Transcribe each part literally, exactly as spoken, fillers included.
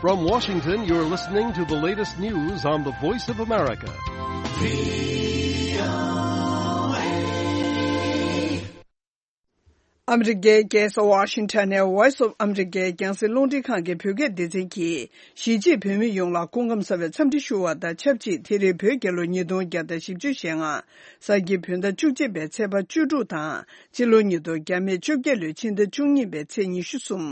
From Washington, you're listening to the latest news on the Voice of America. ཨ་མི་རི་ཀའི་རྒྱལ་ས་ཝ་ཤིང་ཊོན་ནས་Voice of America རྒྱང་སྲིང་རླུང་འཕྲིན་ཁང་གི་བོད་སྐད་སྡེ་ཚན་གྱིས། གཞིས་བྱེས་བོད་མི་ཡོངས་ལ་སྐུ་ཁམས་བཟང་བའི་འཚམས་འདྲི་ཞུ་བ་དང་ཆབས་ཅིག་དེ་རིང་བོད་རྒྱལ་ལོ་ཉིས་སྟོང་བརྒྱ་དང་བཞི་བཅུ་ཞེ་ལྔ། གཟའ་སྤེན་པའི་བོད་ཟླ་བཅུ་གཅིག་པའི་ཚེས་པ་བཅུ་དྲུག་དང་། སྤྱི་ལོ་ཉིས་སྟོང་བརྒྱ་མེད་བཅོ་བརྒྱད་ལོའི་ཕྱི་ཟླ་བཅུ་གཉིས་པའི་ཚེས་ཉི་ཤུ་གསུམ།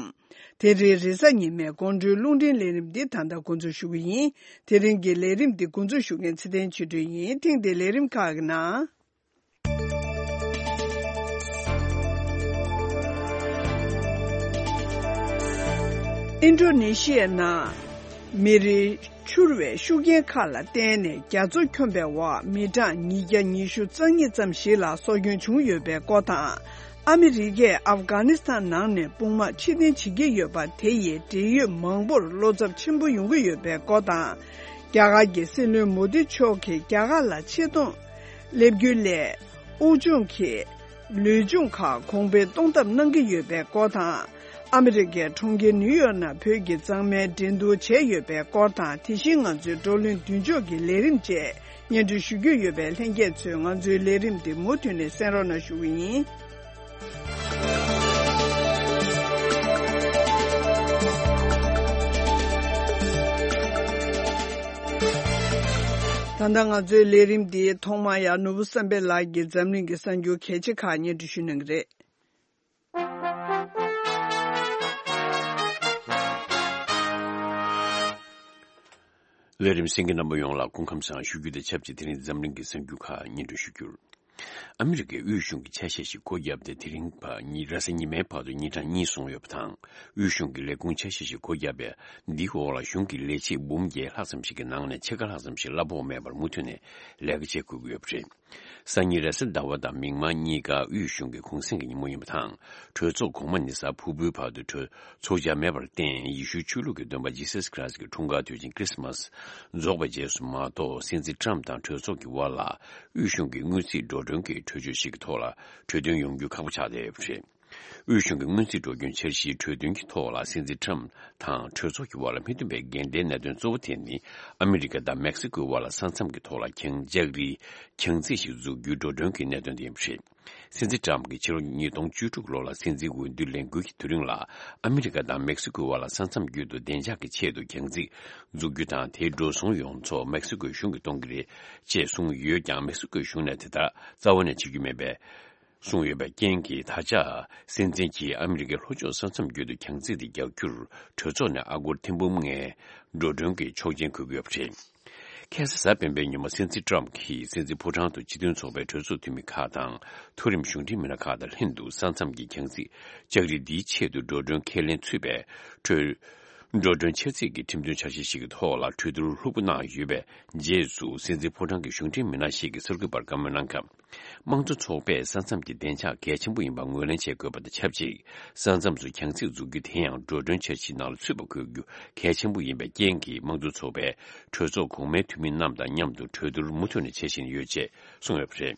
དེ་རིང་རེས་གཟའ་ཉི་མའི་དགོང་དྲོའི་རླུང་འཕྲིན་ལས་རིམ་འདི་ད་ལྟ་འགོ་འཛུགས་ཞུ་གི་ཡིན། དེ་རིང་གི་ལས་རིམ་འདི་འགོ་འཛུགས་ཞུ་མཁན་ཚེ་བརྟན་ཆོས་སྒྲོན་ཡིན། ཐེངས་འདིའི་ལས་རིམ་ཁག་གི་ནང་། ཨིན་ཌོ་ནེ་ཤི་ཡའི་ནང་མེ་རི་འཕྱུར་བའི་ཤུགས་རྐྱེན་ཁག་ལ་བརྟེན་ནས་རྒྱ་མཚོ་འཁྱོམས་པའི་འོག་མི་གྲངས་ཉིས་བརྒྱ་ཉི་ཤུ་རྩ་གཉིས་ཙམ་ཞིག་ལ་སྲོག་སྐྱོན་བྱུང་ཡོད་པའི་སྐོར་དང་། ཨ་མི་རི་ཀས་ཨབ་གྷ་ནི་སི་ཐན་ནང་ནས་དཔུང་དམག་ཕྱིར་འཐེན་བྱེད་ཀྱི་ཡོད་པ་དེ་ཡིས་འབྲེལ་ཡོད་མང་པོར་བློ་འཚབ་ཆེན་པོ་ཡོང་གི་ཡོད་པའི་སྐོར་དང་། རྒྱ་གར་གྱི་སྲིད་བློན་མོ་དི་མཆོག་གིས་རྒྱ་གར་ལ་ཆེད་གཏོང་སླེབས་རྒྱུ་ལས། དབུལ་ཕྱུག་གི་ལུས་སྦྱོང་ཁག་གོང་འཕེལ་གཏོང་ཐབས་གནང་གི་ཡོད་པའི་སྐོར་དང་། ཨ་མི་རི་ཀའི་གྲོང་ཁྱེར་ནིའུ་ཡོག་ནང་བོད་ཀྱི་མཛངས་མའི་འགྲན་བསྡུར་བྱས་ཡོད་པའི་སྐོར་དང་། དེ་བཞིན་ང་ཚོའི་བགྲོ་གླེང་མདུན་ལྕོག་གི་ལས་རིམ་བཅས་སྙན་སྒྲོན་ཞུ་རྒྱུ་ཡོད་པས། ལྷན་རྒྱས་ཚོས་ང་ཚོའི་ལས་རིམ་འདི་མུ་མཐུད་ནས་གསན་རོགས་གནང་ཞུ་གི་ཡིན། ད་ལྟ་ང་ཚོའི་ལས་རིམ་འདིའི་ཐོག་མར་ཡང་ནོར་བུ་བསམ་འཕེལ་ལགས་ཀྱིས་འཛམ་གླིང་གི་གསར་འགྱུར་གལ་ཆེ་ཁག་སྙན་སྒྲོན་ཞུ་གནང་གི་རེད། ལས་རིམ་གསན་མཁན་རྣམ་པ་ཡོངས་ལ་སྐུ་ཁམས་བཟང་ཞུ་རྒྱུ་དང་ཆབས་ཅིག་དེ་རིང་འཛམ་གླིང་གི་གསར་འགྱུར་ཁག་སྙན་སྒྲོན་ཞུ་རྒྱུར། ཨ་མི་རི་ཀའི་དབུས་གཞུང་གི་ཆ་ཤས་ཤིག་སྒོ་བརྒྱབ་སྟེ་དེ་རིང་བར་ཉིན་རེས་གཟའ་ཉི་མའི་བར་དུ་མི་གྲངས་གཉིས་བཟུང་ཡོད་པ་དང་། དབུས་གཞུང་གི་ལས་ཁུངས་ཆ་ཤས་ཤིག་སྒོ་བརྒྱབ་པས་འདིའི་འོག་ལ་གཞུང་གི་ལས་བྱེད་འབུམ་བརྒྱད་ལྷག་ཙམ་ཞིག་གི་ནང་ནས་ཕྱེད་ཀ་ལྷག་ཙམ་ཞིག་གླ་ཕོགས་མེད་པར་མུ་མཐུད་ནས་ལས་ཀ་བྱེད་དགོས་ཀྱི་ཡོད་པ་རེད། སང་ཉིན་རེས་གཟའ་ཟླ་བ་དང་མིག་དམར་གཉིས་ཀ་དབུས་གཞུང་གི་གུང་གསེང་གི་ཉིན་མོ་ཡིན་པ་དང་། གྲོས་ཚོགས་གོང་མ་ནི་གཟའ་ཕུར་བུའི་བར་དུ་གྲོས་ཚོགས་བཅར་མེད་པར་བརྟེན། ཡེ་ཤུའི་ཆོས་ལུགས་ཀྱི་སྟོན་པ་ཇི་སཱས་ཁྲི་རཱས་ཀྱི་འཁྲུངས་སྐར་དུས་ཆེན་ཁྲི་སི་མཱས་རྫོགས་པའི་རྗེས་སུ་མ་གཏོགས། སྲིད་འཛིན་ཊམ་དང་གྲོས་ཚོགས་ཀྱི་དབར་ལ་དབུས་གཞུང་གི་སྔོན་རྩིས་འགྲོ་གྲོན་གྱི་གྲོས་ཆོད་ཞིག་གི་ཐོག་ལ་གྲོས་མཐུན་ཡོང་རྒྱུ་ཁག་པོ་ཆགས་བསྡད་ཡོད་པ་རེད། དབུས་གཞུང་གི་སྔོན་རྩིས་འགྲོ་གྲོན་འཆར་གཞིའི་གྲོས་མཐུན་གྱི་ཐོག་ལ་སྲིད་འཛིན་ཊམ་དང་གྲོས་ཚོགས་ཀྱི་དབར་ལ་མི་མཐུན་པའི་འགལ་ཟླའི་གནད་དོན་གཙོ་བོ་དེ་ནི། ཨ་མི་རི་ཀ་དང་མེག་སི་ཀོའི་དབར་ལ་ས་མཚམས་ཀྱི་ཐོག་ལ་གྱང་ལྕགས་རིའི་གྱང་རྩིས་ཤིག་འཛུགས་རྒྱུའི་འགྲོ་གྲོན་གྱི་གནད་དོན་དེ་ཡིན་པ་རེད། སྲིད་འཛིན་ཊམ་གྱིས་ཕྱི་ལོ་ཉིས་སྟོང་བཅུ་དྲུག་ལོ་ལ་སྲིད་འཛིན་འོས་བསྡུ་ལས་འགུལ་གྱི་དུས་རིང་ལ། ཨ་མི་རི་ཀ་དང་མེག་སི་ཀོའི་དབར་ལ་ས་མཚམས་བརྒྱུད་དུ་བདེ་འཇགས་ཀྱི་ཆེད་དུ་གྱང་རྩིས་འཛུགས་རྒྱུ་དང་། དེའི་འགྲོ་སོང་ཡོངས་རྫོགས་མེག་སི་ཀོའི་གཞུང་གིས་གཏོང་གི་རེད་ཅེས་གསུངས་ཡོད་ཀྱང་། མེག་སི་ཀོའི་གཞུང་ནས་དེ་ལྟར་རྩ་བ་ནས་བྱེད་རྒྱུ་མེད་པའི་གསུངས་ཡོད་པའི་རྐྱེན་གྱིས། ད་ཆ་སྲིད་འཛིན་གྱིས་ཨ་མི་རི་ཀའི་ལྷོ་ཕྱོགས་ས་མཚམས་བརྒྱུད་དུ་གྱང་རྩིས་དེ་རྒྱག་རྒྱུར་གྲོས་ཚོགས་ནས་ཨ་སྒོར་ཐེར་འབུམ་ལྔའི་འགྲོ་གྲོན་གྱི་ཆོག་མཆན་འཁུར་གྱི་ཡོད་པ་རེད། ཁ་སང་གཟའ་སྤེན་པའི་ཉིན་མོ་སྲིད་འཛིན་ཊམ་གྱིས་སྲིད་འཛིན་ཕོ་བྲང་དུ་སྤྱི་མཐུན་ཚོགས་པའི་གྲོས་ཚོགས་འཐུས་མི་ཁག་དང་། མཐོ་རིམ་གཞུང་འབྲེལ་མི་སྣ་ཁག་དང་ལྷན་དུ་ས་མཚམས་ཀྱི་གྱང་རྩིས་ལྕགས་རི་འདིའི་ཆེད་དུ་འགྲོ་གྲོན་ཁས་ལེན་ཚུད་པའི་གྲོས། འགྲོ་གྲོན་འཆར་རྩིས་ཀྱི་ཁྲིམས་མཐུན་འཆར་གཞི་ཞིག་གི་ཐོག་ལ་གྲོས་བསྡུར་ལྷུག་པོ་གནང་ཡོད་པའི་རྗེས་སུ། སྲིད་འཛིན་ཕོ་བྲང་གི་གཞུང་འབྲེལ་མི་སྣ་ཞིག་གིས་གསར་འགོད་པར་བཀའ་མོལ་གནང་སྐབས། དམངས་གཙོ་ཚོགས་པས་ས་མཚམས་ཀྱི་བདེ་འཇགས་གལ་ཆེན་པོ་ཡིན་པ་ངོས་ལེན་བྱེད་དགོས་པ་དང་ཆབས་ཅིག་ས་མཚམས་སུ་གྱང་རྩིས་འཛུགས་རྒྱུ་དེ་ཡང་འགྲོ་གྲོན་འཆར་གཞིའི་ནང་ལ་ཚུད་པ་དགོས་རྒྱུ་གལ་ཆེན་པོ་ཡིན་པའི་རྐྱེན་གྱིས། དམངས་གཙོ་ཚོགས་པའི་གྲོས་ཚོགས་གོང་མའི་འཐུས་མི་རྣམས་དང་མཉམ་དུ་གྲོས་བསྡུར་མུ་མཐུད་ནས་བྱེད་བཞིན་ཡོད་ཅེས་གསུངས་ཡོད་པ་རེད།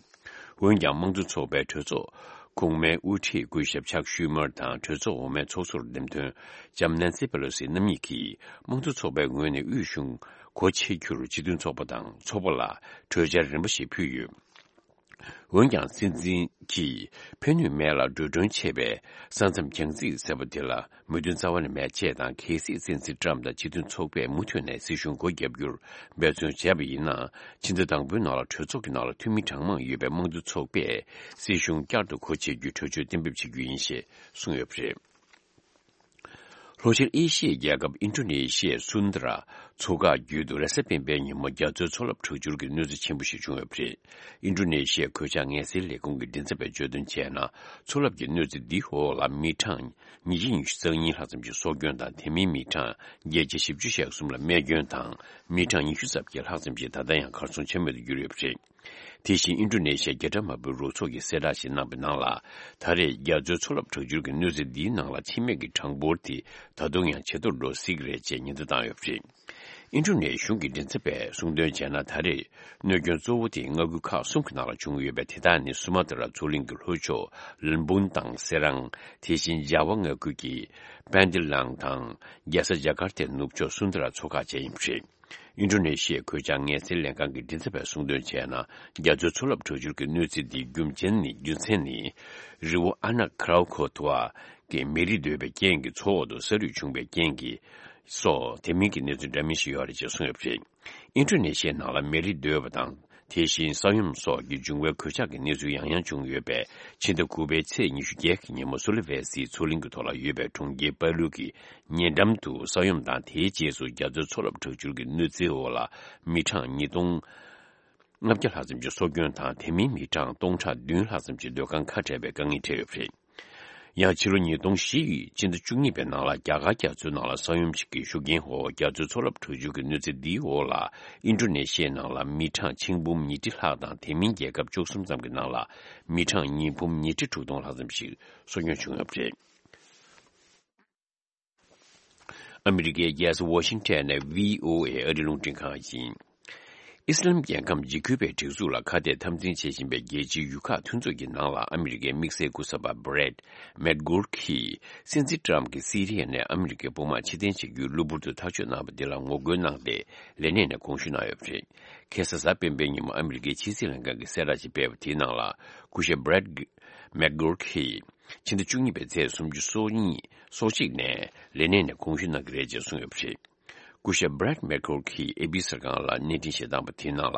འོན་ཀྱང་། དམངས་གཙོ་ཚོགས་པའི་གྲོས་ཚོགས་གོང་མའི་དབུ་ཁྲིད་སྐུ་ཞབས་ཆག་ཤུ་མར་དང་གྲོས་ཚོགས་འོག་མའི་ཚོགས་ཟུར་འདེམས་ཐོན་ལྕམ་ནན་སི་པེ་ལོ་སི་རྣམ་གཉིས་ཀྱིས། དམངས་གཙོ་ཚོགས་པའི་ངོས་ནས་དབུས་གཞུང་སྒོ་ཕྱེ་རྒྱུར་སྤྱི་མཐུན་ཚོགས་པ་དང་ཚོགས་པ་ལ་གྲོས་འཆར་རིམ་པ་ཞིག་ཕུལ་ཡོད། འོན་ཀྱང་། སྲིད་འཛིན་གྱིས་ཕན་ནུས་མེད་ལ་འགྲོ་གྲོན་ཆེ་བའི་ས་མཚམས་གྱང་རྩིས་ཟེར་བ་དེ་ལ་མོས་མཐུན་རྩ་བ་ནས་མེད་ཅེས་དང་། གལ་སྲིད་སྲིད་འཛིན་ཊམ་དང་སྤྱི་མཐུན་ཚོགས་པས་མུ་མཐུད་ནས་སྲིད་གཞུང་སྒོ་བརྒྱབ་རྒྱུར་འབད་བརྩོན་བྱས་པ་ཡིན་ན། ཕྱི་ཟླ་དང་པོའི་ནང་ལ་གྲོས་ཚོགས་ཀྱི་ནང་ལ་འཐུས་མི་གྲངས་མང་ཡོད་པའི་དམངས་གཙོ་ཚོགས་པས་སྲིད་གཞུང་བསྐྱར་དུ་སྒོ་ཕྱེ་རྒྱུའི་གྲོས་ཆོད་གཏན་འབེབས་བྱེད་རྒྱུ་ཡིན་ཞེས་གསུངས་ཡོད་པ་རེད། ལྷོ་ཤར་ཨེ་ཤི་ཡའི་རྒྱལ་ཁབ་ཨིན་ཌོ་ནེ་ཤི་ཡའི་སུན་དྷ་ར་མཚོ་འགག་བརྒྱུད་དུ་རེས་གཟའ་སྤེན་པའི་ཉིན་མོ་རྒྱ་མཚོའི་མཚོ་རླབས་དྲག་འཕྱུར་གྱི་གནོད་འཚེ་ཆེན་པོ་ཞིག་བྱུང་ཡོད་པ་རེད། ཨིན་ཌོ་ནེ་ཤི་ཡའི་གོད་ཆག་ངལ་སེལ་ལས་ཁུངས་ཀྱི་མགྲིན་ཚབ་པས་བརྗོད་དོན་བྱས་ན། མཚོ་རླབས་ཀྱི་གནོད་འཚེ་འདིའི་འོག་ལ་མི་གྲངས་ཉིས་བརྒྱ་ཉི་ཤུ་རྩ་གཉིས་ལྷག་ཙམ་གྱི་སྲོག་སྐྱོན་དང་། དེ་མིན་མི་གྲངས་བརྒྱད་བརྒྱ་བཞི་བཅུ་ཞེ་གསུམ་ལ་རྨས་སྐྱོན་དང་། མི་གྲངས་ཉི་ཤུ་རྩ་བརྒྱད་ལྷག་ཙམ་ཞིག་ད་ལྟ་ཡང་གར་སོང་ཆ་མེད་དུ་གྱུར་ཡོད་པ་རེད། དེ་བཞིན་ཨིན་ཌོ་ནེ་ཤི་ཡའི་རྒྱལ་ཕྲན་མ་དཔོན་རོགས་ཚོགས་ཀྱིས་གསལ་བསྒྲགས་ཤིག་གནང་པའི་ནང་ལ། ད་རེས་རྒྱ་མཚོའི་མཚོ་རླབས་དྲག་འཕྱུར་གྱི་གནོད་འཚེ་འདིའི་ནང་ལ་འཆི་རྨས་ཀྱི་གྲངས་འབོར་དེ་ད་དུང་ཡང་ཇེ་མཐོར་འགྲོ་སྲིད་ཀྱི་རེད་ཅེས་ཉེན་བརྡ་བཏང་ཡོད་པ་རེད། ཨིན་ཌོ་ནེ་ཤི་ཡའི་མགྲིན་ཚབ་པས་གསུངས་དོན་བྱས་ན། ད་རེས་གནོད་སྐྱོན་གཙོ་བོ་དེ་མངའ་ཁུལ་ཁག་གསུམ་གྱི་ནང་ལ་བྱུང་ཡོད་པས། དེ་དག་ནི་སུ་མ་ཏི་ར་མཚོ་གླིང་གི་ལྷོ་ཕྱོགས་ལམ་བུན་དང་སེ་རང་། དེ་བཞིན་ཇཱ་ཝ་མངའ་ཁུལ་གྱི་པན་ཏི་ལང་དང་རྒྱལ་ས་ཇ་ཀར་ཏའི་ནུབ་ཕྱོགས་སུན་དི་ར་མཚོ་ཁག་བཅས་ཡིན་པ་རེད། ཨིན་ཌོ་ནེ་ཤི་ཡའི་གོད་ཆག་ངལ་སེལ་ལས་ཁང་གི་མགྲིན་ཚབ་པས་གསུངས་དོན་བྱས་ན། རྒྱ་མཚོའི་མཚོ་རླབས་དྲག་སྦྱོར་གྱི་གནོད་འཚེ་འདིའི་རྒྱུ་མཚན་ནི། རྒྱུ་མཚན་ནི། རི་བོ་ཨ་ན་ཁ་རའོ་ཁོ་ཐུ་ཝ་གི་མེ་རི་རྡོལ་བའི་རྐྱེན་གྱིས་མཚོ་འོག་ཏུ་ས་རུད་བྱུང་བའི་རྐྱེན་གྱིས་སོགས་དེ་མིན་གྱི་གནས་ཚུལ་འདྲ་མིན་ཞིག་ཡོད་རེད་ཅེས་གསུངས་ཡོད་པ་རེད། ཨིན་ཌོ་ནེ་ཤི་ཡའི་ནང་ལ་མེ་རི་རྡོལ་བ་དང་། དེ་བཞིན་ས་ཡོམ་སོགས་ཀྱི་འབྱུང་བའི་གོད་ཆག་གི་གནས་ཚུལ་ཡང་ཡང་བྱུང་ཡོད་པས། ཕྱི་ཟླ་དགུ་པའི་ཚེས་ཉི་ཤུ་བརྒྱད་ཀྱི་ཉིན་མོ་སུ་ལི་ཝེ་སིའི་མཚོ་གླིང་གི་ཐོག་ལ་ཡོད་པའི་གྲོང་ཁྱེར་པ་ལུ་གི་ཉེ་འགྲམ་དུ་ས་ཡོམ་དང་། དེའི་རྗེས་སུ་རྒྱ་མཚོའི་མཚོ་རླབས་དྲག་སྦྱོར་གྱི་གནོད་འཚེའི་འོག་ལ་མི་གྲངས་ཉིས་སྟོང་ལྔ་བརྒྱ་ལྷག་ཙམ་གྱི་སྲོག་སྐྱོན་དང་། དེ་མིན་མི་གྲངས་སྟོང་ཕྲག་བདུན་ལྷག་ཙམ་གྱི་སྡོད་ཁང་ཁ་བྲལ་བའི་དཀའ་ངལ་འཕྲད་ཡོད་པ་རེད། ཡང་ཕྱི་ལོ་ཉིས་སྟོང་བཞི་ཡི་ཕྱི་ཟླ་བཅུ་གཉིས་པའི་ནང་ལ་རྒྱ་གར་རྒྱ་མཚོའི་ནང་ལ་ས་ཡོམ་ཞིག་གི་ཤུགས་རྐྱེན་འོག་རྒྱ་མཚོའི་མཚོ་རླབས་དྲག་སྦྱོར་གྱི་གནོད་འཚེ་འདིའི་འོག་ལ། ཨིན་ཌོ་ནེ་ཤི་ཡའི་ནང་ལ་མི་གྲངས་ཆིག་འབུམ་ཉིས་ཁྲི་ལྷག་དང་། དེ་མིན་རྒྱལ་ཁབ་བཅུ་གསུམ་ཙམ་གྱི་ནང་ལ་མི་གྲངས་ཉིས་འབུམ་ཉིས་ཁྲི་དྲུག་སྟོང་ལྷག་ཙམ་ཞིག་སྲོག་སྐྱོན་བྱུང་ཡོད་པ་རེད། ཨ་མི་རི་ཀའི་རྒྱལ་ས་ཝ་ཤིང་ཊོན་ནས་ཝི་ཨོ་ཨེ་ཨ་རིའི་རླུང་འཕྲིན་ཁང་ཡིན། ཨི་སི་ལམ་རྒྱལ་ཁམས་འཇིགས་སྐུལ་བའི་སྒྲིག་འཛུགས་ལ་ཁ་གཏད་འཐབ་འཛིང་བྱེད་བཞིན་པའི་རྒྱལ་སྤྱིའི་ཡུལ་ཁག་མཐུན་ཚོགས་ཀྱི་ནང་ལ་ཨ་མི་རི་ཀའི་དམིགས་བསལ་སྐུ་ཚབ་པ་Brett McGurk གིས་སྲིད་འཛིན་ཊམ་གྱིས་སི་རི་ཡ་ནས་ཨ་མི་རི་ཀའི་དཔུང་དམག་ཕྱིར་འཐེན་བྱེད་རྒྱུའི་གློ་བུར་དུ་ཐག་གཅོད་གནང་བ་འདི་ལ་ངོ་རྒོལ་གནང་སྟེ་ལས་གནས་ནས་དགོངས་ཞུ་གནང་ཡོད་པ་རེད། ཁ་སང་གཟའ་སྤེན་པའི་ཉིན་མོ་ཨ་མི་རི་ཀའི་ཕྱི་སྲིད་ལྷན་ཁང་གིས་གསལ་བསྒྲགས་ཤིག་སྤེལ་བ་དེའི་ནང་ལ། སྐུ་ཞབས་Brett McGurk གིས་ཕྱི་ཟླ་བཅུ་གཉིས་པའི་ཚེས་སུམ་ཅུ་སོ་གཉིས་སོ་གཅིག་ནས་ལས་གནས་ནས་དགོངས་ཞུ་གནང་གི་རེད་ཅེས་གསུངས་ཡོད་པ་རེད། སྐུ་ཞབས་Brett McGurk གིས་ཨེ་པི་གསར་ཁང་ལ་གནས་འཕྲིན་བཤད་སྟངས་པ་དེའི་ནང་ལ།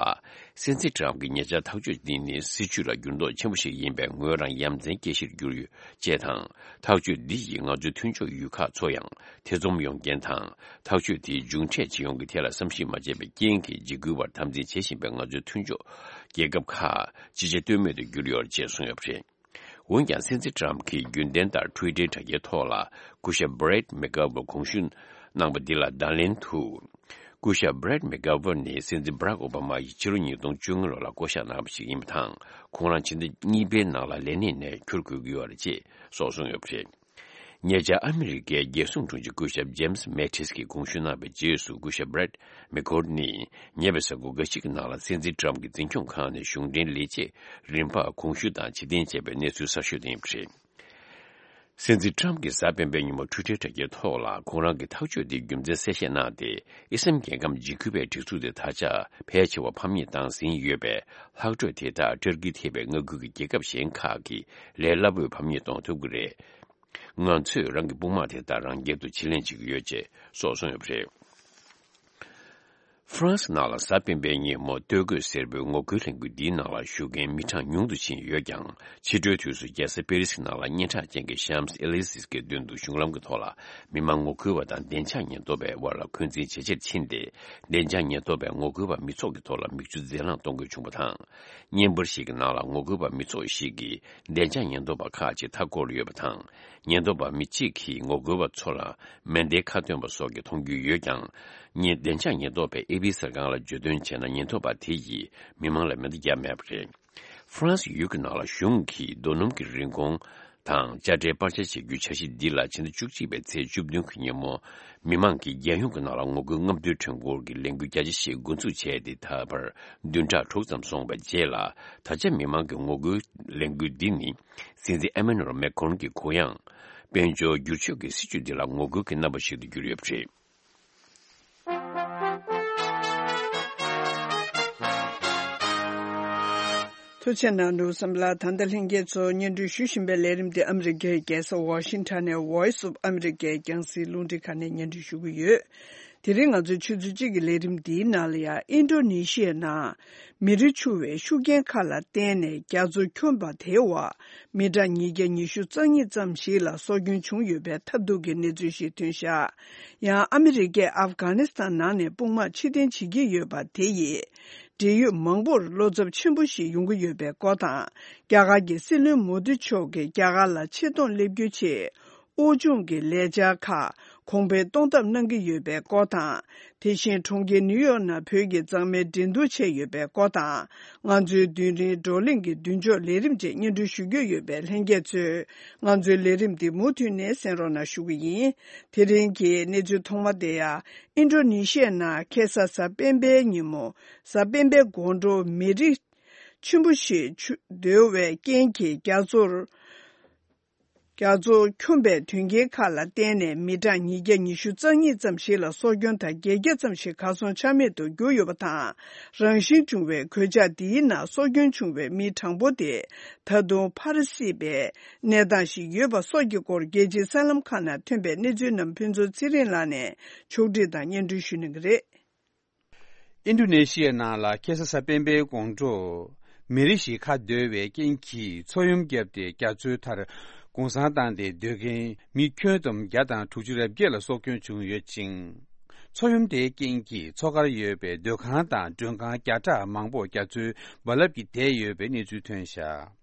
སྲིད་འཛིན་ཊམ་གྱི་ཉེ་ཆར་ཐག་གཅོད་འདི་ནི་སྲིད་བྱུས་ལ་འགྱུར་ལྡོག་ཆེན་པོ་ཞིག་ཡིན་པས། ངོས་རང་ཡ་མཚན་སྐྱེ་གཞིར་གྱུར་ཡོད་ཅེས་དང་། ཐག་གཅོད་འདི་ཡིས་ང་ཚོའི་མཐུན་ཕྱོགས་ཡུལ་ཁག་ཚོ་ཡང་ཐེ་ཚོམ་ཡོང་རྐྱེན་དང་། ཐག་གཅོད་དེའི་མཇུག་འབྲས་ཇི་ཡོང་གི་ཐད་ལ་བསམ་གཞིག་མ་བྱས་པའི་རྐྱེན་གྱིས། འཇིགས་སྐུལ་བར་འཐབ་འཛིང་བྱེད་བཞིན་པའི་ང་ཚོའི་མཐུན་ཕྱོགས་རྒྱལ་ཁབ་ཁག་ཅི་བྱ་གཏོལ་མེད་དུ་གྱུར་ཡོད་ཅེས་གསུངས་ཡོད་པ་རེད། འོན་ཀྱང་། སྲིད་འཛིན་ཊམ་གྱིས་རྒྱུན་ལྡན་ལྟར་ཊུའི་ཊར་དྲ་རྒྱའི་ཐོག་ལ་སྐུ་ཞབས་Brett McGurk དགོངས་ཞུ་གནང་པ་འདི་ལ་བརྡ་ལན་དུ། སྐུ་ཞབས་Brett McGurk ནི་སྲིད་འཛིན་Barack Obama ཡིས་ཕྱི་ལོ་ཉིས་སྟོང་བཅོ་ལྔ་ལོ་ལ་བསྐོ་གཞག་གནང་བ་ཞིག་ཡིན་པ་དང་། ཁོང་རང་ཕྱི་ཟླ་གཉིས་པའི་ནང་ལ་ལས་གནས་ནས་འཁྱུར་དགོས་ཀྱི་ཡོད་རེད་ཅེས་སོགས་གསུངས་ཡོད་པ་རེད། ཉེ་ཆར་ཨ་མི་རི་ཀའི་རྒྱལ་སྲུང་དྲུང་ཆེ་སྐུ་ཞབས་James Mattis གིས་དགོངས་ཞུ་གནང་བའི་རྗེས་སུ། སྐུ་ཞབས་Brett McGurk ནི་ཉེ་བའི་གཟའ་འཁོར་འགའ་ཞིག་གི་ནང་ལ་སྲིད་འཛིན་ཊམ་གྱི་འཛིན་སྐྱོང་ཁང་ནས་གཞུང་འབྲེལ་ལས་བྱེད་རིམ་པར་དགོངས་ཞུ་དང་ཕྱིར་འཐེན་བྱས་པའི་གནས་ཚུལ་གསར་ཤོས་དེ་ཡིན་པ་རེད། སྲིད་འཛིན་ཊམ་གྱིས་གཟའ་སྤེན་པའི་ཉིན་མོ་ཊུའི་ཊར་དྲ་རྒྱའི་ཐོག་ལ་ཁོང་རང་གི་ཐག་གཅོད་དེའི་རྒྱུ་མཚན་གསལ་བཤད་གནང་སྟེ། ཨི་སི་ལམ་རྒྱལ་ཁམས་འཇིགས་སྐུལ་བའི་སྒྲིག་འཛུགས་དེ་ད་ཆ་ཕལ་ཆེ་བ་ཕམ་ཉེས་བཏང་ཟིན་ཡོད་པས། ལྷག་འཕྲོས་དེ་དག་ཊར་ཀི་ཐེ་བའི་མངའ་ཁུལ་གྱི་རྒྱལ་ཁབ་གཞན་ཁག་གིས་ལས་སླ་པོས་ཕམ་ཉེས་གཏོང་ཐུབ་ཀྱི་རེད། ང་ཚོས་རང་གི་དཔུང་དམག་དེ་དག་རང་རྒྱལ་དུ་ཕྱིར་ལེན་བྱེད་ཀྱི་ཡོད་ཅེས་སོགས་གསུངས་ཡོད་པ་རེད། ཧྥ་རན་སི་ནང་ལ་གཟའ་སྤེན་པའི་ཉིན་མོ་སྟོད་གོས་སེར་པོའི་ངོ་རྒོལ་ལས་འགུལ་འདིའི་ནང་ལ་ཞུགས་མཁན་མི་གྲངས་ཉུང་དུ་ཕྱིན་ཡོད་ཀྱང་། ཕྱི་དྲོའི་དུས་སུ་རྒྱལ་ས་པེ་རི་སི་ནང་ལ་སྙན་གྲགས་ཅན་གྱི་Champs Élysées གི་མདུན་དུ་གཞུང་ལམ་གྱི་ཐོག་ལ་མི་མང་ངོ་རྒོལ་བ་དང་བདེ་འཇགས་ཉེན་རྟོག་པའི་དབར་ལ་འཁོན་འཛིན་ཇེ་ཆེར་ཕྱིན་ཏེ། བདེ་འཇགས་ཉེན་རྟོག་པས་ངོ་རྒོལ་བ་མི་ཚོགས་ཀྱི་ཐོག་ལ་མིག་ཆུ་རྫས་རླངས་གཏོང་དགོས་བྱུང་བ་དང་། བརྙན་པར་ཞིག་གི་ནང་ལ་ངོ་རྒོལ་བ་མི་ཚོགས་ཤིག་གིས་བདེ་འཇགས་ཉེན་རྟོག་པ་ཁག་ཅིག་མཐའ་བསྐོར་ཡོད་པ་དང་། ཉེན་རྟོག་པ་མི་གཅིག་གིས་ངོ་རྒོལ་བ་ཚོ་ལ་མེ་མདའི་ཁ་བཏོན་པ་སོགས་ཀྱིས་མཐོང་རྒྱུ་ཡོད་ཀྱང་། ཉེན་བདེ་འཇགས་ཉེན་རྟོག་པས་ཨེ་པི་གསར་ཁང་ལ་བརྗོད་དོན་བྱས་ན། ཉེན་རྟོག་པ་དེ་ཡིས་མི་མང་ལ་མེ་མདའ་བརྒྱབ་མེད་པ་རེད། ཧྥ་རན་སི་ཡུལ་གྱི་ནང་ལ་གཞུང་གིས་རྡོ་སྣུམ་གྱི་རིན་གོང་དང་དཔྱ་ཁྲལ་སྤར་ཆ་བྱེད་རྒྱུའི་འཆར་གཞི་འདི་ལ་ཕྱི་ཟླ་བཅུ་གཅིག་པའི་ཚེས་བཅུ་བདུན་གྱི་ཉིན་མོ། མི་མང་གིས་རྒྱལ་ཡོངས་ཀྱི་ནང་ལ་ངོ་རྒོལ་རྔམ་སྟོན་ཁྲོམ་སྐོར་གྱི་ལས་འགུལ་རྒྱ་ཆེ་ཞིག་འགོ་འཛུགས་བྱས་ཏེ། ད་བར་བདུན་ཕྲག་དྲུག་ཙམ་སོང་བའི་རྗེས་ལ། ད་ཆ་མི་མང་གི་ངོ་རྒོལ་ལས་འགུལ་འདི་ནི། སྲིད་འཛིན་ཨེ་མ་ནུ་ཨེལ་མེ་ཁོན་གྱི་གུ་ཡངས་དཔལ་འབྱོར་བསྒྱུར་བཅོས་ཀྱི་སྲིད་བྱུས་འདི་ལ་ངོ་རྒོལ་གྱི་རྣམ་པ་ཞིག་ཏུ་གྱུར་ཡོད་པ་རེད། ཐུགས་རྗེ་གནང་འདུག་བསམ་ལ། ད་ལྟ་ལྷན་རྒྱས་ཚོ་སྙན་སྒྲོན་ཞུ་བཞིན་པའི་ལས་རིམ་དེ་ཨ་མི་རི་ཀའི་རྒྱལ་ས་ཝ་ཤིང་ཊོན་ནས་Voice of America རྒྱང་སྲིང་རླུང་འཕྲིན་ཁང་ནས་སྙན་སྒྲོན་ཞུ་གི་ཡོད། དེ་རིང་ང་ཚོའི་ཆུ་ཚོད་གཅིག་གི་ལས་རིམ་འདིའི་ནང་ལ་ཡང་། ཨིན་ཌོ་ནེ་ཤི་ཡའི་ནང་མེ་རི་འཕྱུར་བའི་ཤུགས་རྐྱེན་ཁག་ལ་བརྟེན་ནས་རྒྱ་མཚོ་འཁྱོམས་པ་དེའི་འོག་མི་གྲངས་ཉིས་བརྒྱ་ཉི་ཤུ་རྩ་གཉིས་ཙམ་ཞིག་ལ་སྲོག་སྐྱོན་བྱུང་ཡོད་པའི་ཐབས་སྡུག་གི་གནས་ཚུལ་ཞིག་ཐོན་ཤག་ཡང་ཨ་མི་རི་ཀས་ཨབ་གྷ་ནི་སི་ཐན་ནང་ནས་དཔུང་དམག་ཕྱིར་འཐེན་བྱེད་ཀྱི་ཡོད་པ་དེ་ཡིས། འབྲེལ་ཡོད་མང་པོར་བློ་འཚབ་ཆེན་པོ་ཞིག་ཡོང་གི་ཡོད་པའི་སྐོར་དང་། རྒྱ་གར་གྱི་སྲིད་བློན་མོ་དི་མཆོག་གིས་རྒྱ་གར་ལ་ཆེ་མཐོང་སླེབས་རྒྱུའི་ཆེད། དབུལ་ཕྱུག་གི་ལས་འཆར་ཁག་ གོང་འཕེལ་གཏོང་ཐབས་གནང་གི་ཡོད་པའི་སྐོར་དང་། དེ་བཞིན་གྲོང་ཁྱེར་ནིའུ་ཡོག་ནང་བོད་ཀྱི་མཛངས་མའི་འགྲན་བསྡུར་བྱས་ཡོད་པའི་སྐོར་དང་། ང་ཚོའི་མདུན་རིང་བགྲོ་གླེང་གི་མདུན་ལྕོག་ལས་རིམ་བཅས་སྙན་སྒྲོན་ཞུ་རྒྱུ་ཡོད་པས། ལྷན་རྒྱས་ཚོས་ང་ཚོའི་ལས་རིམ་འདི་མུ་མཐུད་ནས་གསན་རོགས་གནང་ཞུ་གི་ཡིན། དེ་རིང་གི་གནས་ཚུལ་ཐོག་མ་དེ་ཡང་། ཨིན་ཌོ་ནེ་ཤི་ཡའི་ནང་ཁ་སང་གཟའ་སྤེན་པའི་ཉིན་མོ། གཟའ་སྤེན་པའི་དགོང་དྲོ་མེ་རི་ཆེན་པོ་ཞིག་ཆུ་རྡོལ་བའི་རྐྱེན་གྱིས། རྒྱ་མཚོར། རྒྱ་མཚོ་འཁྱོམས་པའི་དོན་རྐྱེན་ཁག་ལ་བརྟེན་ནས། མི་གྲངས་ཉིས་བརྒྱ་ཉི་ཤུ་རྩ་གཉིས་ཙམ་ཞིག་ལ་སྲོག་སྐྱོན་དང་། བརྒྱད་བརྒྱ་ཙམ་ཞིག་གར་སོང་ཆ་མེད་དུ་གྱུར་ཡོད་པ་དང་། རང་བཞིན་བྱུང་བའི་གོད་ཆག་འདིའི་ནང་སྲོག་སྐྱོན་བྱུང་བའི་མི་གྲངས་འབོར་དེ་ད་དུང་འཕར་སྲིད་པའི་གནས་སྟངས་ཤིག་ཡོད་པ་སོགས་ཀྱི་སྐོར། རྒྱལ་སྤྱིའི་གསར་ལམ་ཁག་ནང་ཐོན་པའི་གནས་ཚུལ་རྣམས་ཕུན་ཚོགས་ཚེ་རིང་ལགས་ནས་ཕྱོགས་སྒྲིག་དང་སྙན་སྒྲོན་ཞུ་གནང་གི་རེད། ཨིན་ཌོ་ནེ་ཤི་ཡའི་ནང་ལ་ཁ་སང་གཟའ་སྤེན་པའི་དགོང་དྲོ། མེ་རི་ཞིག་ཁ་རྡོལ་བའི་རྐྱེན་གྱིས་མཚོ་ཡོམ་བརྒྱབ་སྟེ། རྒྱ་མཚོའི་མཐར་གུང་སེང་བཏང་སྟེ་སྡོད་མཁན་མི་ཁྱོན་བསྡོམས་བརྒྱ་དང་དྲུག་ཅུ་རེ་བརྒྱད་ལ་སྲོག་སྐྱོན་བྱུང་ཡོད་ཅིང་། མཚོ་ཡོམ་དེའི་རྐྱེན་གྱིས་མཚོ་ཁར་ཡོད་པའི་སྡོད་ཁང་དང་མགྲོན་ཁང་བརྒྱ་ཕྲག་མང་པོ་རྒྱ་མཚོའི་རྦ་རླབས་ཀྱིས་དེད་ཡོད་པའི་གནས་ཚུལ་ཐོན་བཞག་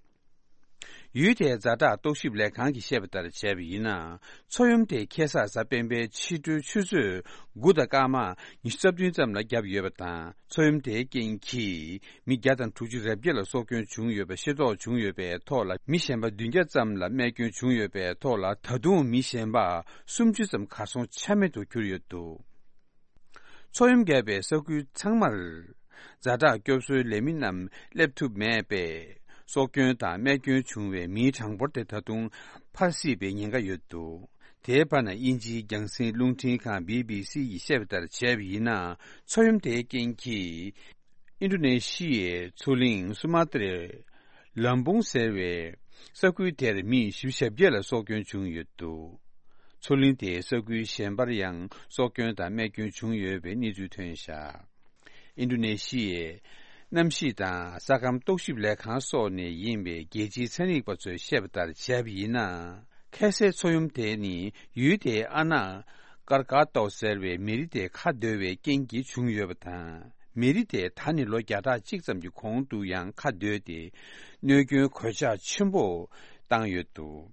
ཡུལ་དེའི་ཛ་དྲག་རྟོག་ཞིབ་ལས་ཁང་གིས་བཤད་པ་ལྟར་བྱས་པ་ཡིན་ན། མཚོ་ཡོམ་དེ་ཁ་སང་གཟའ་སྤེན་པའི་ཕྱི་དྲོའི་ཆུ་ཚོད་དགུ་དང་སྐར་མ་ཉི་ཤུ་རྩ་བདུན་ཙམ་ལ་བརྒྱབ་ཡོད་པ་དང་། མཚོ་ཡོམ་དེའི་རྐྱེན་གྱིས་མི་བརྒྱ་དང་དྲུག་ཅུ་རེ་བརྒྱད་ལ་སྲོག་སྐྱོན་བྱུང་ཡོད་པ་ཤེས་རྟོགས་བྱུང་ཡོད་པའི་ཐོག་ལ། མི་གཞན་པ་བདུན་བརྒྱ་ཙམ་ལ་རྨས་སྐྱོན་བྱུང་ཡོད་པའི་ཐོག་ལ། ད་དུང་མི་གཞན་པ་སུམ་ཅུ་ཙམ་གར་སོང་ཆ་མེད་དུ་གྱུར་ཡོད་འདུག་མཚོ་ཡོམ་བརྒྱབ་པའི་ས་ཁུལ་ཚང་མར་ཛ་དྲག་སྐྱོབ་གསོའི་ལས་མི་རྣམས་སླེབས་ཐུབ་མེད་པས། སྲོག་སྐྱོན་དང་རྨས་སྐྱོན་བྱུང་བའི་མིའི་གྲངས་འབོར་དེ་ད་དུང་འཕར་སྲིད་པའི་ཉེན་ཁ་ཡོད་འདུག་དེའི་བར་ན། དབྱིན་ཇིའི་རྒྱང་སྲིང་རླུང་འཕྲིན་ཁང་བི་བི་སི་ཡིས་བཤད་པ་ལྟར་བྱས་པ་ཡིན་ན། མཚོ་ཡོམ་དེའི་རྐྱེན་གྱིས། ཨིན་ཌོ་ནེ་ཤི་ཡའི་མཚོ་གླིང་སུ་མ་ཏྲའི་ལམ་བུང་ཟེར་བའི་ས་ཁུལ་དེར་མི་བཞི་བཅུ་ཞེ་བརྒྱད་ལ་སྲོག་སྐྱོན་བྱུང་ཡོད་འདུག་མཚོ་གླིང་དེའི་ས་ཁུལ་གཞན་པར་ཡང་སྲོག་སྐྱོན་དང་རྨས་སྐྱོན་བྱུང་ཡོད་པའི་གནས་ཚུལ་ཐོན་བཞག་ཨིན་ཌོ་ནེ་ཤི་ཡའི་གནམ་གཤིས་དང་ས་ཁམས་རྟོག་ཞིབ་ལས་ཁང་སོགས་ནས་ཡིན་པའི་རྒྱལ་སྤྱིའི་ཚན་རིག་པ་ཚོས་བཤད་པ་ལྟར་བྱས་པ་ཡིན་ན། ཁ་སའི་མཚོ་ཡོམ་དེ་ནི་ཡུལ་དེའི་ཨ་ན་ཀར་ཀ་ཏོ་ཟེར་བའི་མེ་རི་དེ་ཁ་རྡོལ་བའི་རྐྱེན་གྱིས་བྱུང་ཡོད་པ་དང་། མེ་རི་དེ་ད་ནི་ལོ་བརྒྱ་ཕྲག་གཅིག་ཙམ་གྱི་གོང་དུ་ཡང་ཁ་རྡོལ་ཏེ། གནོད་སྐྱོན་གོད་ཆག་ཆེན་པོ་བཏང་ཡོད་འདུག་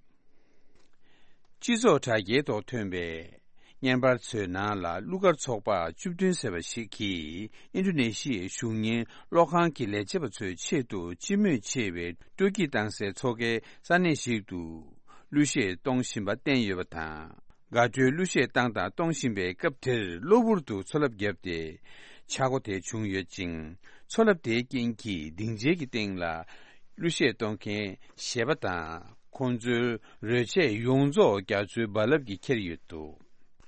སྤྱི་ཚོགས་དྲ་རྒྱའི་ཐོག་ཐོན་པའི་བརྙན་པར་ཚོའི་ནང་ལ། གླུ་གར་ཚོགས་པ་བཅུ་བདུན་ཟེར་བ་ཞིག་གིས་ཨིན་ཌོ་ནེ་ཤི་ཡའི་གཞུང་གཉེར་གློག་ཁང་གི་ལས་བྱེད་པ་ཚོའི་ཆེད་དུ་སྤྱི་མོས་ཆེ་བའི་སྤྲོ་སྐྱིད་བཏང་སའི་མཚོ་ཁའི་ས་གནས་ཤིག་ཏུ་གླུ་གཞས་གཏོང་བཞིན་པ་བསྟན་ཡོད་པ་དང་། དགའ་སྤྲོའི་གླུ་གཞས་བཏང་དང་གཏོང་བཞིན་པའི་སྐབས་དེར། གློ་བུར་དུ་མཚོ་རླབས་བརྒྱབ་སྟེ་ཆག་སྒོ་དེ་བྱུང་ཡོད་ཅིང་། མཚོ་རླབས་དེའི་རྐྱེན་གྱིས་སྡིངས་ཆའི་གི་སྟེང་ལ་གླུ་གཞས་གཏོང་མཁན་གཞས་པ་དང་། ཁོང་ཚོའི་རོལ་ཆས་ཡོངས་རྫོགས་རྒྱ་མཚོའི་རྦ་རླབས་ཀྱིས་ཁྱེར་ཡོད་འདུག་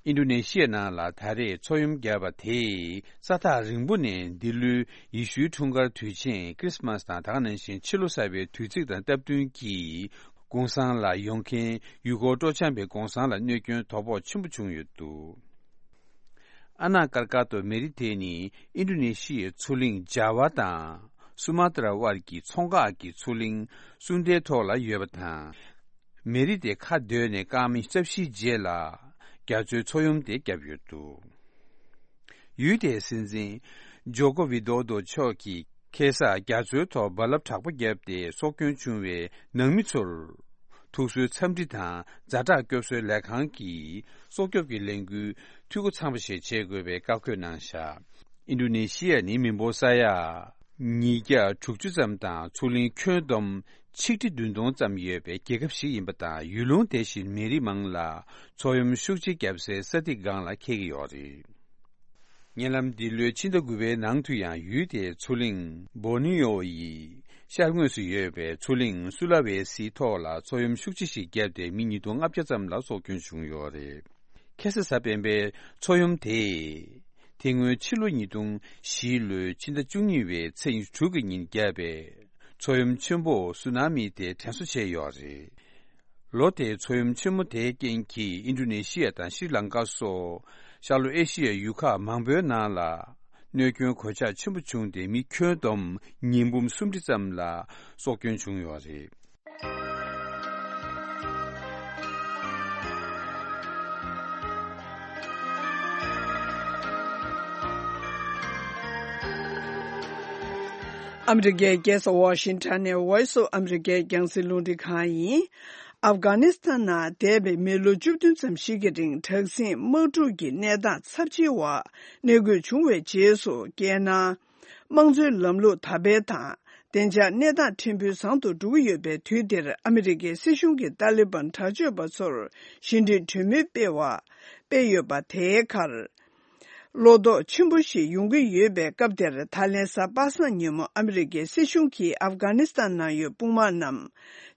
ཨིན་ཌོ་ནེ་ཤི་ཡའི་ནང་ལ་ད་རེས་མཚོ་ཡོམ་བརྒྱབ་པ་དེས། ས་ཐག་རིང་པོ་ནས་འདི་ལོའི་ཡེ་ཤུའི་འཁྲུངས་སྐར་དུས་ཆེན་ཁྲི་སི་མ་སི་དང་། ད་ག་ནང་བཞིན་ཕྱི་ལོ་གསར་པའི་དུས་ཚིགས་དང་སྟབས་བསྟུན་གྱིས། གུང་སེང་ལ་ཡོང་མཁན་ཡུལ་སྐོར་སྤྲོ་འཆམ་པའི་གུང་སེང་ལ་གནོད་སྐྱོན་དོ་ཕོག་ཆེན་པོ་བྱུང་ཡོད་འདུག་ཨ་ན་ཀར་ཀ་ཏོ་མེ་རི་དེ་ནི་ཨིན་ཌོ་ནེ་ཤི་ཡའི་མཚོ་གླིང་ཇཱ་ཝ་དང་སུ་མ་ཏྲ་དབར་གྱི་མཚོ་འགག་གི་མཚོ་གླིང་སུ་འདའི་ཐོག་ལ་ཡོད་པ་དང་། མེ་རི་དེ་ཁ་རྡོལ་ནས་སྐར་མ་རྩ་བཞིའི་རྗེས་ལ་རྒྱ་མཚོའི་མཚོ་ཡོམ་དེ་བརྒྱབ་ཡོད་འདུག་ཡུལ་དེའི་སྲིད་འཛིན་ཇོ་ཀོ་ཝི་དོ་དོ་མཆོག་གིས་ཁ་སང་རྒྱ་མཚོའི་ཐོག་རྦ་རླབས་དྲག་པོ་བརྒྱབ་སྟེ་སྲོག་སྐྱོན་བྱུང་བའི་ནང་མི་ཚོར་ཐུགས་གསོའི་འཚམས་འདྲི་དང་། ཛ་དྲག་སྐྱོབ་གསོའི་ལས་ཁང་གིས་སྲོག་སྐྱོབ་ཀྱི་ལས་འགུལ་འཐུས་སྒོ་ཚང་བ་ཞིག་བྱེད་དགོས་པའི་བཀའ་བཀོད་གནང་བཞག་ཨིན་ཌོ་ནེ་ཤི་ཡ་ནི་མི་འབོར་ས་ཡ་ཉིས་བརྒྱ་དྲུག་ཅུ་ཙམ་དང་། མཚོ་གླིང་ཁྱོན་བསྡོམས་ཆིག་ཁྲི་བདུན་སྟོང་ཙམ་ཡོད་པའི་རྒྱལ་ཁབ་ཞིག་ཡིན་པ་དང་། ཡུལ་ལུང་དེ་བཞིན་མི་རིགས་མང་ལ་མཚོ་ཡོམ་ཤུགས་ཆེ་བརྒྱབ་སའི་ས་ཐིག་སྒང་ལ་འཁེལ་གྱི་ཡོད་རེད། ཉེ་ལམ་འདི་ལོའི་ཕྱི་ཟླ་དགུ་པའི་ནང་དུ་ཡང་ཡུལ་དེའི་མཚོ་གླིང་བོ་ནི་ཡོ་ཡི་ཤར་ངོས་སུ་ཡོད་པའི་མཚོ་གླིང་སུ་ལ་ཝེ་སིའི་ཐོག་ལ་མཚོ་ཡོམ་ཤུགས་ཆེ་ཞིག་བརྒྱབ་སྟེ་མི་ཉིས་སྟོང་ལྔ་བརྒྱ་ཙམ་ལ་སྲོག་སྐྱོན་བྱུང་ཡོད་རེད། ཁ་སང་གཟའ་སྤེན་པའི་མཚོ་ཡོམ་དེས་དེ་སྔོན་ཕྱི་ལོ་ཉིས་སྟོང་བཞི་ལོའི་ཕྱི་ཟླ་བཅུ་གཉིས་པའི་ཚེས་ཉི་ཤུ་དྲུག་གི་ཉིན་བརྒྱབ་པའི་མཚོ་ཡོམ་ཆེན་པོ་སུ་ན་མི་དེ་དྲན་གསོ་བྱས་ཡོད་རེད། ལོ་དེའི་མཚོ་ཡོམ་ཆེན་མོ་དེའི་རྐྱེན་གྱིས་ཨིན་ཌོ་ནེ་ཤི་ཡ་དང་ཤྲི་ལང་ཀ་སོགས་ཤར་ལྷོ་ཨེ་ཤི་ཡའི་ཡུལ་ཁག་མང་པོའི་ནང་ལ་གནོད་སྐྱོན་གོད་ཆག་ཆེན་པོ་བྱུང་སྟེ། མི་ཁྱོན་བསྡོམས་ཉིས་འབུམ་སུམ་ཁྲི་ཙམ་ལ་སྲོག་སྐྱོན་བྱུང་ཡོད་རེད། ཨ་མི་རི་ཀའི་རྒྱལ་ས་ཝ་ཤིང་ཊོན་ནས་Voice of America རྒྱང་སྲིང་རླུང་འཕྲིན་ཁང་ཡིན། ཨབ་གྷ་ནི་སི་ཐན་ནང་འདས་པའི་མི་ལོ་བཅུ་བདུན་ཙམ་ཞིག་གི་རིང་དྲག་ཟིང་དམག་འཁྲུག་གི་གནས་སྟངས་ཚབས་ཆེ་བ་གནས་འཁོད་བྱུང་བའི་རྗེས་སུ། རྒྱལ་ནང་དམངས་གཙོའི་ལམ་ལུགས་དར་སྤེལ་དང་། བདེ་འཇགས་གནས་སྟངས་ཕྲན་བུ་བཟང་དུ་འགྲོ་གི་ཡོད་པའི་དུས་འདིར། ཨ་མི་རི་ཀའི་སྲིད་གཞུང་གིས་ཏཱ་ལི་བན་དྲག་སྤྱོད་པ་ཚོར་ཞི་འགྲིག་གྲོས་མོལ་སྤེལ་བ། སྤེལ་ཡོད་པ་དེའི་ཁར། བློ་དོགས་ཆེན་པོ་ཞིག་ཡོང་གི་ཡོད་པའི་སྐབས་དེར། ད་ལན་གཟའ་པ་སངས་ཉིན་མོ་ཨ་མི་རི་ཀའི་སྲིད་གཞུང་གིས་ཨབ་གྷ་ནི་སི་ཐན་ནང་ཡོད་དཔུང་དམག་རྣམས་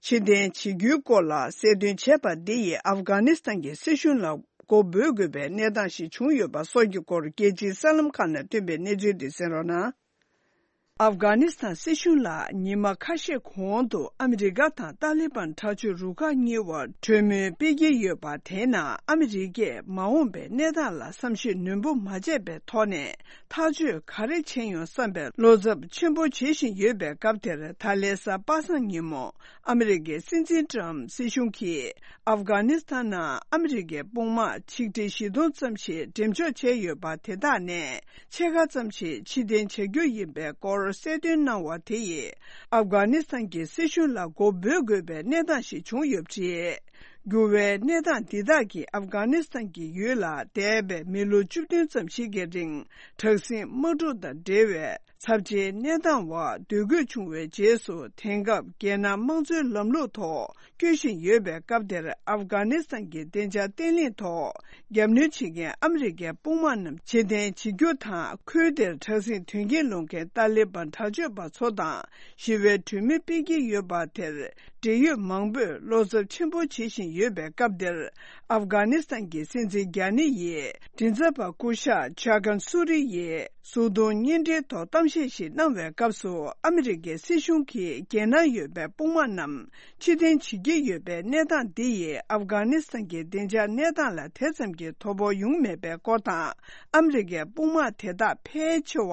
ཕྱིར་འཐེན་བྱེད་རྒྱུའི་སྐོར་ལ་གསལ་སྟོན་བྱས་པ་འདི་ཡིས། ཨབ་གྷ་ནི་སི་ཐན་གྱི་སྲིད་གཞུང་ལ་མགོ་འབོལ་དགོས་པའི་གནས་སྟངས་ཤིག་བྱུང་ཡོད་པ་སོགས་ཀྱི་སྐོར། རྒྱལ་སྤྱིའི་གསར་ལམ་ཁག་ནས་ཐོན་པའི་གནས་ཚུལ་དེ་གསན་རོགས་གནང་། ཨབ་གྷ་ནི་སི་ཐན་སྲིད་གཞུང་ལ་ཉི་མ་ཁ་ཤས་གོང་དུ་ཨ་མི་རི་ཀ་དང་ཏཱ་ལི་བན་དྲག་སྤྱོད་རུ་ཁག་གཉིས་བར་གྲོས་མོལ་སྤེལ་གྱི་ཡོད་པ་དེའི་ནང་། ཨ་མི་རི་ཀས་མ་འོངས་པའི་གནས་སྟངས་ལ་བསམ་ཤེས་ནན་པོ་མ་བྱས་པའི་ཐོག་ནས་ཐག་གཅོད་ག་རེ་བྱས་ཡོང་བསམ་པའི་བློ་འཚབ་ཆེན་པོ་བྱེད་བཞིན་ཡོད་པའི་སྐབས་དེར། ད་ལན་གཟའ་པ་སངས་ཉིན་མོ་ཨ་མི་རི་ཀའི་སྲིད་འཛིན་ཊམ་སྲིད་གཞུང་གིས་ཨབ་གྷ་ནི་སི་ཐན་ནང་ཨ་མི་རི་ཀའི་དཔུང་དམག་ཆིག་ཁྲི་བཞི་སྟོང་ཙམ་ཞིག་འགྲེམས་འཇོག་བྱས་ཡོད་པ་དེ་དག་ནས་ཕྱེད་ཀ་ཙམ་ཞིག་ཕྱིར་འཐེན་བྱ་རྒྱུ་ཡིན་པའི་སྐོར་གསལ་སྟོན་གནང་བ་དེ་ཡིས། ཨབ་གྷ་ནི་སི་ཐན་གྱི་སྲིད་གཞུང་ལ་མགོ་འབོལ་དགོས་པའི་གནས་སྟངས་ཤིག་བྱུང་ཡོད་པ་རེད། འགྱུར་བའི་གནས་སྟངས་འདི་དག་གིས་ཨབ་གྷ་ནི་སི་ཐན་གྱི་ཡུལ་ལ་འདས་པའི་མི་ལོ་བཅུ་བདུན་ཙམ་ཞིག་གི་རིང་དྲག་ཟིང་དམག་འཁྲུག་དང་འབྲེལ་བའི་ཚབས་ཆེའི་གནས་སྟངས་བར་སྡོད་དགོས་བྱུང་བའི་རྗེས་སུ། དེང་སྐབས་རྒྱལ་ནང་དམངས་གཙོའི་ལམ་ལུགས་ཐོག་བསྐྱོད་བཞིན་ཡོད་པའི་སྐབས་དེར། ཨབ་གྷ་ནི་སི་ཐན་གྱི་བདེ་འཇགས་བརྟན་ལྷིང་ཐོག་རྒྱབ་གནོན་བྱེད་མཁན་ཨ་མི་རི་ཀའི་དཔུང་དམག་རྣམས་ཕྱིར་འཐེན་བྱེད་རྒྱུ་དང་། ཁུལ་དེར་དྲག་ཟིང་དོན་རྐྱེན་སློང་མཁན་ཏཱ་ལི་བན་དྲག་སྤྱོད་པ་ཚོ་དང་ཞི་བའི་གྲོས་མོལ་སྤེལ་གྱི་ཡོད་པ་དེར། འབྲེལ་ཡོད་མང་པོས་བློ་འཚབ་ཆེན་པོ་བྱེད་བཞིན་ཡོད་པའི་སྐབས་དེར། ཨབ་གྷ་ནི་སི་ཐན་གྱི་སྲིད་འཛིན་རྒྱ་ནི་ཡིས་མགྲིན་ཚབ་པ་སྐུ་ཞབས་ཇཱ་ཀན་སུ་རི་ཡིས་གཟུགས་མཐོང་བརྙན་འཕྲིན་ཐོག་གཏམ་བཤད་ཞིག་གནང་བའི་སྐབས་སུ། ཨ་མི་རི་ཀའི་སྲིད་གཞུང་གིས་རྒྱལ་ནང་ཡོད་པའི་དཔུང་དམག་རྣམས་ཕྱིར་འཐེན་བྱེད་ཀྱི་ཡོད་པའི་གནས་སྟངས་འདི་ཡིས་ཨབ་གྷ་ནི་སི་ཐན་གྱི་བདེ་འཇགས་གནས་སྟངས་ལ་དེ་ཙམ་གྱི་དོ་ཕོག་ཡོང་མེད་པའི་སྐོར་དང་། ཨ་མི་རི་ཀའི་དཔུང་དམག་དེ་དག་ཕལ་ཆེ་བ་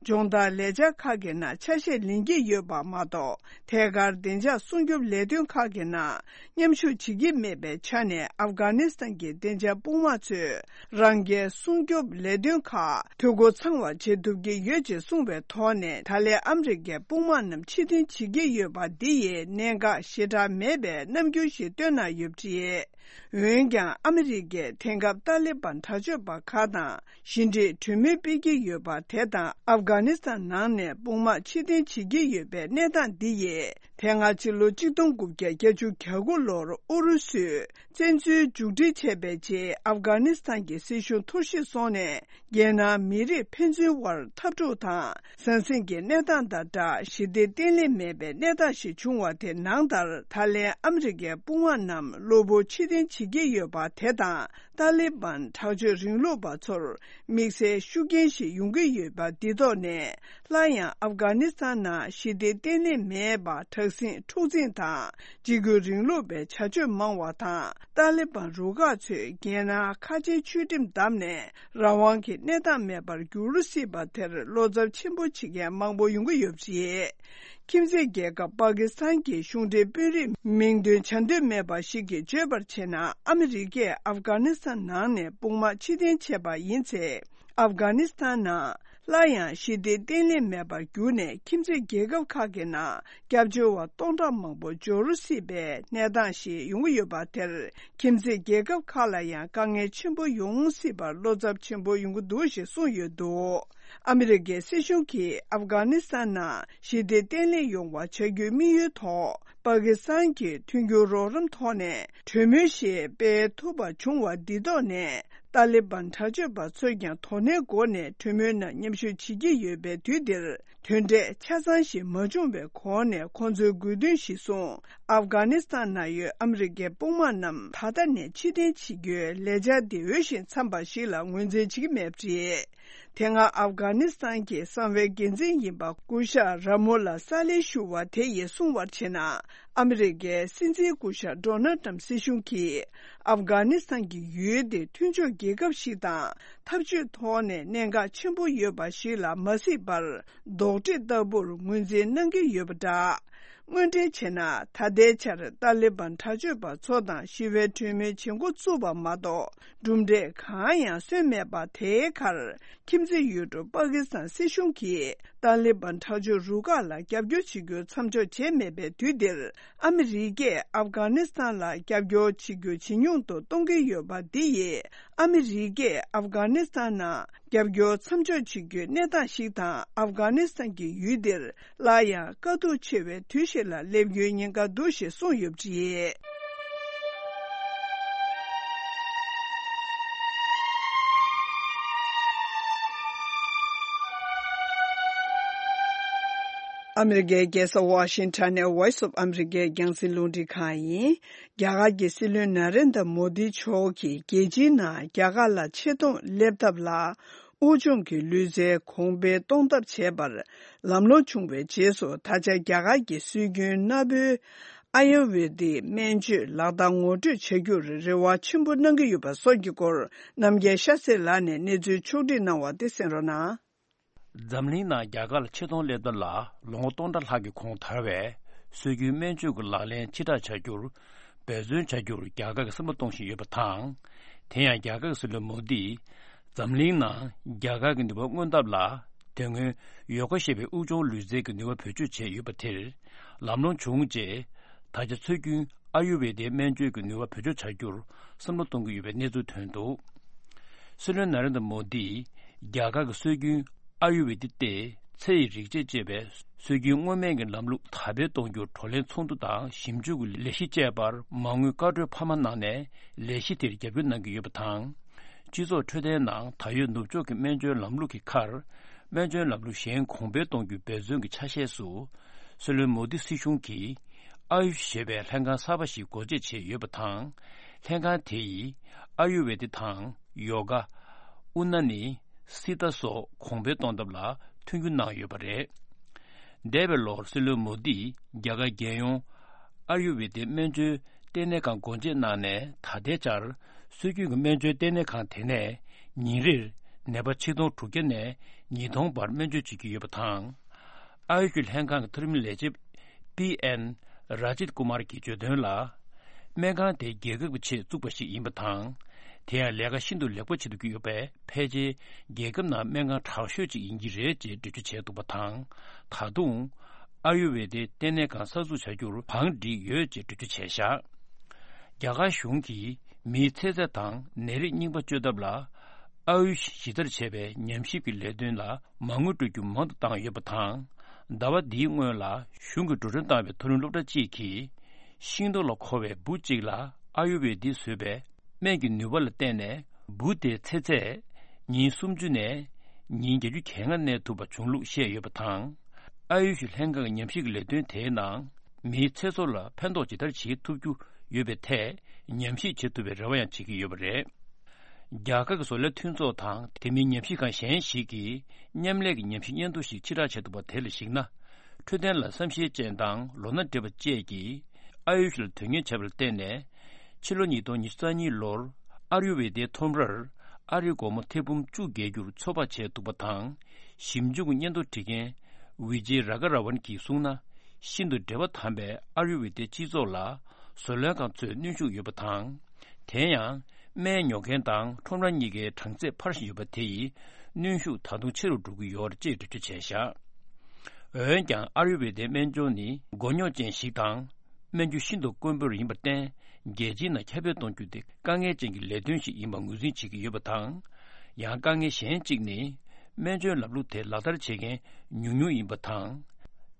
སྦྱོང་བརྡར་ལས་འཆར་ཁག་གི་ནང་ཆ་ཤས་ལེན་གྱི་ཡོད་པ་མ་གཏོགས། ཐད་ཀར་བདེ་འཇགས་སྲུང་སྐྱོབ་ལས་དོན་ཁག་གི་ནང་མཉམ་ཞུགས་བྱེད་ཀྱི་མེད་པའི་ཆ་ནས། ཨབ་གྷ་ནི་སི་ཐན་གྱི་བདེ་འཇགས་དཔུང་དམག་ཚོས་རང་རྒྱལ་སྲུང་སྐྱོབ་ལས་དོན་ཁག་འཐུས་སྒོ་ཚང་བ་བྱེད་ཐུབ་ཀྱི་ཡོད་ཅེས་གསུངས་པའི་ཐོག་ནས། ད་ལན་ཨ་མི་རི་ཀའི་དཔུང་དམག་རྣམས་ཕྱིར་འཐེན་བྱེད་ཀྱི་ཡོད་པ་འདི་ཡིས་གནད་འགག་ཞེ་དྲག་མེད་པའི་རྣམ་འགྱུར་ཞིག་སྟོན་གནང་ཡོད་པ་རེད། འོན་ཀྱང་ཨ་མི་རི་ཀས་དེང་སྐབས་ཏཱ་ལི་བན་དྲག་སྤྱོད་པ་ཁག་དང་ཞི་འགྲིག་གྲོས་མོལ་སྤེལ་གྱི་ཡོད་པ་དེ་དང་། ཨབ་གྷ་ནི་སི་ཐན་ནང་ནས་དཔུང་དམག་ཕྱིར་འཐེན་བྱེད་ཀྱི་ཡོད་པའི་གནས་སྟངས་འདི་ཡིས། དེ་སྔ་ཕྱི་ལོ་གཅིག་སྟོང་དགུ་བརྒྱ་བརྒྱད་ཅུ་གྱ་དགུ་ལོར་ཨུ་རུ་སུས་བཙན་འཛུལ་མཇུག་སྒྲིལ་བྱས་པའི་རྗེས། ཨབ་གྷ་ནི་སི་ཐན་གྱི་སྲིད་གཞུང་འཐོར་ཞིག་སོང་ནས། རྒྱལ་ནང་མི་རིགས་ཕན་ཚུན་དབར་འཐབ་འཁྲུག་དང་ཟང་ཟིང་གི་གནས་སྟངས་དང་སྦྲགས། ཞི་བདེ་བརྟན་ལྷིང་མེད་པའི་གནས་སྟངས་ཤིག་བྱུང་བ་དེ་ནང་ལྟར། ད་ལན་ཨ་མི་རི་ཀའི་དཔུང་དམག་རྣམས་གློ་བུར་ཕྱིར་འཐེན་བྱེད་ཀྱི་ཡོད་པ་དེ་དང་། ཏཱ་ལི་བན་དྲག་སྤྱོད་རིང་ལུགས་པ་ཚོར་དམིགས་བསལ་ཤུགས་རྐྱེན་ཞིག་ཡོང་གི་ཡོད་པ་འདི་ཐོག་ནས། སླར་ཡང་ཨབ་གྷ་ནི་སི་ཐན་ནང་ཞི་བདེ་བརྟན་ལྷིང་མེད་པ། དྲག་ཟིང་འཁྲུག་འཛིང་དང་འཇིགས་སྐུལ་རིང་ལུགས་པའི་བྱ་སྤྱོད་མང་བ་དང་། ཏཱ་ལི་བན་རུ་ཁག་ཚོས་རྒྱལ་ནང་ཁ་ཆེའི་ཆོས་ཁྲིམས་བསྡམས་ནས་རང་དབང་གི་གནས་སྟངས་མེད་པར་འགྱུར་སྲིད་པ་དེར་བློ་འཚབ་ཆེན་པོ་བྱེད་མཁན་མང་པོ་ཡོང་གི་ཡོད་པ་རེད། ཁྱིམ་མཚེས་རྒྱལ་ཁབ་པ་ཀི་སི་ཐན་གྱི་གཞུང་འབྲེལ་དཔོན་རིགས་མིང་འདོན་བྱ་འདོད་མེད་པ་ཞིག་གིས་བརྗོད་པར་བྱས་ན། ཨ་མི་རི་ཀས་ཨབ་གྷ་ནི་སི་ཐན་ནང་ནས་དཔུང་དམག་ཕྱིར་འཐེན་བྱས་པ་ཡིན་ཚེ། ཨབ་གྷ་ནི་སི་ཐན་ནང་སླར་ཡང་ཞི་བདེ་བརྟན་ལྷིང་མེད་པར་གྱུར་ནས། ཁྱིམ་མཚེས་རྒྱལ་ཁབ་ཁག་གི་ནང་སྐྱབས་བཅོལ་བ་སྟོང་ཕྲག་མང་པོ་འབྱོར་སྲིད་པའི་གནས་སྟངས་ཤིག་ཡོང་གི་ཡོད་པ་དེར། ཁྱིམ་མཚེས་རྒྱལ་ཁབ་ཁག་ལ་ཡང་དཀའ་ངལ་ཆེན་པོ་ཡོང་སྲིད་པར་བློ་འཚབ་ཆེན་པོ་ཡོང་གི་འདུག་ཞེས་གསུངས་ཡོད་འདུག་ཨ་མི་རི་ཀའི་སྲིད་གཞུང་གིས་ཨབ་གྷ་ནི་སི་ཐན་ནང་ཞི་བདེ་བརྟན་ལྷིང་ཡོང་བ་བྱ་རྒྱུའི་དམིགས་ཡུལ་ཐོག་པ་ཀི་སི་ཐན་གྱི་མཐུན་འགྱུར་རོགས་རམ་ཐོག་ནས་གྲོས་མོལ་ཞིག་སྤེལ་ཐུབ་པ་བྱུང་བ་འདི་ཐོག་ནས། ཏཱ་ལི་བན་དྲག་སྤྱོད་པ་ཚོས་ཀྱང་དོ་ནན་སྒོ་ནས་གྲོས་མོལ་ནང་མཉམ་ཞུགས་བྱེད་ཀྱི་ཡོད་པའི་དུས་འདིར། དོན་འབྲས་ཆ་ཚང་ཞིག་མ་བྱུང་བའི་གོང་ནས། ཁོང་ཚོའི་དགོས་འདུན་གཞིར་བཟུང་ཨབ་གྷ་ནི་སི་ཐན་ནང་ཡོད་ཨ་མི་རི་ཀའི་དཔུང་དམག་རྣམས་ད་ལྟ་ནས་ཕྱིར་འཐེན་བྱེད་རྒྱུའི་ལས་འཆར་འདི་འོས་ཤིང་འཚམས་པ་ཞིག་ལ་ངོས་འཛིན་བྱེད་ཀྱི་མེད་པ་རེད། དེ་སྔ་ཨབ་གྷ་ནི་སི་ཐན་གྱི་གསང་བའི་འགན་འཛིན་ཡིན་པ་སྐུ་ཞབས་ར་མུ་ལ་ས་ལེ་ཞུ་བ་དེ་ཡིས་གསུངས་པར་བྱས་ན། ཨ་མི་རི་ཀའི་སྲིད་འཛིན་སྐུ་ཞབས་ཌོ་ནལ་ཊམ་སྲིད་གཞུང་གིས་ཨབ་གྷ་ནི་སི་ཐན་གྱི་ཡུལ་དེ་མཐུན་ཕྱོགས་རྒྱལ་ཁབ་ཞིག་དང་། འཐབ་ཇུས་ཐོག་ནས་གནད་འགག་ཆེན་པོ་ཡོད་པ་ཞིག་ལ་མ་གཟིགས་པར། རྡོག་ཁྲེས་ལྟ་བུར་ངོས་འཛིན་གནང་གི་ཡོད་པ་འདྲ། དངོས་འབྲེལ་བྱས་ན། ད་ལྟའི་ཆར་ཏཱ་ལི་བན་དྲག་སྤྱོད་པ་ཚོ་དང་ཞི་བའི་གྲོས་མོལ་བྱེད་འགོ་བཙུགས་པ་མ་གཏོགས། གྲུབ་འབྲས་གང་ཡང་སོན་མེད་པ། དེའི་ཁར་ཁྱིམ་མཚེས་ཡུལ་གྲུ་པ་ཀི་སི་ཐན་སྲིད་གཞུང་གིས་ཏཱ་ལི་བན་དྲག་སྤྱོད་རུ་ཁག་ལ་རྒྱབ་སྐྱོར་བྱེད་རྒྱུ་མཚམས་འཇོག་བྱས་མེད་པའི་དུས་འདིར། ཨ་མི་རི་ཀས་ཨབ་གྷ་ནི་སི་ཐན་ལ་རྒྱབ་སྐྱོར་བྱེད་རྒྱུ་ཇེ་ཉུང་དུ་གཏོང་གི་ཡོད་པ་འདི་ཡིས། ཨ་མི་རི་ཀས་ཨབ་གྷ་ནི་སི་ཐན་ནང་རྒྱབ་སྐྱོར་མཚམས་འཇོག་བྱེད་རྒྱུའི་གནས་སྟངས་ཤིག་དང་། ཨབ་གྷ་ནི་སི་ཐན་གྱི་ཡུལ་འདིར་སླར་ཡང་དཀའ་སྡུག་ཆེ་བའི་དུས་ཤིག་ལ་སླེབས་རྒྱུའི་ཉེན་ཁ་འདུག་ཞེས་གསུངས་ཡོད་པ་རེད། ཨ་མི་རི་ཀའི་རྒྱལ་ས་ཝ་ཤིང་ཊོན་ནས་Voice of America རྒྱང་སྲིང་རླུང་འཕྲིན་ཁང་ཡིན། རྒྱ་གར་གྱི་སྲིད་བློན་ན་རེན་དྲ་མོ་དི་མཆོག་གིས་རྒྱལ་སྤྱིའི་ནང་རྒྱ་གར་ལ་ཆེ་མཐོང་སླེབས་ཐབས་ལ། དབུལ་ཕྱུག་གི་ལུས་རྩལ་གོང་འཕེལ་གཏོང་ཐབས་བྱས་པར་ལམ་ལྷོང་བྱུང་བའི་རྗེས་སུ། ད་ཆ་རྒྱ་གར་གྱི་སྲོལ་རྒྱུན་སྣ་བུའི་ཨ་ཡུར་ཝེ་དིག་སྨན་བཅོས་ལག་བསྟར་ངོ་སྤྲོད་བྱ་རྒྱུར་རེ་བ་ཆེན་པོ་གནང་གི་ཡོད་པ་སོགས་ཀྱི་སྐོར། རྣམ་རྒྱལ་ཤ་སྟག་ལགས་ནས་གནས་ཚུལ་ཕྱོགས་བསྒྲིགས་གནང་བ་དེ་གསན་རོགས་གནང་། འཛམ་གླིང་ནང་རྒྱ་གར་ལ་ཆེ་མཐོང་སླེབས་ཐབས་ལ་ལོ་ངོ་སྟོང་ཕྲག་ལྷག་གི་གོང་དར་བའི་སྲོལ་རྒྱུན་སྨན་བཅོས་ཀྱི་ལག་ལེན་ཕྱིར་བསྒྲགས་བྱ་རྒྱུར་འབད་བརྩོན་བྱ་རྒྱུར་རྒྱ་གར་གྱིས་བསམ་བློ་གཏོང་བཞིན་ཡོད་པ་དང་། དེ་ཡང་རྒྱ་གར་གྱི་སྲིད་བློན་མོ་དིས་འཛམ་གླིང་ནང་རྒྱ་གར་གྱི་ནུས་པ་མངོན་ཐབས་ལ། དེ་སྔོན་ཡོ་ག་ཞེས་པའི་དབུགས་སྦྱོང་ལུས་རྩལ་གྱི་ནུས་པ་བེད་སྤྱོད་བྱས་ཡོད་པ་དེར་ལམ་ལྷོང་བྱུང་རྗེས། ད་ཆ་སྲོལ་རྒྱུན་ཨ་ཡུར་ཝེ་དའི་སྨན་བཅོས་ཀྱི་ནུས་པ་བེད་སྤྱོད་བྱ་རྒྱུར་བསམ་བློ་གཏོང་གི་ཡོད་པའི་གནས་ཚུལ་ཐོན་འདུག། སྲིད་བློན་ན་རེན་དྲ་མོ་དིས་རྒྱ་གར་གྱི་སྲོལ་རྒྱུན་ཨ་ཡུར་ཝེ་དི་སྟེ། ཚེ་ཡི་རིག་བྱེད་ཅེས་པའི་སྲོལ་རྒྱུན་མངོན་མེད་ཀྱི་ལམ་ལུགས་དར་སྤེལ་གཏོང་རྒྱུར་བགྲོ་གླེང་ཚོགས་འདུ་དང་ཞིབ་འཇུག་གི་ལས་གཞི་བཅས་པར་མ་དངུལ་བཀའ་འཁྲོལ་འཕར་མ་གནང་ནས། ལས་གཞི་དེར་རྒྱབ་སྐྱོར་གནང་གི་ཡོད་པ་དང་། སྤྱི་ཚོགས་འཕྲོད་བསྟེན་ནང་ད་ཡོད་ནུབ་ཕྱོགས་ཀྱི་སྨན་བཅོས་ལམ་ལུགས་ཀྱི་ཁར། སྨན་བཅོས་ལམ་ལུགས་གཞན་གོང་འཕེལ་གཏོང་རྒྱུའི་འབད་བརྩོན་གྱི་ཆ་ཤས་སུ། སྲིད་བློན་མོ་དི་སྲིད་གཞུང་གིས་ཨ་ཡུཤ་ཞེས་པའི་ལྷན་ཁང་གསར་པ་ཞིག་སྒོ་འབྱེད་བྱས་ཡོད་པ་དང་། ལྷན་ཁང་དེ་ཡིས་ཨ་ཡུར་ཝེ་དི་དང་ཡོ་ག། ཨུ་ན་ནི། སི་ཏ་སོགས་གོང་འཕེལ་གཏོང་ཐབས་ལ་མཐུན་འགྱུར་གནང་ཡོད་པ་རེད། འདས་པའི་ལོར་སྲིད་བློན་མོ་དིས་རྒྱ་གར་རྒྱལ་ཡོངས་ཨ་ཡུར་ཝེ་དའི་སྨན་བཅོས་ལྟེ་གནས་ཁང་སྒོ་འབྱེད་གནང་ནས། ད་ལྟའི་ཆར་སྲོལ་རྒྱུན་གྱི་སྨན་བཅོས་ལྟེ་གནས་ཁང་དེ་ནས་ཉིན་རེར་ནད་པ་ཆིག་སྟོང་དྲུག་བརྒྱ་ནས་ཉིས་སྟོང་བར་སྨན་བཅོས་བྱེད་ཀྱི་ཡོད་པ་དང་། ཨ་ཡུ་ཤི་ལྷན་ཁང་གི་མཐོ་རིམ་ལས་བྱེད་པི་ཨེན་ར་ཇིད་ཀུ་མར་གྱིས་བརྗོད་དོན་ལ། སྨན་ཁང་དེ་རྒྱལ་ཁབ་ཀྱི་ཆེད་བཙུགས་པ་ཞིག་ཡིན་པ་དང་། དེ་ཡང་ལས་ཀ་ཤིན་ཏུ་ལེགས་པོ་བྱེད་དུ་ཡོད་པས། ཕལ་ཆེར་རྒྱལ་ཁབ་ནང་སྨན་ཁང་དྲག་ཤོས་ཅིག་ཡིན་གྱི་རེད་ཅེས་འགྲེལ་བརྗོད་བྱས་འདུག་པ་དང་། ད་དུང་ཨ་ཡུར་ཝེ་དའི་ལྟེ་གནས་ཁང་གསར་འཛུགས་བྱ་རྒྱུར་བང་བསྒྲིགས་ཡོད་ཅེས་འགྲེལ་བརྗོད་བྱས་བཞག། རྒྱ་གར་གཞུང་གིས་མིའི་ཚེ་ཚད་དང་ནད་རིགས་རྙིང་པ་བཅོས་ཐབས་ལ། ཨ་ཡུཤ་ཇི་ལྟར་བྱས་པའི་ཉམས་ཞིབ་ཀྱི་ལས་དོན་ལ་མ་དངུལ་སྤྲོད་རྒྱུ་མང་དུ་བཏང་ཡོད་པ་དང་། ཟླ་བ་འདིའི་སྔོན་ལ་གཞུང་གིས་འགྲོ་གྲོན་བཏང་བའི་མཐོ་རིམ་སློབ་གྲྭ་གཅིག་གིས། ཤིང་ཏོག་ལ་མཁོ་བའི་འབུ་གཅིག་ལ་ཨ་ཡུར་ཝེ་དིས་བཟོས་པའི་སྨན་གྱི་ནུས་པ་ལ་བརྟེན་ནས། འབུ་དེའི་ཚེ་ཚད་ཉིན་སུམ་ཅུ་ནས་ཉིན་བརྒྱད་ཅུ་གྱ་ལྔ་གནས་ཐུབ་པ་བྱུང་ལུགས་བཤད་ཡོད་པ་དང་། ཨ་ཡུཤ་ལྷན་ཁང་གི་ཉམས་ཞིབ་ཀྱི་ལས་དོན་དེའི་ནང་། མིའི་ཚེ་སྲོག་ལ་ཕན་ཐོགས་ཇི་ལྟར་བྱེད་ཐུབ་རྒྱུ་ཡོད་པའི་ཐད་ཉམས་ཞིབ་བྱེད་ཐུབ་པའི་རེ་བ་ཡང་བྱེད་ཀྱི་ཡོད་པ་རེད། རྒྱ་གར་གྱི་བཟོ་ལས་མཐུན་ཚོགས་དང་དེ་མིན་ཉམས་ཞིབ་ཁང་གཞན་ཞིག་གིས་མཉམ་ལས་ཀྱི་ཉམས་ཞིབ་སྙན་ཐོ་ཞིག་ཕྱིར་བསྒྲགས་བྱས་འདུག་པ་དེ་ལ་གཞིགས་ན། འཕྲོད་བསྟེན་ལ་བསམ་ཤེས་ཅན་དང་ལོ་ན་བགྲེས་པ་བཅས་ཀྱིས་ཨ་ཡུཤ་ལ་དོན་གཉེར་བྱས་པ་ལ་བརྟེན་ནས། ཕྱི་ལོ་ཉིས་སྟོང་ཉི་ཤུ་རྩ་གཉིས་ལོར་ཨ་ཡུར་ཝེ་དའི་ཁྲོམ་རར་ཨ་རིའི་སྒོར་མོ་ཐེར་འབུམ་བཅུ་བརྒལ་རྒྱུར་ཚོད་དཔག་བྱས་འདུག་པ་དང་། ཞིབ་འཇུག་གི་སྙན་ཐོ་བྲིས་མཁན་ཝི་ཇེ་ར་ག་ར་ཝན་གྱིས་གསུངས་ན། ཤིན་ཏུ་འབྲེལ་བ་དམ་པའི་ཨ་ཡུར་ཝེ་དའི་སྤྱི་ཚོགས་ལ་བཟོ་ལས་ཁང་ཚོས་གནོན་ཤུགས་ཡོད་པ་དང་། དེ་ཡང་སྨན་ཉོ་མཁན་དང་ཁྲོམ་ར་གཉིས་ཀའི་གྲངས་ཚད་འཕར་བཞིན་ཡོད་པ་དེ་ཡིས་གནོན་ཤུགས་ད་དུང་ཆེ་རུ་འགྲོ་གི་ཡོད་རེད་ཅེས་འགྲེལ་བརྗོད་བྱས་བཞག། འོན་ཀྱང་ཨ་ཡུར་ཝེ་དའི་སྨན་སྦྱོང་ནི་མགོ་རྙོག་ཅན་ཞིག་དང་། སྨན་རྒྱུ་ཤིན་ཏུ་དཀོན་པོ་ཡིན་པར་བརྟེན། རྒྱལ་སྤྱིའི་ནང་ཁྱབ་སྤེལ་གཏོང་རྒྱུ་དེ་དཀའ་ངལ་ཅན་གྱི་ལས་དོན་ཞིག་ཡིན་པ་ངོས་འཛིན་བྱེད་ཀྱི་ཡོད་པ་དང་། ཡང་དཀའ་ངལ་གཞན་གཅིག་ནི། སྨན་བཅོས་ལམ་ལུགས་དེ་ལག་བསྟར་བྱེད་མཁན་ཉུང་ཉུང་ཡིན་པ་དང་།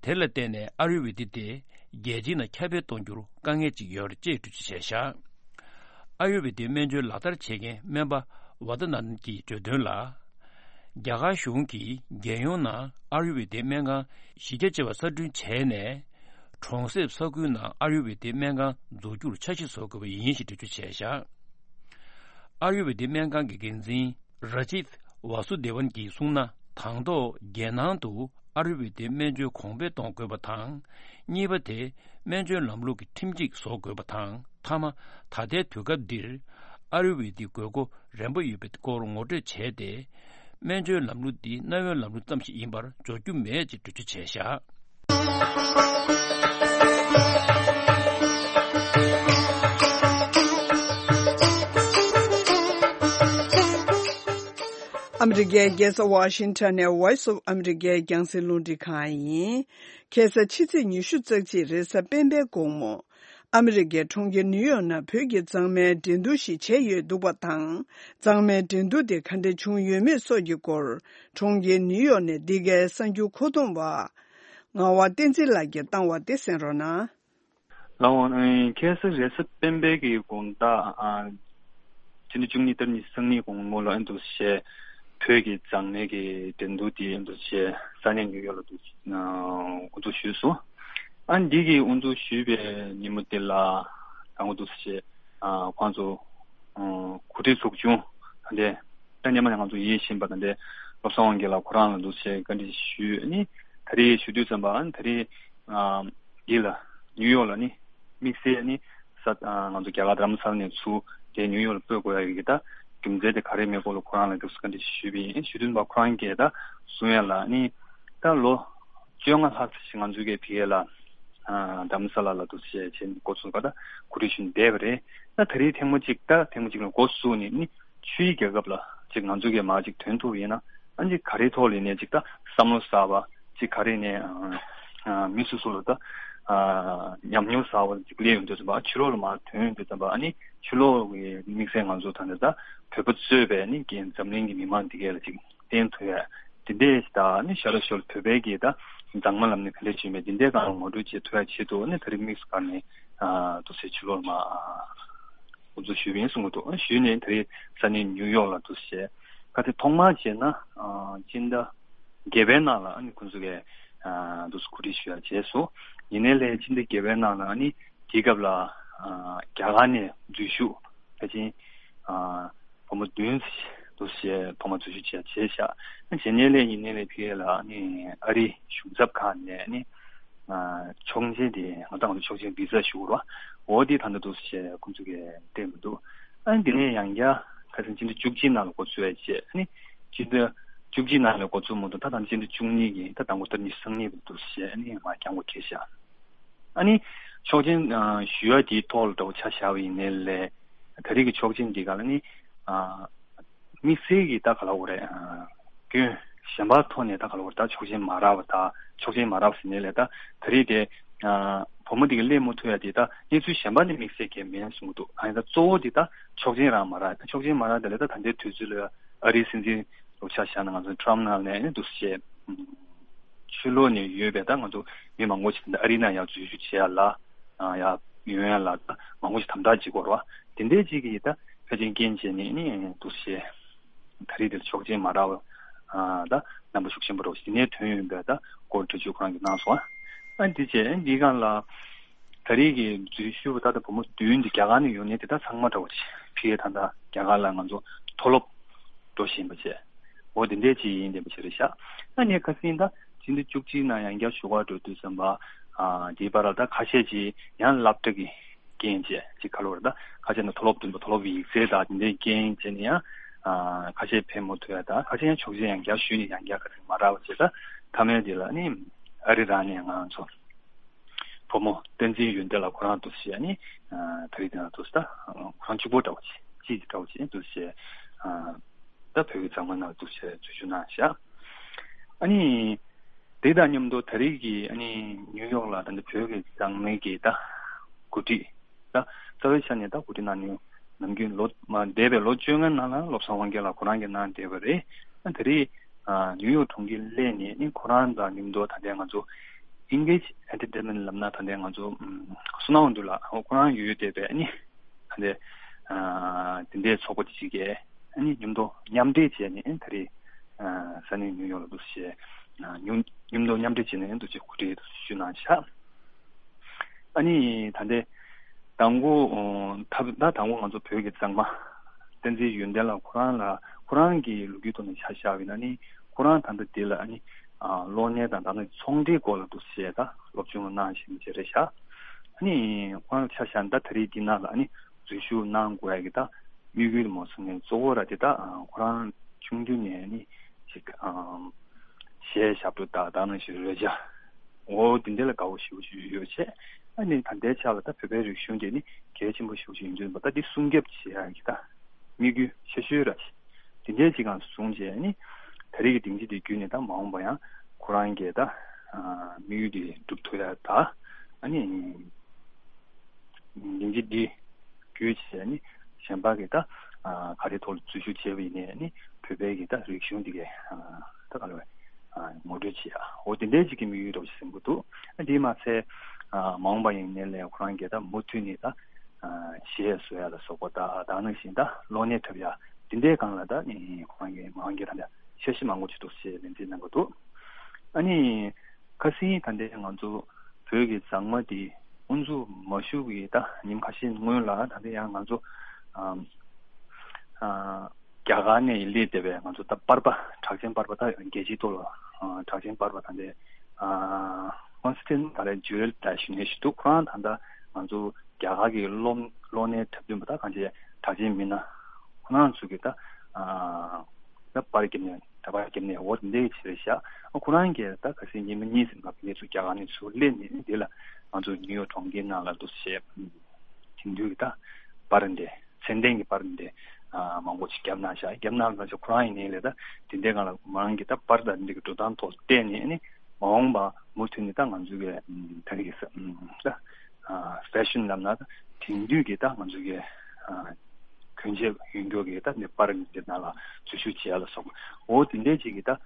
དེ་ལ་བརྟེན་ནས་ཨ་ཡུར་ཝེ་དི་དེ་རྒྱལ་སྤྱིའི་ནང་ཁྱབ་སྤེལ་གཏོང་རྒྱུར་དཀའ་ངལ་ཅིག་ཡོད་རེད་ཅེས་འགྲེལ་བརྗོད་བྱས་བཞག། ཨ་ཡུར་ཝེ་དའི་སྨན་བཅོས་ལག་བསྟར་བྱེད་མཁན་སྨན་པ་ཝ་ཏ་ན་ནན་གྱིས་བརྗོད་དོན་ལ། རྒྱ་གར་གཞུང་གིས་རྒྱལ་ཡོངས་ནང་ཨ་ཡུར་ཝེ་དའི་སྨན་ཁང་བཞི་བརྒྱ་བྱེ་བ་གསར་སྐྲུན་བྱས་ནས། གྲོང་གསེབ་ས་ཁུལ་ནང་ཨ་ཡུར་ཝེ་དའི་སྨན་ཁང་འཛུགས་རྒྱུར་འཆར་གཞི་བཟོ་དགོས་པ་ཡིན་ཞེས་འགྲེལ་བརྗོད་བྱས་བཞག། ཨ་ཡུར་ཝེ་དའི་སྨན་ཁང་གི་འགན་འཛིན་ར་ཇིད་ཝཱ་སུ་དེ་ཝན་གྱིས་གསུངས་ན། དང་ཐོག་རྒྱལ་ནང་དུ་ཨ་ཡུར་ཝེ་དའི་སྨན་བཅོས་གོང་འཕེལ་གཏོང་དགོས་པ་དང་། གཉིས་པ་དེ་སྨན་བཅོས་ལམ་ལུགས་ཀྱི་ཁྲིམས་གཅིག་བཟོ་དགོས་པ་དང་། མཐའ་མ་ད་ལྟའི་དུས་སྐབས་འདིར་ཨ་ཡུར་ཝེ་དའི་དགོས་མཁོ་རན་པོ་ཡོད་པའི་སྐོར་ངོ་སྤྲོད་བྱས་ཏེ། སྨན་བཅོས་ལམ་ལུགས་འདི་གནའ་བོའི་ལམ་ལུགས་ཙམ་ཞིག་ཡིན་པར་འཇོག་རྒྱུ་མེད་ཅེས་འགྲེལ་བརྗོད་བྱས་བཞག། ཨ་མི་རི་ཀའི་རྒྱལ་ས་ཝ་ཤིང་ཊོན་ནས་Voice of America་རྒྱང་སྲིང་རླུང་འཕྲིན་ཁང་ཡིན། ཁ་སང་ཕྱི་ཚེས་ཉི་ཤུ་རྩ་གཅིག་རེས་གཟའ་སྤེན་པའི་དགོང་མོ། ཨ་མི་རི་ཀའི་གྲོང་ཁྱེར་ནིའུ་ཡོག་ནང་བོད་ཀྱི་གཙང་མའི་འགྲན་བསྡུར་ཞིག་བྱས་ཡོད་འདུག་པ་དང་། གཙང་མའི་འགྲན་བསྡུར་དེ་ག་འདྲ་བྱུང་ཡོད་མེད་སོགས་ཀྱི་སྐོར། གྲོང་ཁྱེར་ནིའུ་ཡོག་ནས་འདི་གའི་གསར་འགྱུར་མཁོ་གཏོང་བ། ངག་དབང་བསྟན་འཛིན་ལགས་ཀྱིས་བཏང་བ་དེ་གསན་རོགས་གནང་། ལགས་འོང་། ཨེ། ཁ་སང་རེས་གཟའ་སྤེན་པའི་གི་དགོང་དག་ཨ། སྤྱི་ཟླ་བཅུ་གཉིས་ཏ་རིག་ཉི་ཤུ་རྩ་གཉིས་དགོང་མོ་ལ་ཨ་འདུག་སེ་བོད་ཀྱི་གཙང་མའི་གི་འགྲན་བསྡུར་དེ་ཨ་འདུག་སེ་ས་གནས་ནིའུ་ཡོག་ལ་འདུག་ཨ། དབུ་འཛུགས་ཞུས་སོང་། ཨ་འདི་གི་དབུ་འཛུགས་ཞུས་པའི་ཉིན་མོ་དེ་ལ་ད་ང་འདུག་སེ་ཨ་ཁོང་ཚོ་ཨ་གོ་སྒྲིག་ཚོགས་ཆུང་ད་ལྟ་ད་སྔོན་མ་ནས་ང་ཚོ་ཡིད་བཞིན་པ་ད་ལྟ་བློ་བཟང་དབང་རྒྱལ་ལགས་ཁོ་རང་ལ་འདུག་སེ་བཀའ་འདྲི་ཞུས། ཨ་ནི་ད་རེས་ཞུ་དུས་ཙམ་པ་ཨ་ནི་ད་རེས། ཨ། འདི་ལ་ནིའུ་ཡོག་ལ་ནི་དམིགས་བསལ་ནི་ས་ཨ་ང་ཚོ་རྒྱ་གར་རྡ་རམ་ས་ལ་ནས་ཚུར་དེ་ནིའུ་ཡོག་ལ་སྤོས་དགོས་ཡ་གི་ད་རྒྱུ་མཚན་དེ་ག་རེ་མེད་སྐོར་ལ་ཁོ་རང་ལ་དུས་སུ་བཀའ་འདྲི་ཞུས་པ་ཡིན། ཞུ་དུས་པ་ཁོ་རང་གིས་ད་གསུང་ཡ་ལ་ནི་ད་ལོ་བཅོ་ལྔ་ལྷག་ཙམ་ཞིག་ང་ཚོའི་གི་ཕ་གི་ལ་ཨ་རྡ་རམ་ས་ལ་ལ་དུ་བྱས་བྱས་ནས་འགོ་ཚུགས་པ་ད་གོ་སྒྲིག་ཞུས་ནས་བསྡད་པ་རེད། ད་ད་རེས་ཐེངས་མ་གཅིག་ད་ཐེངས་མ་གཅིག་ལ་འགོ་བཙུགས་ནས་ནི། ཆུའི་རྒྱལ་ཁབ་ལ་ཅིག་ང་ཚོ་གི་མར་ཅིག་ཐོན་ཐུབ་ཡིན་ན་ཨ་ཅིག་ག་རེ་ཐོག་ལ་ནས་ཅིག་ད་བསམ་བློ་གསར་པ་ཅིག་ག་རེ་ནས་ཨ་མི་སོ་སོ་ལ་ད་ཨ་ཉམས་མྱོང་གསར་པ་ཅིག་སླེབས་ཡོང་དུས་ཙམ་པ་ཕྱི་ལོགས་ལ་མར་ཐོན་ཡོང་དུས་ཙམ་པ་ཨ་ནི་ཕྱི་ལོགས་ཀྱི་དམིགས་བསལ་ང་ཚོ་ད་ནི་ད་བོད་པ་གཙོས་པའི་ནི་རྒན་འཛམ་གླིང་གི་མི་མང་འདི་གས་ལ་ཅིག་བསྟན་ཐུབ་ཡ་འདི་འདྲས་ད་ནི་ཤར་ལ་ཤོར་བོད་པའི་གི་ད་མཛངས་མ་ལབ་ནས་ག་འདྲས་བྱུང་མེད་འདི་འདྲས་གང་ངོ་སྤྲོད་བྱེད་ཐུབ་ཡ་ཆེད་དུ་ནི་ད་རེས་དམིགས་སུ་བཀར་ནས་ཨ་དུ་སེ་ཕྱི་ལོགས་ལ་མར་ཨ། འགོ་འཛུགས་ཞུས་པ་ཡིན་གསུང་གི་འདུག་ཞུས་ནས་དེ་རིང་ས་གནས་ནིའུ་ཡོག་ལ་འདུག་སེ་བྱས། ཁ་སང་ཐོག་མར་བྱས་ན་ཨ་སྤྱི་ཟླ་བརྒྱད་པའི་ནང་ལ་ཨ་ནི་ཁོང་ཚོ་གིས་ཨ་འདུག་སེ་གོ་སྒྲིག་ཞུ་ཡ་བྱས་སོང་། ཡིན་ནའི་ལས་སྤྱི་ཟླ་བརྒྱད་པའི་ནང་ལ་ཨ་ནི་དེའི་སྐབས་ལ་ཨ་རྒྱ་གར་ནས་འཛུལ་ཞུགས་ཕལ་ཆེར་ཨ་བུ་མོ་བདུན་འདུག་སེ་ཐོག་མར་འཛུལ་ཞུགས་བྱས་བྱས་ཤག་བྱས་ནའི་ལས་ཡིན་ནའི་ལས་ཕ་གི་ལ་ཨ་ནི་ཨ་རིའི་གཞུང་ཚབ་ཁང་ནས་ཨ་ནི། ཨ་ཆོག་མཆན་དེ་ང་ཚོ་ང་ཚོ་ཆོག་མཆན་བི་ཟ་ཞུ་དགོས་རེད་བ། འོ་དེ་ད་ལྟ་འདུག་ཟེར་ཁོང་ཚོ་གིས་སྤྲད་མི་འདུག་ཨ་ནི་དེ་ནས་ཡང་བསྐྱར་ཁ་སང་སྤྱི་ཟླ་བཅུ་གཅིག་ནང་ལ་འགོ་ཚུགས་ཡ་བྱས་ཨ་ནི་སྤྱི་ཟླ་བཅུ་གཅིག་ནང་ལ་འགོ་ཚུགས་མ་གཏོགས་ད་ད་སྤྱི་ཟླ་བཅུ་གཉིས་ཀྱི་ད་དང་པོ་ཏ་རིག་ཉི་ཤུ་རྩ་གཉིས་འདུག་ཟེར་ཨ་ནི་མར་འགྱངས་པ་འཁེལ་ཤག་ཨ་ནི་ཆོག་མཆན་ཨ་ཞུ་ཡ་དེའི་ཐོག་ལ་འདྲ་བོ་ཆ་བཞག་པ་ཡིན་ནའི་ལས་ད་རེས་ཀྱི་ཆོག་མཆན་འདི་ག་ལ་ནི་ཨ། དམིགས་བསལ་གྱི་ད་ག་ལ་འོ་རེད། ཨ་སྐྱོན་གཞན་པ་ཐོག་ནས་ད་ག་ལ་འོ་རེད། ད་ཆོག་མཆན་མ་རག་པ་ད་ཆོག་མཆན་མ་རག་པ་ཟེར་ནས་ལས་ད་ད་རེས་དེ་ཨ་བུ་མོ་དེ་གི་སླེབས་མ་ཐུབ་ཡ་དེ་ད་གནས་ཚུལ་གཞན་པ་ནས་དམིགས་བསལ་གྱི་མེད་གསུང་གི་འདུག་ཨ་ནི་ད་གཙོ་བོ་དེ་ད་ཆོག་མཆན་རག་མ་རག་ད་ཆོག་མཆན་མ་རག་དེ་ལས་ད་ད་ལྟའི་དུས་ཚོད་ལ་ཨ་རིའི་སྲིད་འཛིན་ལོ་ཆ་བཞག་ན་ང་ཚོ་ཊམ་ནང་ནས་ཨ་ནི་འདུག་སེ་བྱས། ཕྱི་ལོགས་ནས་ཡོད་པའི་ད་ང་ཚོ་མི་མང་པོ་ཞིག་ད་ཨ་རི་ནང་ཡར་འཛུལ་ཞུགས་བྱེད་ཡ་ལ་ཡར་ཡོང་ཡ་ལ་ད་མང་པོ་ཞིག་དམ་དྲག་བྱེད་དགོས་རེད་བ། དེ་འདྲའི་ཅིག་གིས་ད་ཕལ་ཆེར་རྐྱེན་བྱས་ནས་ནི་འདུག་སེ་ད་རེས་དེར་ཆོག་མཆན་མ་རག་པ་ད་རྣམ་པ་ཤུགས་ཆེན་པོ་རེད་བ། དེ་ནས་ཐོན་ཡོང་པའི་ད་སྐོར་འགྲེལ་བརྗོད་ཁོ་རང་གིས་གནང་སོང་། ཨ་འདི་བྱས་འདིའི་སྒང་ལ་ད་རེས་ཀྱི་འཛུལ་ཞུགས་པ་ད་ལྟ་བུ་མོ་བདུན་འདི་རྒྱ་གར་ནས་ཡོང་མཁན་དེ་དག་ཚང་མ་འདྲ་བོ་ཅིག་ཕ་གིར་ད་ལྟ་རྒྱ་གར་ལ་ང་ཚོ་མཐོ་སློབ་འགྲོ་བཞིན་པ་བྱས། འོ་དེ་འདྲས་ཅིག་ཡིན་བསྡད་པ་ཅིག་རེད་ཤག་ཨ་ནི་ཁ་སང་ད་སྤྱི་ཟླ་བཅུ་གཅིག་ནང་ཡང་བསྐྱར་བཞུགས་སྒར་འགྲོ་དུས་ཙམ་པ་ཨ་དེའི་བར་ལ་ད་ཁ་ཤས་ཅིག་ཡང་སློབ་གྲྭ་གི་རྐྱེན་བྱས་ཅིག་ག་ལོར་ད་ཁ་ཤས་ནི་མཐོ་སློབ་བདུན་པ་མཐོ་སློབ་ཡིག་ཚད་དང་དེ་འདྲའི་རྐྱེན་བྱས་ནས་ཡང་ཨ་ཁ་ཤས་ཕེབས་མ་ཐུབ་ཡ་ད་ཁ་ཤས་ཡང་ཆོག་མཆན་ཡང་བསྐྱར་ཞུས་ནས་ཡང་བསྐྱར་ཁ་སང་མ་རག་པ་བྱས། ད་མཐའ་མའི་དེ་ལ་ནི་ཨ་རི་རང་ནས་ང་ཚོ་བུ་མོ་བསྟན་འཛིན་ཡོན་ཏན་ལགས་ཁོ་རང་འདུག་སེ་ནི་ཨ་ད་རེས་དེ་ན་འདུག་སེ་ད་ཁོ་རང་གཅིག་པོ་འདྲ་བོ་ཅིག་ཅིག་འདྲ་བོ་ཅིག་འདུག་སེ་ཨ་ད་བོད་ཀྱི་གཙང་མ་ནང་འདུག་སེ་འཛུལ་ཞུགས་གནང་ཤག་ཨ་ནི་དེ་དང་མཉམ་དུ་ད་རེས་ཀྱི་ཨ་ནི་ནིའུ་ཡོག་ལ་ད་ནི་བོད་ཀྱི་གཙང་མའི་གི་ད་གོ་སྒྲིག་ད་རྩ་བའི་ཆ་ནས་ད་གོ་སྒྲིག་གནང་ནས་ནམ་རྒྱུན་ལོ་མ་འདས་པའི་ལོ་བཅོ་ལྔའི་ནང་ལ་བློ་བཟང་དབང་རྒྱལ་ལགས་ཁོ་རང་གིས་གནང་བསྡད་པ་རེད། ད་རེས་ཨ་ནིའུ་ཡོག་གྲོང་ཁྱེར་སླེབས་ནས་ནི་ཁོ་རང་དང་མཉམ་དུ་ད་ལྟའི་ང་ཚོ་Engage Entertainment་ལབ་ན་ད་ལྟའི་ང་ཚོ་ཨམ་བསོད་ནམས་དབང་འདུས་ལགས་ཁོ་རང་ཡོད་ཡོད་བསྡད་པའི་ནི་ད་ལྟའི་ཨ་དེ་འདྲའི་ཚོགས་པ་དེ་གཅིག་གིས་ནི་མཉམ་དུ་མཉམ་འབྲེལ་བྱས་ནས་ད་རེས་ཨ་ས་གནས་ནིའུ་ཡོག་ལ་འདུག་སེ་ཨ་མཉམ་མཉམ་དུ་མཉམ་འབྲེལ་བྱས་ནས་འདུག་སེ་གོ་སྒྲིག་ཞུས་གནང་ཤག་ཨ་ནི་ད་ལྟའི་དང་པོ་ཨོ་ད་ད་དང་པོ་ང་ཚོ་བོད་ཀྱི་གཙང་མ་བསྟན་འཛིན་ཡོན་ཏན་ལགས་ཁོ་རང་ལ་ཁོ་རང་གི་ལོ་རྒྱུས་ཐོག་ནས་ཆ་བཞག་པ་ཡིན་ན་ནི་ཁོ་རང་ད་ལྟ་འདི་ལ་ཨ་ནི་ཨ་གློག་བརྙན་དང་ད་ནི་ཚོང་འབྲེལ་སྐོར་ལ་འདུག་སེ་ད་སློབ་སྦྱོང་གནང་བཞིན་པ་ཅིག་རེད་ཤག་ཨ་ནི་ཁོ་རང་ཆ་བཞག་ན་ད་ད་རེས་འདི་ནང་ལ་ཨ་ནི་འཛུལ་ཞུགས་གནང་དགོས་ཡ་གི་ད་དམིགས་ཡུལ་མ་སོང་ནས་གཙོ་བོ་ར་དེ་ད་ཁོ་རང་ཆུང་དུས་ནས་ནི་ཅིག་ཨམ་གཞས་ཞབས་བྲོ་དང་ད་ནང་བཞིན་རོལ་ཆ་འོ་དེ་འདྲ་ལ་དགའ་བོ་ཞེ་པོ་ཅིག་ཡོད་བྱས། ཨ་ནི་ད་ལྟའི་ཆ་ལ་ད་བོད་པའི་རིག་གཞུང་དེ་ནི་གལ་ཆེན་པོ་ཞེ་པོ་ཅིག་ཡིན་དུས་ད་འདི་སྲུང་སྐྱོབ་བྱེད་ཡ་གི་ད་དམིགས་ཡུལ་ཆེ་ཤོས་ར་ཞིག་དེ་འདྲའི་ཅིག་སྒང་བཟུང་བྱས་ནི་ད་རེས་ཀྱི་སྡིངས་ཆ་དེ་བརྒྱུད་ནས་ད་མ་འོངས་པ་ཡང་ཁོ་རང་གི་ད་དམིགས་ཡུལ་དེ་འགྲུབ་ཐུབ་ཡ་ད་ཨ་ནི། སྙིང་རྗེ་འདི་བརྒྱུད་བྱས་ནི་གཞན་པ་གི་ད་ག་རེ་ཐོག་ལ་འཛུལ་ཞུགས་བྱས་པ་ཡིན་ནའི་ནི་བོད་པའི་གི་ད་རིག་གཞུང་འདི་གའི་ད་ག་ལ་བའི་ངོ་སྤྲོད་བྱེད་ཡ་འོ་དེ་འདྲའི་ཅིག་གི་དམིགས་ཡུལ་འདྲ་བོ་ཞིག་ཟིན་པོ་འདུག་དེས་མ་ཚད་མ་འོངས་པ་ཡིན་ནའི་ལས་ཁོ་རང་གི་ད་མུ་མཐུད་ནས་ད་གཞས་བཟོ་ཡ་ལ་སོགས་པ་ད་ད་ནང་བཞིན་ད་གློག་བརྙན་འཁྲབ་ཡ་དེ་འདྲའི་སྒང་ལ་ད་ནི་ཁོ་རང་གི་མ་འོངས་ཀྱི་ད་ལྟ་འཆར་གཞི་མང་པོ་ཅིག་འདུག་ཅེས་ལན་འཛིན་གནང་གི་འདུག་ཨ་ནི། ཁ་སང་ད་ལྟའི་ང་ཚོ་བོད་ཀྱི་མཛངས་མ་དེ་དབུ་འཛུགས་མ་ཞུ་བའི་ད་ཉིན་ཁ་ཤས་སྔོན་ལ་ད་ལྟ་ཡང་ང་ཚོ་ཨ་ཨ་རྒྱ་གར་ནས་སླེབས་བསྡད་པའི་ང་ཚོ་ད་པར་པ་གྲགས་ཅན་པར་པ་ད་རྒྱལ་སྤྱིའི་ཐོག་ལ་ཨ་གྲགས་ཅན་པར་པ་ད་ལྟའི་ཨ་ཀོན་སི་ཊན་ད་ལྟའི་ཇུ་ཨེལ་ད་ཞུ་ནས་ཞུ་འདུག་ཁོ་རང་ད་ལྟ་ང་ཚོ་རྒྱ་གར་གྱི་གློག་གློག་བརྙན་འཁྲབ་སྟོན་པ་ད་གང་ཅི་གྲགས་ཅན་མི་སྣ་ཁོ་རང་ཚོ་གི་ད་ཨ། ད་པར་རྒྱབ་ནས་ད་པར་རྒྱབ་ནས་འོ་དེ་འདྲའི་ཆེ་རེད་ཤག་ཨ་ཁོ་རང་གིས་ད་ཁ་སང་ཉི་མ་གཉིས་ཙམ་ང་ཚོ་རྒྱ་གར་ནས་ཚུར་སླེབས་ནས་འདི་ལ་ང་ཚོ་ནིའུ་ཡོག་གྲོང་ཁྱེར་ནང་ལ་འདུག་བྱས་དེང་དུས་ཀྱི་ད་པར་འདི་ཚད་ལྡན་གྱི་པར་འདི་མང་པོ་ཞིག་བརྒྱབ་གནང་ཤག་བརྒྱབ་གནང་ལ་ཁོ་རང་ཡིན་ནའི་ལས་ད་དེ་འདྲའི་སྒང་ལ་མ་རང་གི་ད་པར་ད་འདི་གི་འགྲོ་སྟངས་ཐོག་བལྟས་ནས་ནི་མ་འོངས་པ་མུ་མཐུད་ནས་ད་ང་ཚོ་གི་ད་རེས་ཀྱི་ད་ཕེ་ཤོན་ལབ་ན་ད་དེང་དུས་ཀྱི་ད་ང་ཚོ་གི་གྱོན་ཆས་ཡོད་མཁན་གྱི་ད་ནི་པར་འདི་ནང་ལ་འཛུལ་ཞུགས་བྱེད་ཡ་ལ་སོགས་འོ་དེ་འདྲའི་ཅིག་གི་ད་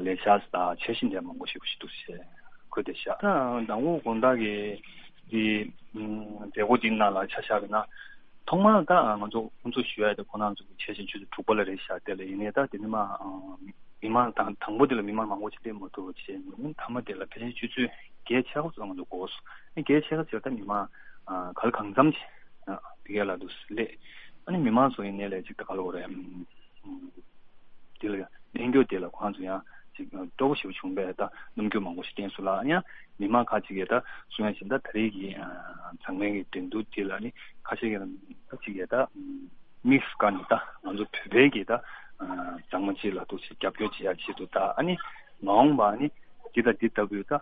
ལས་འཆར་དང་འཆར་གཞི་འདྲ་མང་པོ་ཞིག་ཞིག་འདུག་ཟེར་འཁོད་དེ་བཞག་ད་མདང་དགོང་དགོང་དག་གི་འདི་མཛད་སྒོ་འདི་ནང་ལ་ཆ་བཞག་པ་ན་ཐོག་མར་ད་ང་ཚོ་ཁོང་ཚོ་ཞུ་ཡ་དེ་ཁོ་རང་ཚོ་གི་འཆར་གཞི་ཆུ་ཚོད་དྲུག་པ་ལ་རེད་བཞག་དེ་ལ་ཡིན་ནའི་ད་དེ་ནི་མ་མི་མང་དང་དང་པོ་དེ་ལ་མི་མང་མང་པོ་ཅིག་སླེབས་མ་ཐུབ་པ་བྱས་ནས་མཐའ་མ་དེ་ལ་ཕལ་ཆེར་ཆུ་ཚོད་བརྒྱད་ཕྱེད་ཀ་ཙམ་ང་ཚོ་འགོར་སོང་། བརྒྱད་ཕྱེད་ཀ་ཙམ་ད་མི་མང་ག་ལ་གང་འཚམ་ཅིག་དེ་ག་ལ་འདུག་སླེབས། ཨ་ནི་མི་མང་ཚོ་ཡིན་ནའི་ལས་ཅིག་ད་ག་ལ་འོ་རེད། དེ་ལ་གནས་འགྱོ་དེ་ལ་ཁོང་ཚོ་ཡང་ཅིག་སྤྲོ་པོ་ཞེ་པོ་བྱུང་བས་ད་སྣུམ་འགྱུར་མང་པོ་ཞིག་བསྟན་སོང་ལ་ཡང་མི་མང་ཁག་ཅིག་གིས་ད་གསུང་ཡ་བཞིན་ད་ད་རེས་ཀྱི་མཛངས་མའི་གི་འགྲན་བསྡུར་དེ་ལ་ནི་ཁ་ཤས་ཀྱིས་ད་ཅིག་གིས་ད་དམིགས་སུ་བཀར་ནས་ད་ང་ཚོ་བོད་པའི་གི་ད་མཛངས་མ་ཅིག་ལ་ཐུགས་རྗེ་རྒྱབ་སྐྱོར་བྱེད་ཡ་ཆེད་དུ་ད་ཨ་ནི་མ་འོངས་པ་ཨ་ནི་འདི་དང་འདི་ལྟ་བུའི་ད་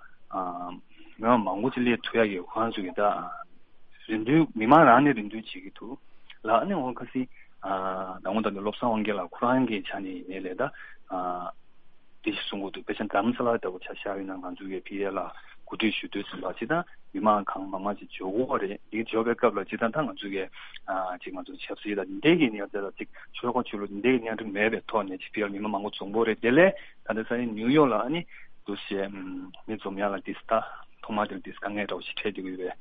མི་མང་མང་པོ་ཅིག་སླེབས་ཐུབ་ཡ་གི་ཁོ་རང་ཚོ་གི་ད། རེ་འདུན་མི་མང་རང་ནས་རེ་འདུན་བྱེད་ཀྱི་འདུག་ལ། ཨ་ནི་འོ་ཁ་སང་ད་འོ་ད་ནི་བློ་བཟང་དབང་རྒྱལ་ལགས་ཁོ་རང་གི་ཆ་ནས་ཡིན་ནའི་ལས་ད་དེ་ཞིག་གསུང་གི་འདུག་དཔེ་ཆ་རྡ་རམ་ས་ལ་ལྟ་བུ་ཆ་བཞག་ཡིན་ན་ང་ཚོ་གི་ཕི་ཨེ་ལ་གོ་སྒྲིག་ཞུ་དུས་ཙམ་པ་ཅི་ད་མི་མང་གང་མང་མང་ཅིག་འབྱོར་གྱི་ཡོད་རེད། དེ་འབྱོར་བའི་སྐབས་ལ་ཅི་ད་ད་ང་ཚོ་གི་ཅིག་ང་ཚོ་ཆབ་སྲིད་ལ་འདི་འདྲའི་གི་གནས་སྟངས་ལ་ཅིག་ཆོལ་ཁ་ཆོས་ལུགས་འདི་འདྲའི་གི་གནས་སྟངས་མེད་པའི་ཐོག་ནས་ཅིག་ཕི་ཨེ་ལ་མི་མང་མང་པོ་འཛོམས་པོ་རེད། དེ་ལས་ད་ལྟ་ས་ཡིན་ནིའུ་ཡོག་ལ་ཨ་ནི་འདུག་ཞེས་མི་འཛོམས་ཡ་ལ་དེ་ད། ཐོག་མ་དེར་དེ་དཀའ་ངལ་འདྲ་བོ་ཞིག་འཕྲད་བསྡད་ཀྱི་ཡོད་པའི་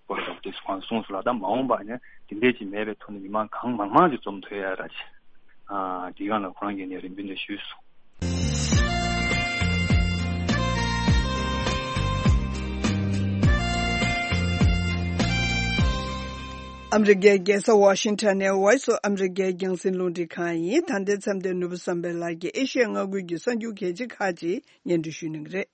སྐོར་ལ་དེ་ཁོང་གསུངས་སོང་ལ། ད་མ་འོངས་པ་ནས་དེ་འདྲས་ཅིག་མེད་པའི་ཐོག་ནས་མི་མང་གང་མང་མང་ཅིག་འཛོམས་ཐུབ་ཡ་ར་ཅིག་དེའི་སྒང་ལ་ཁོ་རང་གིས་ནས་རེ་འདུན་དེ་ཞུས་སོང་། ཨ་མི་རི་ཀའི་རྒྱལ་ས་ཝ་ཤིང་ཊོན་ནས་Voice of America རྒྱང་སྲིང་རླུང་འཕྲིན་ཁང་ཡིན། ད་ལྟའི་མཚམས་དེར་ནོར་བུ་བསམ་འཕེལ་ལགས་ཀྱིས་ཨེ་ཤི་ཡ་མངའ་ཁུལ་གྱི་གསར་འགྱུར་གལ་ཆེ་ཁག་ཅིག་སྙན་སྒྲོན་ཞུ་གནང་གི་རེད།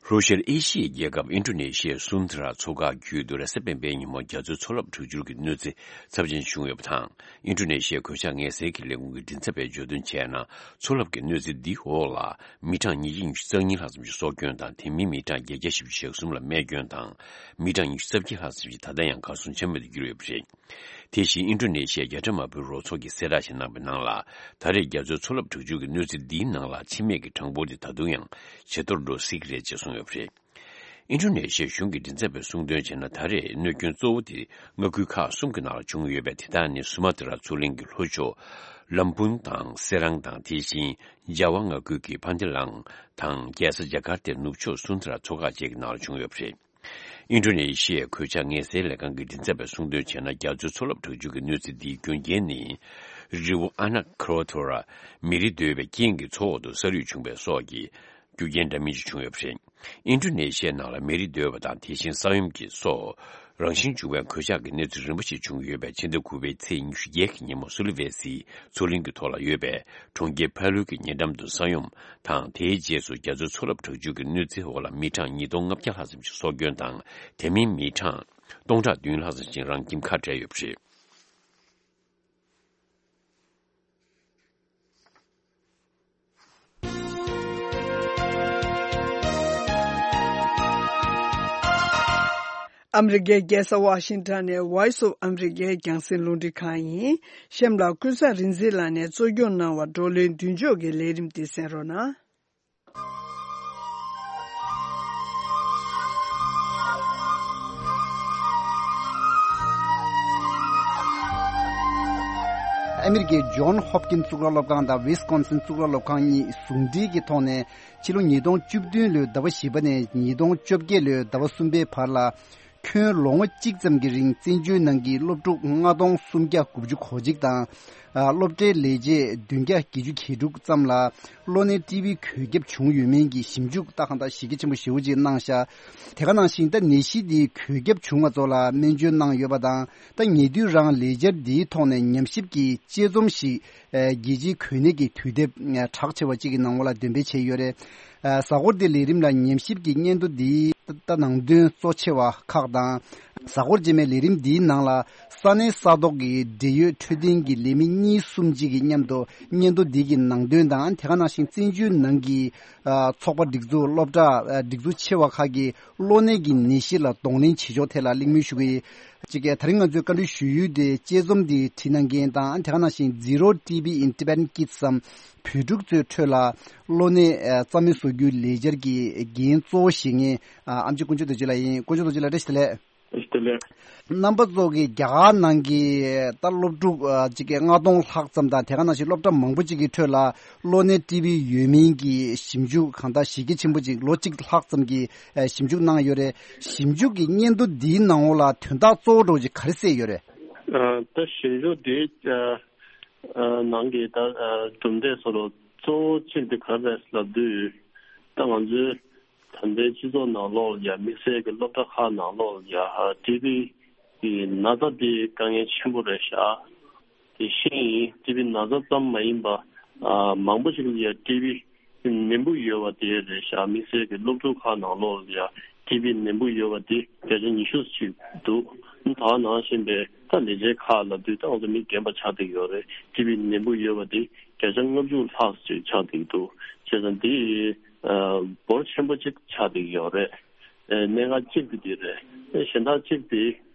ལྷོ་ཤར་ཨེ་ཤི་ཡའི་རྒྱལ་ཁབ་ཨིན་ཌོ་ནེ་ཤི་ཡའི་སུན་ཐ་ར་མཚོ་འགག་བརྒྱུད་དུ་རེས་གཟའ་སྤེན་པའི་ཉིན་མོ་རྒྱ་མཚོའི་མཚོ་རླབས་དྲག་སྦྱོར་གྱི་གནོད་འཚེ་ཚབས་ཆེན་བྱུང་ཡོད་པ་དང་། ཨིན་ཌོ་ནེ་ཤི་ཡའི་གོད་ཆག་ངལ་སེལ་གྱི་ལས་ཁུངས་ཀྱི་མགྲིན་ཚབ་པས་བརྗོད་དོན་བྱས་ན། མཚོ་རླབས་ཀྱི་གནོད་འཚེ་འདིའི་འོག་ལ་མི་གྲངས་ཉིས་བརྒྱ་ཉི་ཤུ་རྩ་གཉིས་ལྷག་ཙམ་ཞིག་སྲོག་སྐྱོན་དང་། དེ་མིན་མི་གྲངས་བརྒྱད་བརྒྱ་བཞི་བཅུ་ཞེ་གསུམ་ལ་རྨས་སྐྱོན་དང་། མི་གྲངས་ཉི་ཤུ་རྩ་བརྒྱད་ལྷག་ཙམ་ཞིག་ད་ལྟ་ཡང་གར་སོང་ཆ་མེད་དུ་གྱུར་ཡོད་པ་རེད། དེ་བཞིན་ཨིན་ཌོ་ནེ་ཤི་ཡའི་རྒྱལ་ཁྲིམས་དམག་དཔོན་རོགས་ཚོགས་ཀྱིས་གསལ་བསྒྲགས་ཤིག་གནང་པའི་ནང་ལ། ད་རེས་རྒྱ་མཚོའི་མཚོ་རླབས་དྲག་སྦྱོར་གྱི་གནོད་འཚེ་འདིའི་ནང་ལ་འཆི་རྨས་ཀྱི་གྲངས་འབོར་དེ་ད་དུང་ཡང་ཇེ་མཐོར་འགྲོ་སྲིད་ཀྱི་རེད་ཅེས་གསུངས་ཡོད་པ་རེད། ཨིན་ཌོ་ནེ་ཤི་ཡའི་གཞུང་གི་མགྲིན་ཚབ་པས་གསུངས་དོན་བྱས་ན། ད་རེས་གནོད་སྐྱོན་གཙོ་བོ་དེ་མངའ་ཁུལ་ཁག་གསུམ་གྱི་ནང་ལ་བྱུང་ཡོད་པས། དེ་དག་ནི་སུ་མ་ཏི་ར་མཚོ་གླིང་གི་ལྷོ་ཕྱོགས་ལམ་བུན་དང་སེ་རང་དང་། དེ་བཞིན་ཇ་ཝ་མངའ་ཁུལ་གྱི་ཕན་ཏི་ལང་དང་རྒྱལ་ས་ཇ་ཀར་ཏའི་ནུབ་ཕྱོགས་སུན་ཐ་ར་མཚོ་འགག་བཅས་ཀྱི་ནང་ལ་བྱུང་ཡོད་པ་རེད། ཨིན་ཌོ་ནེ་ཤི་ཡའི་གོད་ཆག་ངལ་སེལ་ལས་ཁང་གི་མགྲིན་ཚབ་པས་གསུངས་དོན་བྱས་ན། རྒྱ་མཚོའི་མཚོ་རླབས་དྲག་སྦྱོར་གྱི་གནོད་འཚེ་འདིའི་རྒྱུ་རྐྱེན་ནི། རི་བོ་ཨ་ན་ཁ་རོ་ཐོ་ར། མེ་རི་རྡོལ་བའི་རྐྱེན་གྱིས་མཚོ་འོག་ཏུ་ས་རུད་བྱུང་བའི་སོགས་ཀྱི་རྒྱུ་རྐྱེན་འདྲ་མིན་ཞིག་བྱུང་ཡོད་པ་རེད། ཨིན་ཌོ་ནེ་ཤི་ཡའི་ནང་ལ་མེ་རི་རྡོལ་བ་དང་། དེ་བཞིན་ས་ཡོམ་གྱི་སོགས་རང་བཞིན་བྱུང་བའི་གོད་ཆག་གི་གནོད་འཚེ་རིམ་པ་ཞིག་བྱུང་ཡོད་པས། ཕྱི་ཟླ་དགུ་པའི་ཚེས་ཉི་ཤུ་བརྒྱད་ཀྱི་ཉིན་མོ་སུ་ལི་ཝེ་སིའི་མཚོ་གླིང་གི་ཐོག་ལ་ཡོད་པའི་གྲོང་ཁྱེར་ཕ་ལུའུ་གི་ཉེ་འགྲམ་དུ་ས་ཡོམ་དང་། དེའི་རྗེས་སུ་རྒྱ་མཚོའི་མཚོ་རླབས་དྲག་སྦྱོར་གྱི་གནོད་འཚེའི་འོག་ལ་མི་གྲངས་ཉིས་སྟོང་ལྔ་བརྒྱ་ལྷག་ཙམ་ཞིག་སྲོག་སྐྱོན་དང་། དེ་མིན་མི་གྲངས་སྟོང་ཕྲག་བདུན་ལྷག་ཙམ་ཞིག་རང་ཁྱིམ་ཁ་བྲལ་ཡོད་པ་རེད། ཨ་མི་རི་ཀའི་རྒྱལ་ས་ཝ་ཤིང་ཊོན་ནས་Voice of America རྒྱང་སྲིང་རླུང་འཕྲིན་ཁང་ཡིན། གཤམ་ལ་ཀུན་བཟང་རིག་འཛིན་ལགས་ནས་གཙོ་སྐྱོང་གནང་བ་བགྲོ་གླེང་མདུན་ལྕོག་གི་ལས་རིམ་འདི་གསན་རོགས་གནང་། ཨ་མི་རི་ཀའི་ཇོན་ཧོབ་ཀིན་གཙུག་ལག་སློབ་ཁང་དང་ཝིས་ཀོན་སིན་གཙུག་ལག་སློབ་ཁང་གཉིས་ཟུང་འབྲེལ་གྱི་ཐོག་ནས་ཕྱི་ལོ་ཉིས་སྟོང་བཅུ་བདུན་ལོའི་ཟླ་བ་བཞི་པ་ནས་ཉིས་སྟོང་བཅོ་བརྒྱད་ལོའི་ཟླ་བ་གསུམ་པའི་བར་ལ། ཁྱོན་ལོ་ངོ་གཅིག་ཙམ་གྱི་རིང་བཙན་བྱོལ་ནང་གི་སློབ་ཕྲུག་ལྔ་སྟོང་སུམ་བརྒྱ་དགུ་བཅུ་གོ་གཅིག་དང་། ཨ། སློབ་གྲྭའི་ལས་བྱེད་བདུན་བརྒྱ་བརྒྱད་ཅུ་གྱ་དྲུག་ཙམ་ལ་གློ་ནད་ཊི་བི་འགོས་ཁྱབ་བྱུང་ཡོད་མིན་གྱི་ཞིབ་འཇུག་ད་གང་ལྟར་གཞི་རྒྱ་ཆེན་པོ་ཞེ་པོ་ཅིག་གནང་ཤག་དེ་ག་ནང་བཞིན་ད་ནད་གཞི་འདིའི་འགོས་ཁྱབ་བྱུང་བ་ཚོ་ལ་སྨན་བཅོས་གནང་ཡོད་པ་དང་། ད་ཉེ་དུས་རང་ལས་འཆར་འདིའི་ཐོག་ནས་ཉམས་ཞིབ་ཀྱི་དཔྱད་རྩོམ་ཞིག་ཨ། རྒྱལ་སྤྱིའི་འགོས་ནད་ཀྱི་དུས་དེབ་ཨ། གྲགས་ཆེ་བ་གཅིག་གི་ནང་ལོགས་ལ་འདོན་སྤེལ་བྱས་ཡོད་རེད། ཨ། གཟའ་འཁོར་འདིའི་ལས་རིམ་ལ་ཉམས་ཞིབ་ཀྱི་སྙན་ཐོ་འདིའི་ད་ནང་དོན་གཙོ་ཆེ་བ་ཁག་དང་། གཟའ་འཁོར་རྗེས་མའི་ལས་རིམ་འདིའི་ནང་ལ་ས་གནས་ས་ཐོག་གི་འབྲེལ་ཡོད་འཕྲོད་བསྟེན་གྱི་ལས་མི་གཉིས་གསུམ་གཅིག་གིས་མཉམ་དུ་སྙན་ཐོ་འདི་གི་ནང་དོན་དང་། དེ་ག་ནང་བཞིན་བཙན་བྱོལ་ནང་གི་ཨ། ཚོགས་པ་སྒྲིག་འཛུགས། སློབ་གྲྭ་ཨ། སྒྲིག་འཛུགས་ཆེ་བ་ཁག་གིས་གློ་ནད་ཀྱི་ནད་གཞི་ལ་གདོང་ལེན་བྱེད་ཕྱོགས་ཐད་ལ་གླེང་མོལ་ཞུ་གི་ཡིན། གཅིག་གིས་ད་རིང་ང་ཚོས་བཀའ་འདྲི་ཞུ་ཡུལ་དེ་དཔྱད་རྩོམ་འདི་བྲིས་གནང་མཁན་དང་། དེ་ག་ནང་བཞིན་Zero T B in Tibetan Kids བསམ་བོད་ཕྲུག་ཚོའི་ཁྲོད་ལ་གློ་ནད་ཨ། རྩ་མེད་བཟོ་རྒྱུའི་ལས་འཆར་གྱི་འགན་གཙོ་བོ་བཞེས་མཁན་ཨ། ཨེམ་ཆི་དཀོན་མཆོག་རྡོ་རྗེ་ལགས་ཡིན། དཀོན་མཆོག་རྡོ་རྗེ་ལགས་བཀྲ་ཤིས་བདེ་ལེགས། བཀྲ་ཤིས་བདེ་ལེགས། རྣམ་པ་ཚོ་གིས་རྒྱ་གར་ནང་གི་ད་སློབ་ཕྲུག་ཨ། གཅིག་གི་ལྔ་སྟོང་ལྷག་ཙམ་དང་། དེ་ག་ནང་བཞིན་སློབ་གྲྭ་མང་པོ་གཅིག་གི་ཁྲོད་ལ་གློ་ནད་ཊི་བི་ཡོད་མིན་གྱི་ཞིབ་འཇུག་གང་ལྟར་གཞི་རྒྱ་ཆེན་པོ་ཅིག་ལོ་གཅིག་ལྷག་ཙམ་གྱི་ཨ། ཞིབ་འཇུག་གནང་ཡོད་རེད། ཞིབ་འཇུག་གི་སྙན་ཐོ་འདིའི་ནང་ལོགས་ལ་དོན་དག་གཙོ་བོ་འདྲ་བོ་ཅིག་ག་རེ་གསལ་ཡོད་རེད། ཨ། ད་ཞིབ་འཇུག་འདིའི་ཨ། ཨ། ནང་གི་ད་ཨ། གྲུབ་འབྲས་སོགས་ལ་གཙོ་བོ་གཅིག་དེ་ག་རེ་རེད་ལབ་དུས། ད་ང་ཚོའི་ད་ལྟའི་སྤྱི་ཚོགས་ནང་ལོགས་ལ་ཡ། དམིགས་བསལ་གྱི་སློབ་གྲྭ་ཁག་ནང་ལོགས་ལ་ཡ། ཊི་བི་གི་ན་ཚ་དེ་དཀའ་ངལ་ཆེན་པོ་རེད་ཤག་དེ་ཤེས་ཡིན། ཊི་བི་ན་ཚ་ཙམ་མ་ཡིན་པ་ཨ། མང་པོ་ཞིག་ལ་ཡ་ཊི་བི་ནད་འབུ་ཡོད་པ་དེ་རེད་ཤག་དམིགས་བསལ་གྱི་སློབ་ཕྲུག་ཁག་ནང་ལོགས་ལ་ཡ་ཊི་བི་ནད་འབུ་ཡོད་པ་དེ་བརྒྱ་ཆ་ཉི་ཤུ་ཅིག་འདུག་ད་ག་ནང་བཞིན་པའི་ད་ལས་བྱེད་ཁག་ལབ་དུས་ད་ང་ཚོ་མི་རྒན་པ་ཆགས་བསྡད་ཡོད་རེད། ཊི་བི་ནད་འབུ་ཡོད་པ་དེ་བརྒྱ་ཆ་ལྔ་བཅུ་ལྷག་ཅིག་ཆགས་བསྡད་འདུག་བྱས་ཙང་དེ་ཨ། འབོར་ཆེན་པོ་ཅིག་ཆགས་བསྡད་ཡོད་རེད། ཨ། གནད་འགག་གཅིག་དེ་དེ་རེད། ཨ། གཞན་དག་གཅིག་དེ་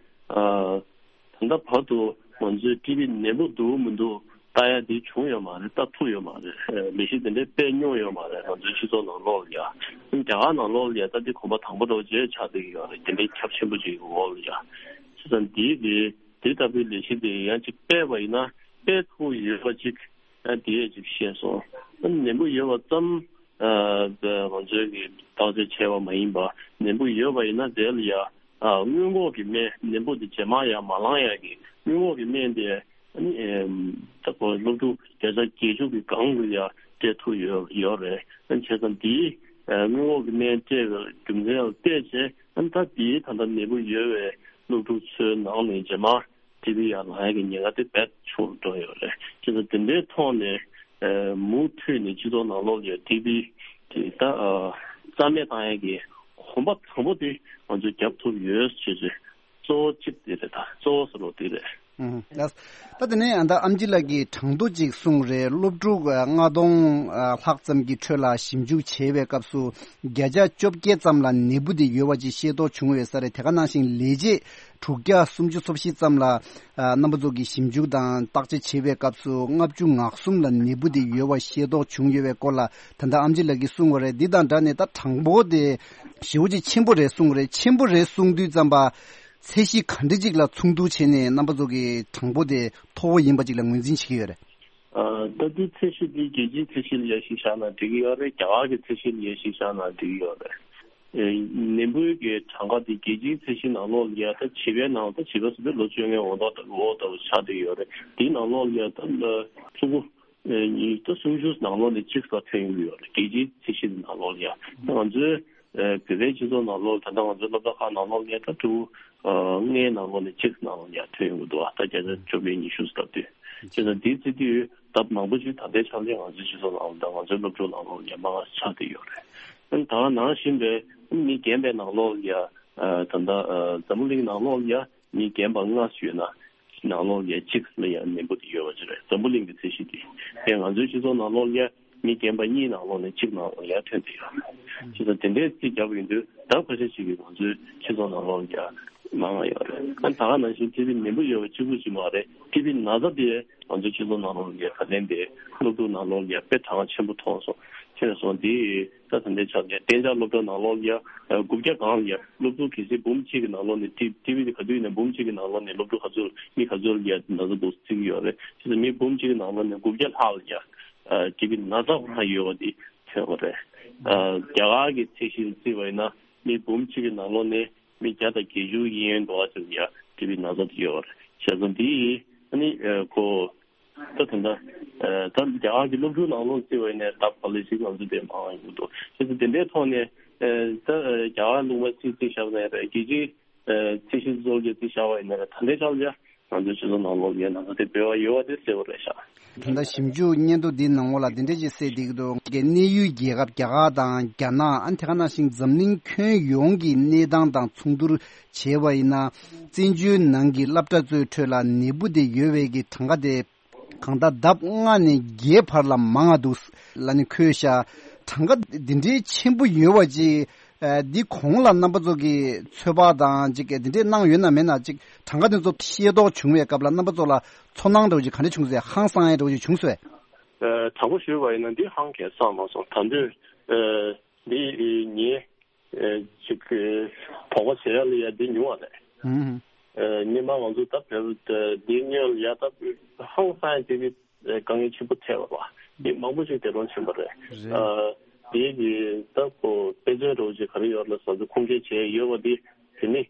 ཨ། ད་ལྟ་བར་དུ་ང་ཚོའི་ཊི་བི་ནད་འབུ་འདུག་མི་འདུག་ལྟ་ཡ་དེ་བྱུང་ཡོད་མ་རེད། ལྟ་ཐུབ་ཡོད་མ་རེད། ལས་གཞི་དེ་འདྲའི་སྤེལ་མྱོང་ཡོད་མ་རེད། ང་ཚོའི་སྤྱི་ཚོགས་ནང་ལོགས་ལ་ཡ། རྒྱ་གར་ནང་ལོགས་ལ་ཡ་ད་དེ་གོམ་པ་དང་པོ་འདྲ་བོ་ཅིག་ཆགས་བསྡད་ཀྱི་ཡོད་རེད། དེ་འདྲའི་ཁྱབ་ཆེན་པོ་ཅིག་གི་འོག་ལ་ཡ། བྱས་ཙང་དེའི་དེ་དེ་ལྟ་བུའི་ལས་གཞི་དེ་ཡང་ཅིག་སྤེལ་བ་ཡིན་ན། སྤེལ་ཐུབ་ཡོད་པ་ཅིག་ཨ། དེ་ཅིག་ཤེས་སོང་། ཨ། ནད་འབུ་ཡོད་པ་ཙམ་ཨ། ང་ཚོས་ཀྱི་བརྟག་དཔྱད་བྱས་པ་མ་ཡིན་པ། ནད་འབུ་ཡོད་པ་ཡིན་ན་དེ་ལ་ཡ་ཨ། སྔོན་འགོག་གི་སྨན། ནད་འབུ་དེ་རྗེས་མ་ཡ་མ་ལངས་ཡ་གི་སྔོན་འགོག་གི་སྨན་དེ་ཨ་ནི་ཨེམ། ད་ཁོ་སློབ་ཕྲུག་བརྒྱ་ཆ་བརྒྱད་ཅུ་གི་སྒང་ལ་ཡ་སྤྲད་ཐུབ་ཡོད་ཡོད་རེད། ཨ། བྱས་ཙང་དེའི་ཨ། སྔོན་འགོག་གི་སྨན་སྤྲད་པའི་རྒྱུ་མཚན་ལ་བལྟས་བྱས། ཨ་ནི་ད་དེའི་ད་ལྟ་ནད་འབུ་ཡོད་པའི་སློབ་ཕྲུག་ཚོའི་ནང་ནས་རྗེས་མ་ཊི་བི་ཡར་ལངས་ཡག་གི་ཉེན་ཁ་དེ་རྦད་ཆུང་འགྲོ་ཡོད་རེད། བྱས་ཙང་དེ་འདྲའི་ཐོག་ནས་ཨ། མུ་མཐུད་ནས་སྤྱི་ཚོགས་ནང་ལོགས་ཀྱི་ཊི་བི་དེ་ད་ཨ། རྩ་མེད་བཏང་ཡག་གི་གོམ་པ་དང་པོ་དེ་ང་ཚོས་བརྒྱབ་ཐུབ་ཡོད་ཅེས་ཅེས་གཙོ་བོ་གཅིག་དེ་རེད། ད་གཙོ་བོ་ཟེར་བ་དེ་རེད། ཨང་། ད་དེ་ནས་ཨ། ད་ཨེམ་ཆི་ལགས་ཀྱིས་གྲངས་ཐོ་ཅིག་གསུངས་རེད། སློབ་ཕྲུག་ཨ། ལྔ་སྟོང་ཨ། ལྷག་ཙམ་གྱི་ཁྲོད་ལ་ཞིབ་འཇུག་བྱས་པའི་སྐབས་སུ་བརྒྱ་ཆ་བཅོ་བརྒྱད་ཙམ་ལ་ནད་འབུ་དེ་ཡོད་པ་ཅིག་ཤེས་རྟོགས་བྱུང་ཡོད་ས་རེད། དེ་ག་ནང་བཞིན་ལས་བྱེད་དྲུག་བརྒྱ་སུམ་ཅུ་སོ་བཞི་ཙམ་ལ་ཨ། རྣམ་པ་ཚོ་གིས་ཞིབ་འཇུག་དང་བརྟག་དཔྱད་བྱེད་པའི་སྐབས་སུ་ལྔ་བཅུ་ང་གསུམ་ལ་ནད་འབུ་དེ་ཡོད་པ་ཤེས་རྟོགས་བྱུང་ཡོད་པའི་སྐོར་ལ་ད་ལྟ་ཨེམ་ཆི་ལགས་ཀྱིས་གསུངས་པ་རེད། འདི་དང་སྦྲགས་ནས་ད་གྲངས་འབོར་དེ་ཞེ་པོ་ཅིག་ཆེན་པོ་རེད་གསུངས་རེད། ཆེན་པོ་རེད་གསུངས་དུས་ཙམ་པ་ཚད་གཞི་ག་འདྲ་ཅིག་ལ་མཚུངས་བསྡུར་བྱས་ནས་རྣམ་པ་ཚོ་གིས་གྲངས་འབོར་དེ་མཐོ་བོ་ཡིན་པ་ཅིག་ལ་ངོས་འཛིན་བྱེད་ཀྱི་ཡོད་རེད། ཨ། ད་དེ་ཚད་གཞི་དེ་རྒྱལ་སྤྱིའི་ཚད་གཞི་ལ་ཡ་གཞི་བཞག་ན་འགྲིག་གི་ཡོད་རེད། རྒྱ་གར་གྱི་ཚད་གཞི་ལ་ཡ་གཞི་བཞག་ན་འགྲིག་གི་ཡོད་རེད། ཨེ། ནད་འབུའི་གི་གྲངས་ཀ་དེ་རྒྱལ་སྤྱིའི་ཚད་གཞི་ནང་ལོགས་ལ་ཡ་ད་བྱིས་པའི་ནང་ད་བྱིས་པ་ཟེར་དུས་ལོ་བཅོ་ལྔའི་འོག་ཏུ་འོག་ཏུ་ཆགས་བསྡད་ཡོད་རེད། དེའི་ནང་ལོགས་ལ་ཡ་ད་ཕྲུ་གུ་ཨེ། ད་སུམ་ཅུ་ནང་ལོགས་ནས་གཅིག་ཙམ་ཐོན་ཡོང་གི་ཡོད་རེད། རྒྱལ་སྤྱིའི་ཚད་གཞི་དེ་ནང་ལོགས་ལ་ཡ། ད་ང་ཚོའི་ཨེ། བོད་པའི་སྤྱི་ཚོགས་ནང་ལོགས་ད་ལྟ་ང་ཚོའི་སློབ་གྲྭ་ཁག་ནང་ལོགས་ལ་ཡ་ད་ཕྲུ་གུ་ཨ། ལྔའི་ནང་ལོགས་ནས་གཅིག་ནང་ལོགས་ལ་ཡ་ཐོན་ཡོང་གི་འདུག་ད་བརྒྱ་ཆ་བཅོ་བརྒྱད་ཉི་ཤུ་ལབ་དུས། བྱས་ཙང་དེའི་ཚེ་དུས་ལྡབ་མང་པོ་ཞིག་ད་ལྟའི་ཆ་ལ་ང་ཚོའི་སྤྱི་ཚོགས་ནང་ལ་དང་ང་ཚོའི་སློབ་ཕྲུག་ནང་ལོགས་ལ་ཡ་མང་ང་ཆགས་བསྡད་ཡོད་རེད། ཨ་ནི་ད་ག་ནང་བཞིན་པའི་མི་རྒན་པའི་ནང་ལོགས་ལ་ཡ་ཨ། ད་ལྟ་ཨ། འཛམ་བུ་གླིང་ནང་ལོགས་ལ་ཡ་མི་རྒན་པ་ལྔ་ཡོད་ན་ནང་ལོགས་ལ་ཡ་གཅིག་ལ་ཡ་ནད་འབུ་དེ་ཡོད་པ་ཅིག་རེད། འཛམ་བུ་གླིང་གི་ཚད་གཞི་དེ། དེ་ང་ཚོའི་སྤྱི་ཚོགས་ནང་ལོགས་ལ་ཡ་མི་རྒན་པ་གཉིས་ནང་ལོགས་ནས་གཅིག་ནང་ལོགས་ལ་ཡ་ཐོན་བསྡད་ཡོད་རེད། བྱས་ཙང་དེ་འདྲའི་རྩིས་བརྒྱབ་ཡོང་དུས་ལྡབ་ཁ་ཤས་ཤིག་གིས་ང་ཚོའི་སྤྱི་ཚོགས་ནང་ལོགས་ལ་ཡ་ མང་བ་ཡོད་རེད། ཨ་ད་ག་ནང་བཞིན་ཊི་བི་ནད་འབུ་ཡོད་པ་གཅིག་པུ་ཞིག་མ་རེད། ཊི་བི་ན་ཚ་དེ་ང་ཚོའི་སྤྱི་ཚོགས་ནང་ལོགས་ལ་ད་ལན་དེ་སློབ་ཕྲུག་ནང་ལོགས་ལ་དཔེ་གྲངས་ཆེན་པོ་མཐོང་སོང་། ཆེ་སོང་དེ་ད་ད་ལྟའི་ཆ་ནས་གཏན་འཇགས་སློབ་གྲྭ་ནང་ལོགས་ལ་དགུ་བརྒྱ་སྒང་ལ་སློབ་ཕྲུག་གལ་སྲིད་འབུམ་གཅིག་གི་ནང་ལོགས་ནས་ཊི་ཊི་བི་དེ་ག་དུས་ཡིན་ན་འབུམ་གཅིག་གི་ནང་ལོགས་ནས་སློབ་ཕྲུག་ག་ཚོད་མི་ག་ཚོད་ལ་ན་ཚ་འདུག་བརྩི་གི་ཡོད་རེད། ཆེ་སོང་མི་འབུམ་གཅིག་གི་ནང་ལོགས་ནས་དགུ་བརྒྱ་ལྷག་ལ་ཊི་བི་ན་ཚ་ཁོ་རང་ཡོད་པ་དེ་ཐོན་པ་རེད། རྒྱ་གར་གྱི་ཚད་གཞི་ལ་བརྩིས་པ་ཡིན་ན་མི་འབུམ་གཅིག་གི་ནང་ལོགས་ནས་མི་བརྒྱ་དང་བརྒྱད་ཅུ་ཡན་འགྲོ་བ་ཙམ་ཡ་ཊི་བི་ན་ཚ་དེ་ཡོད་རེད། བྱས་ཙང་འདི་ཨ་ནི་ཨ་ཁོ་ད་ད་ལྟ་ཨ་ད་རྒྱ་གར་གྱི་སློབ་ཕྲུག་ནང་ལོགས་བརྩི་བ་ཡིན་ནའི་ད་ག་ལེ་ཞིག་ང་ཚོ་དེ་མང་བ་ཡོང་གི་འདུག་བྱས་ཙང་དེ་འདྲའི་ཐོག་ནས་ཨ་ད་ཨ་རྒྱ་གར་ལུང་པ་ཚིག་ཚིག་བཞག་ནའི་རེད། རྒྱལ་སྤྱིའི་ཨ་ཚད་གཞི་བཟོ་རྒྱུ་ཚིག་བཞག་པ་ཡིན་ནའི་རེད། ད་ལྟའི་ཆར་ལ་ང་ཚོའི་སྤྱི་ཚོགས་ནང་ལོགས་ལ་ན་ཚ་དེ་འབེལ་བ་ཡོད་པ་དེ་གསལ་པོ་རེད་ཤག་ད་ལྟ་ཞིབ་འཇུག་སྙན་ཐོ་འདིའི་ནང་ལོགས་ལ་འདི་འདྲ་ཞིག་གསལ་བསྡད་ཀྱི་འདུག་གནས་ཡུལ་རྒྱལ་ཁབ་རྒྱ་གར་དང་རྒྱ་ནག་ཨ་ནི་དེ་ག་ནང་བཞིན་འཛམ་གླིང་ཁྱོན་ཡོངས་ཀྱི་གནས་སྟངས་དང་མཚུངས་བསྡུར་བྱས་པ་ཡིན་ན། བཙན་བྱོལ་ནང་གི་སློབ་གྲྭ་ཚོའི་ཁྲོད་ལ་ནད་འབུ་དེ་ཡོད་པའི་གི་གྲངས་ཀ་དེ་གང་ལྟར་ལྡབ་ལྔ་ནས་བརྒྱད་བར་ལ་མང་བ་འདུག་ལབ་ནས་འཁོད་ཤག་གྲངས་ཀ་འདི་འདྲའི་ཆེན་པོ་ཡོད་པ་ཅིག་ཨ་འདི་གོང་ལ་རྣམ་པ་ཚོ་གིས་ཚོད་དཔག་དང་ཅིག་འདི་འདྲས་གནང་ཡོད་ན་མེད་ན། ཅིག་གྲངས་ཀ་འདི་ཚོ་ཤེས་རྟོགས་བྱུང་བའི་སྐབས་ལ་རྣམ་པ་ཚོ་ལ་ཚོར་སྣང་འདྲ་བོ་ཅིག་ག་འདྲ་བྱུང་སོང་། ཧང་སང་ཡ་འདྲ་བོ་ཅིག་བྱུང་སོང་། ཨ་དྲང་པོ་ཞུས་པ་ཡིན་ན་འདི་ཧང་གས་སང་མ་སོང་། ད་དུང་ཨ་འདི་ངས་ཨ་ཅིག་ཨ་དོགས་པ་བྱེད་ཡ་ལ་ཡ་འདི་ཉུང་བ་རེད། ཨུམ། ཨ་སྔོན་མ་ང་ཚོ་ད་བལ་ཨ་འདི་སྔོན་ལ་ཡ་ད་ཧང་སང་ཡ་དེ་གི་དཀའ་ངལ་ཆེན་པོ་འཕྲད་པ་རེད། འདི་མང་པོ་ཞིག་འདས་གྲོངས་ཕྱིན་པ་རེད། རེད། ཨ་དེ་གི་ད་ཁོ་དཔེ་མཚོན་འདྲ་བོ་ཅིག་ག་རེ་ཡོད་ལ་ཟེར་ཚེ་ཁུངས་སྐྱེལ་བྱས་ཡོད་པ་འདི་དེ་ནི་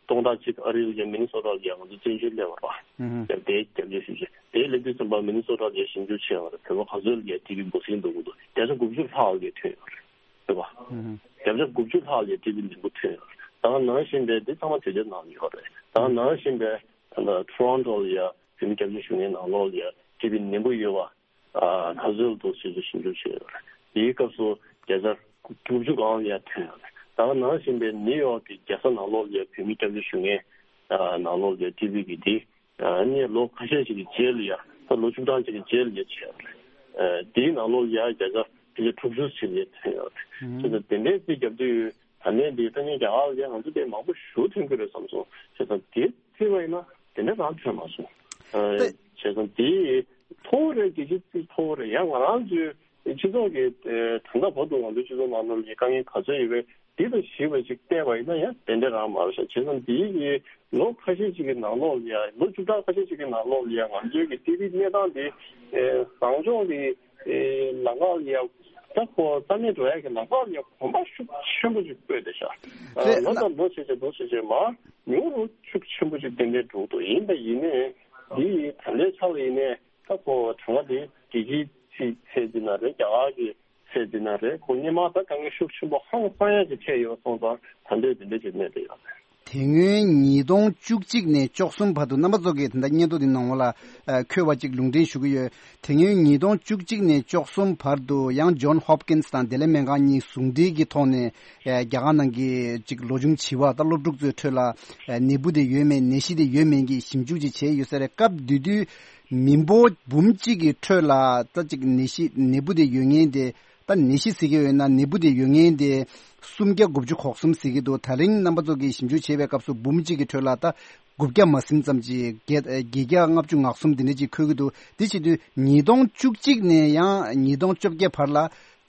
སྟོང་ཕྲག་གཅིག་ཨ་རི་ལ་ཡ་མི་ནི་སོ་ཊ་ལ་ཡ་ང་ཚོ་བཙན་བྱོལ་སླེབས་པ་རེད། ཨུ་ཧུ། དེ་སྐྱབས་བཅོལ་ཞིབ་བྱས་དེ་སླེབས་དུས་ཙམ་པ་མི་ནི་སོ་ཊ་ལ་ཡ་ཞིབ་འཇུག་བྱས་པ་རེད། བོད་པ་ག་ཚོད་ལ་ཡ་ཊི་བི་འབུ་སྲིན་འདུག་གི་འདུག་བརྒྱ་ཆ་དགུ་བཅུ་ལྷག་ལ་ཡ་ཐོན་ཡོད་རེད། རེད་པ། ཨུ་ཧུ། བརྒྱ་ཆ་དགུ་བཅུ་ལྷག་ལ་ཊི་བི་ནད་འབུ་ཐོན་ཡོད་རེད། ད་ག་ནང་བཞིན་པའི་འདི་ཚང་མ་དུས་དེབ་ནང་ཡོད་རེད། ད་ག་ནང་བཞིན་པའི་ད་ལྟ་ཊོ་རོན་ཊོ་ལ་ཡ་བོད་མི་སྐྱབས་བཅོལ་ཞུ་མཁན་ནང་ལོགས་ལ་ཡ་ཊི་བི་ནད་འབུ་ཡོད་པ་ཨ་ག་ཚོད་འདུག་ཞེས་ཞིབ་འཇུག་བྱས་ཡོད་རེད། དེའི་སྐབས་སུ་བརྒྱ་ཆ་དགུ་བཅུ་སྒང་ལ་ཡ་ཐོན་ཡོད་རེད། ད་ག་ནང་བཞིན་པའི་ནིའུ་ཡོག་གི་རྒྱལ་ས་ནང་ལོགས་ལ་ཡ་བོད་མི་སྐྱབས་བཅོལ་ཞུ་མཁན་ཨ་ནང་ལོགས་ལ་ཡ་ཊི་བི་གི་དེ་ཨ་ནི་ལོ་ཁ་ཤས་ཤིག་གི་རྗེས་ལ་ཡ་ད་ལོ་བཅུ་གྲངས་ཤིག་གི་རྗེས་ལ་ཡ་བྱས་ཡོད་རེད། ཨ་དེའི་ནང་ལོགས་ལ་ཡ་བརྒྱ་ཆ་ཕལ་ཆེར་དྲུག་ཅུ་ཞིག་ལ་ཡ་ཐོན་ཡོད་རེད། ཨུམ། བྱས་ཙང་དེ་འདྲའི་རྩིས་རྒྱབ་དུས། ད་ནས་འདི་ད་ནི་རྒྱ་གར་ལ་ང་ཚོ་དེ་མང་པོ་ཞེ་པོ་ཐོན་གྱི་རེད་བསམ་སོང་། བྱས་ཙང་དེ་བརྩིས་པ་ཡིན་ན་དེ་འདྲ་རང་ཐོན་མ་སོང་། ཨ་ཏེ། བྱས་ཙང་དེ་མཐོ་བོ་རེད། རྒྱལ་སྤྱིའི་རྩིས་མཐོ་བོ་རེད། ཡང་ང་རང་ཚོའི་སྤྱི་ཚོགས་ཀྱི་ཨ་ད་ལྟ་བར་དུ་ང་ཚོའི་སྤྱི་ཚོགས་ནང་ལོགས་ལ་དཀའ་ངལ་ག་ཚོད་ཡོད་པའི་འདི་དང་ཞིབ་པ་ཅིག་བལྟས་པ་ཡིན་ན་ཡང་དེ་འདྲ་རང་མ་རེད་ཤག་བྱས་ཙང་འདི་ཡི་ལོ་ཁ་ཤས་ཤིག་གི་ནང་ལོགས་ལ་ཡ་ལོ་བཅུ་ཕྲག་ཁ་ཤས་ཤིག་གི་ནང་ལོགས་ལ་ཡ་ང་ཚོའི་གི་ཊི་བི་གནས་སྟངས་འདི་ཨ་བཟང་ཕྱོགས་ཀྱི་ཨེ་ལམ་ཁ་ལ་ཡ་ད་ཁོ་རྩ་མེད་འགྲོ་ཡ་གི་ལམ་ཁ་ལ་ཡ་གོམ་པ་ཤུགས་ཆེན་པོ་ཞིག་སྤོས་བསྡད་ཤག་རེད། ལོ་ན་དང་ལོ་བྱས་བྱས་ལོ་བྱས་བྱས་མར་ཉུང་རུ་ཤུགས་ཆེན་པོ་ཞིག་ཏན་ཏན་འགྲོ་གི་འདུག་ཡིན་པ་ཡིན་ནའི་འདི་ཡི་ད་ལྟའི་ཆ་ལ་ཡིན་ནའི་ད་ཁོ་གྲངས་ཀ་དེ་རྒྱལ་སྤྱིའི་ཚད་ཚད་འདི་ན་རེད། རྒྱ་གར་གྱི་ཚད་འདི་ན་རེད། ཁོ་སྔོན་མ་ད་དཀའ་ངལ་ཤུགས་ཆེན་པོ་ཧང་སང་ཡ་ཞིག་འཕྲད་ཡོད་སོང་ཙང་ད་ལྟའི་འདི་འདྲ་ཞིག་གནས་བསྡད་ཡོད་རེད། དེ་སྔོན་ཉིས་སྟོང་བཅུ་གཅིག་ནས་བཅུ་གསུམ་བར་དུ་རྣམ་པ་ཚོ་གིས་ད་ལྟ་སྙན་ཐོ་འདི་ནང་ལ་ཨ་འཁོད་པ་ཅིག་ལུང་འདྲེན་ཞུ་གི་ཡོད། དེ་སྔོན་ཉིས་སྟོང་བཅུ་གཅིག་ནས་བཅུ་གསུམ་བར་དུ་ཡང་ཇོན་ཧོབ་ཀིན་སི་དང་བདེ་ལེགས་སྨན་ཁང་གཉིས་ཟུང་འབྲེལ་གྱི་ཐོག་ནས་ཨ་རྒྱ་གར་ནང་གི་ཅིག་ལོ་ཆུང་བྱིས་པ་དང་སློབ་ཕྲུག་ཚོའི་ཁྲོད་ལ་ཨ་ནད་འབུ་དེ་ཡོད་མེད་ནད་གཞི་དེ་ཡོད་མེད་ཀྱི་ཞིབ་འཇུག་ཅིག་བྱས་ཡོད་ས་རེད། སྐབས་དེ་དུས་མི་འབོར་འབུམ་གཅིག་གི་ཁྲོད་ལ་ད་ཅིག་ནད་གཞི་ནད་འབུ་དེ་ཡོད་མཁན་དེ། ད་ནད་གཞི་ཟེར་གྱི་ཡོད་ན་ནད་འབུ་དེ་ཡོད་མཁན་དེ་སུམ་བརྒྱ་དགུ་བཅུ་གོ་གསུམ་ཟེར་གྱི་འདུག་ད་རིང་རྣམ་པ་ཚོ་གིས་ཞིབ་འཇུག་བྱས་པའི་སྐབས་སུ་འབུམ་གཅིག་གི་ཁྲོད་ལ་ད་དགུ་བརྒྱ་མ་ཟིན་ཙམ་ཅིག་བརྒྱད་བརྒྱད་བརྒྱ་ལྔ་བཅུ་ང་གསུམ་དེ་འདྲ་ཅིག་འཁོད་ཀྱི་འདུག་དེ་བྱེད་དུས་ཉིས་སྟོང་བཅུ་གཅིག་ནས་ཡང་ཉིས་སྟོང་བཅོ་བརྒྱད་བར་ལ་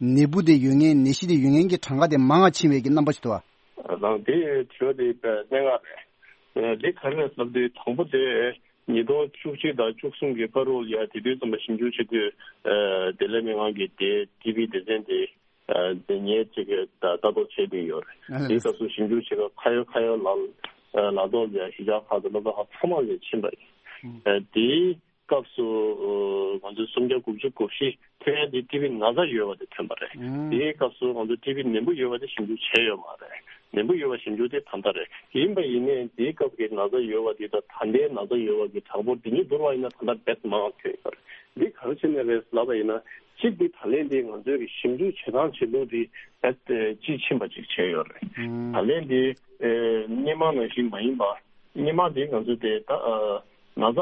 ནད་འབུ་དེ་ཡོད་མཁན་ནད་གཞི་དེ་ཡོད་མཁན་གྱི་གྲངས་ཀ་དེ་མང་བ་ཕྱིན་པའི་གི་རྣམ་པ་ཞིག་འདུག་ཨ། རང་དེ་དྲི་བ་དེ་གནད་འགག་རེད། འདི་ག་རེ་རེད་ལབ་དུས་དང་པོ་དེ། ཉིས་སྟོང་བཅུ་གཅིག་དང་བཅུ་གསུམ་གྱི་བར་དུ་ལ་ཡ་དེ་དུས་ཙམ་པ་ཞིབ་འཇུག་བྱེད་དུས་ཨ་བདེ་ལེགས་སྨན་ཁང་གི་དེ་ཊི་བི་སྡེ་ཚན་དེ་ཨ་དེ་ངས་ཅིག་ད་ལྟ་རྟོག་བྱེད་བསྡད་ཡོད་རེད། ཨ་དེའི་སྐབས་སུ་ཞིབ་འཇུག་བྱེད་སྐབས་ཁ་ཡོད་ཁ་ཡོད་ལ་ལ་ཐོག་ལ་ཡ་གཞིས་ཆགས་ཁག་དང་སློབ་གྲྭ་ཁག་ཚང་མ་ལ་ཕྱིན་པ་ཡིན། ཨ་དེའི་སྐབས་སུ་ཨ་ང་ཚོས་སུམ་བརྒྱ་དགུ་བཅུ་གོ་བཞི་ཐོན་ཡ་དེ་ཊི་བི་ན་ཚ་ཡོད་པ་དེ་ཐོན་པ་རེད། ཨང་། དེའི་སྐབས་སུ་ང་ཚོ་ཊི་བི་ནད་འབུ་ཡོད་པ་དེ་ཞིབ་འཇུག་བྱས་ཡོད་མ་རེད། ནད་འབུ་ཡོད་པ་ཞིབ་འཇུག་དེ་ད་ལྟ་རེད། ཡིན་པ་ཡིན་ནའི་དེའི་སྐབས་ཀྱི་ན་ཚ་ཡོད་པ་དེ་དང་ད་ལྟའི་ན་ཚ་ཡོད་པ་གི་གྲངས་འབོར་དེ་གཉིས་བསྡུར་བ་ཡིན་ན་ད་ལྟ་རྦད་མང་བ་ཐོན་ཡོད་རེད། འདི་ག་རེ་བྱས་ནས་རེད་ལབ་པ་ཡིན་ན། གཅིག་འདི་ད་ལན་འདི་ང་ཚོའི་གི་ཞིབ་འཇུག་བྱེད་སྟངས་བྱེད་ལུགས་འདི་རྦད་དཔྱིས་ཕྱིན་པ་ཅིག་བྱས་ཡོད་རེད། ཨང་། ད་ལན་འདི་ཨེ་སྔོན་མ་ནང་བཞིན་མ་ཡིན་པ། སྔོན་མ་འདི་ང་ཚོ་དེ་ད་ཨ་ན་ཚ་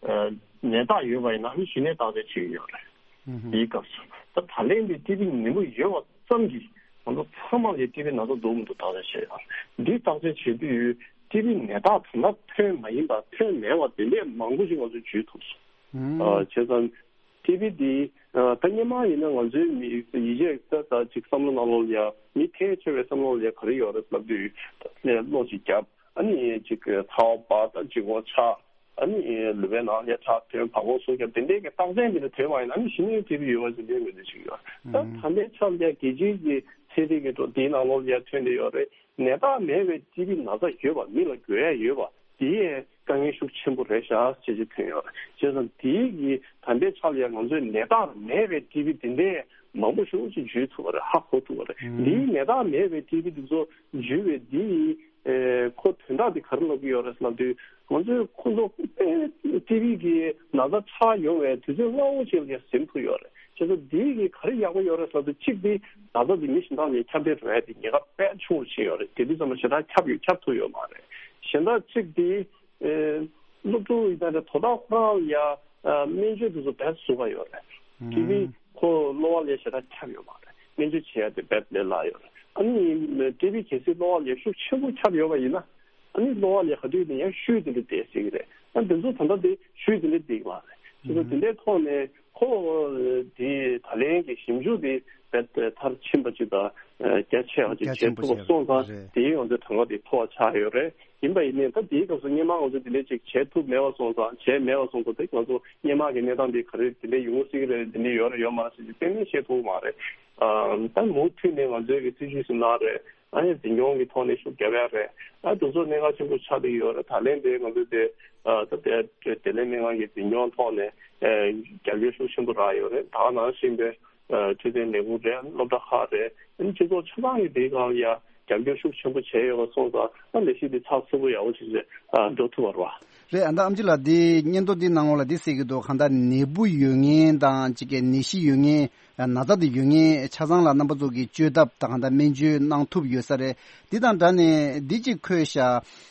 ཨ་ནད་རྟགས་ཡོད་པ་ཡིན་ན་ཨ་ནི་གཞི་ནས་བརྟག་དཔྱད་བྱེད་ཀྱི་ཡོད་རེད། ཨུ་ཧུ། དེའི་སྐབས་སུ་ད་ད་ལན་འདི་ཊི་བི་ནད་འབུ་ཡོད་པ་ཙམ་གྱིས་ང་ཚོ་ཚང་མ་ལ་ཊི་བི་ན་ཚ་འདུག་མི་འདུག་བརྟག་དཔྱད་བྱས་ཡོད་རེད། འདི་བརྟག་དཔྱད་བྱེད་དུས་ ཊི་བི་ནད་རྟགས་ད་ལྟ་ཐོན་མ་ཡིན་པ་ཐོན་མེད་པ་དེ་འདྲས་མང་པོ་ཞིག་ང་ཚོས་བརྒྱུད་ཐུབ་སོང་། ཨ་བྱས་ཙང་ཊི་བི་འདི་ཨ་ད་སྔོན་མ་ཡིན་ན་ང་ཚོའི་མི་ཡིད་ཆེས་ད་ད་ཅིག་བསམ་བློ་ནང་ལོགས་ལ་ཡ་མི་ཐལ་ཆེ་བའི་བསམ་བློ་ལ་ཡ་ག་རེ་ཡོད་རེད་ལབ་དུས་ད་ནས་གློ་ཅིག་བརྒྱབ། ཨ་ནི་ཅིག་ཚ་བ་འབར་ད་ལྗིད་ཁོག་ཆག་ཨ་ནི་ལུས་པའི་ནང་ལ་ཁྲག་ཐོན་བ་ཀོ་སོགས་ཀྱང་དེ་འདྲའི་གི་རྟགས་མཚན་དེ་འདྲ་ཐོན་པ་ཡིན་ན་ཨ་ནི་གཞི་ནས་ཊི་བི་ཡོད་པ་ཞིག་ལས་མི་འདུག་ཅིག་ཡོད། ད་ད་ལྟའི་ཆར་ལ་རྒྱལ་སྤྱིའི་གི་ཚན་རིག་གི་ཐོག་དེའི་ནང་ལོགས་ལ་ཐོན་བསྡད་ཡོད་རེད། ནད་རྟགས་མེད་པའི་ཊི་བི་ན་ཚ་ཡོད་པ་མི་ལ་འགོས་ཡ་ཡོད་པ་དེ་ཡང་དཀའ་ངལ་ཤུགས་ཆེན་པོ་རེད་ཤག་ཅེས་ཅིག་ཐོན་ཡོད་རེད། བྱས་ཙང་དེའི་གི་ད་ལྟའི་ཆར་ལ་ང་ཚོའི་ནད་རྟགས་མེད་པའི་ཊི་བི་དེ་འདྲའི་མང་པོ་ཞེ་པོ་ཅིག་བརྒྱུད་ཐུབ་པ་རེད། ཧ་གོ་ཐུབ་པ་རེད། འདིའི་ནད་རྟགས་མེད་པའི་ཊི་བི་དེ་ཚོ་བརྒྱུད་པའི་འདིའི་ཨེ་ཁོ་དོན་དག་དེ་ག་རེ་ལབ་ཀྱི་ཡོད་རེད་ལབ་དུས་ང་ཚོས་ཁོ་ཚོ་དཔེ་ཊི་བི་གི་ན་ཚ་ཆགས་ཡོང་བའི་དུས་ཚོད་སྔ་བོ་ཅིག་ལ་ཟིན་ཐུབ་ཡོད་རེད། བྱས་ཙང་འདི་གི་ག་རེ་ཡག་པོ་ཡོད་རེད་ལབ་དུས་གཅིག་དེ་ན་ཚ་དེ་མི་གཞན་དག་ལ་ཁྱབ་གདལ་འགྲོ་ཡ་དེ་ཉེན་ཁ་དཔེ་ཆུང་རུ་ཕྱིན་ཡོད་རེད། དེ་དུས་ཙམ་པ་ཞེ་དྲག་ཁྱབ་ཡོད་ཁྱབ་ཐུབ་ཡོད་མ་རེད། གཞན་དག་གཅིག་དེ་ཨེ་སློབ་ཕྲུག་ཡིན་ན་རེད། དོ་བདག་ཁོ་རང་ལ་ཡ་ཨ་སྨན་བཅོས་དེ་ཚོ་དཔེ་བཟོ་ག་ཡོད་རེད། དེ་ནི་ཁོ་གློ་བ་ལ་ཞེ་དྲག་ཁྱབ་ཡོད་མ་རེད། སྨན་བཅོས་བྱེད་ཡ་དེ་དཔེ་ལས་སླ་ཡོད་རེད། ཨ་ནི་ཊི་བི་གལ་སྲིད་གློ་བ་ལ་ཤུགས་ཆེན་པོ་ཁྱབ་ཡོད་པ་ཡིན་ན་ཨ་ནི་གློ་བ་ལ་ག་དུས་ནས་ཡང་ཤུལ་དེ་འདྲ་བསྡད་སྲིད་ཀྱི་རེད། ཨ་འདི་ཚོ་ད་ལྟ་དེ་ཤུལ་དེ་འདྲ་བསྡད་ཀྱི་མ་རེད། དེ་ཚོ་དེ་འདྲའི་ཐོག་ནས་ཁོ་དེ་ད་ལན་གྱི་ཞིབ་འཇུག་དེ་རྦད་མཐར་ཕྱིན་པ་ཅིག་དང་རྒྱ་ཆེ་བ་ཅིག་རྒྱ་ཆེན་པོ་བྱས་ཐུབ་པ་སོང་ཙང་རེད། དེའི་ཡོང་དེ་གྲངས་ཀ་དེ་མཐོ་བ་ཆགས་ཡོད་རེད། ཡིན་པ་ཡིན་ནའི་ད་དེའི་སྐབས་སུ་སྔོན་མ་ང་ཚོ་དེ་འདྲའི་ཅིག་བྱེད་ཐུབ་མེད་པ་སོང་ཙང་བྱས་མེད་པ་སོང་ཙང་དེ་ང་ཚོ་སྔོན་མ་གི་གནས་སྟངས་དེ་ག་རེ་དེ་འདྲའི་ཡོང་སྲིད་ཀྱི་རེད། དེ་འདྲའི་ཡོད་རེད་ཡོད་མ་རེད་ཟེར་གྱི་གཏན་ནས་བཤད་ཐུབ་མ་རེད། ཨ་ད་མུ་མཐུད་ནས་ང་ཚོའི་གི་སྲིད་ཇུས་སུ་གནང་རེད། ཨ་ནི་འཛིན་སྐྱོང་གི་ཐོག་ནས་ཤུགས་རྒྱབ་ཡ་རེད། ཨ་དེ་ཚོ་གནད་འགག་ཆེན་པོ་ཆགས་བསྡད་ཡོད་རེད། ད་ལན་དེ་ང་ཚོས་དེ་ཨ་ད་དེ་དེ་ལན་སྨན་ཁང་གི་འཛིན་སྐྱོང་ཐོག་ནས་ཨ་རྒྱབ་སྐྱོར་ཤུགས་ཆེན་པོ་རག་ཡོད་རེད། ད་ག་ནང་བཞིན་པའི་ཨ་འཕྲོད་བསྟེན་ལས་ཁུངས་རེད། སློབ་གྲྭ་ཁག་རེད། ཨ་ནི་སྤྱི་ཚོགས་ཆ་ཚང་གི་དེའི་སྒང་ལ་ཡ་རྒྱབ་སྐྱོར་ཤུགས་ཆེན་པོ་བྱས་ཡོད་པ་སོང་ཙང་ཨ་ལས་གཞི་དེ་ཚགས་ཚུད་པོ་ཡག་པོ་ཞིག་ཨ་འགྲོ་ཐུབ་པ་རེད་བ། རེད། ཨ་ད་ཨམ་ཆི་ལགས་འདི་སྙན་ཐོ་འདི་ནང་ལོགས་ལ་འདི་གསལ་གྱི་འདུག་གང་ལྟར་ནད་འབུ་ཡོད་མཁན་དང་གཅིག་གི་ནད་གཞི་ཡོད་མཁན། ན་ཚ་དེ་ཡོད་མཁན་ཆ་ཚང་ལ་རྣམ་པ་ཚོ་གིས་བཅོས་ཐབས་དང་གང་ལྟར་སྨན་བཅོས་གནང་ཐུབ་ཡོད་ས་རེད། འདི་དང་སྦྲགས་ནས་འདི་གཅིག་འཁོད་ཤག་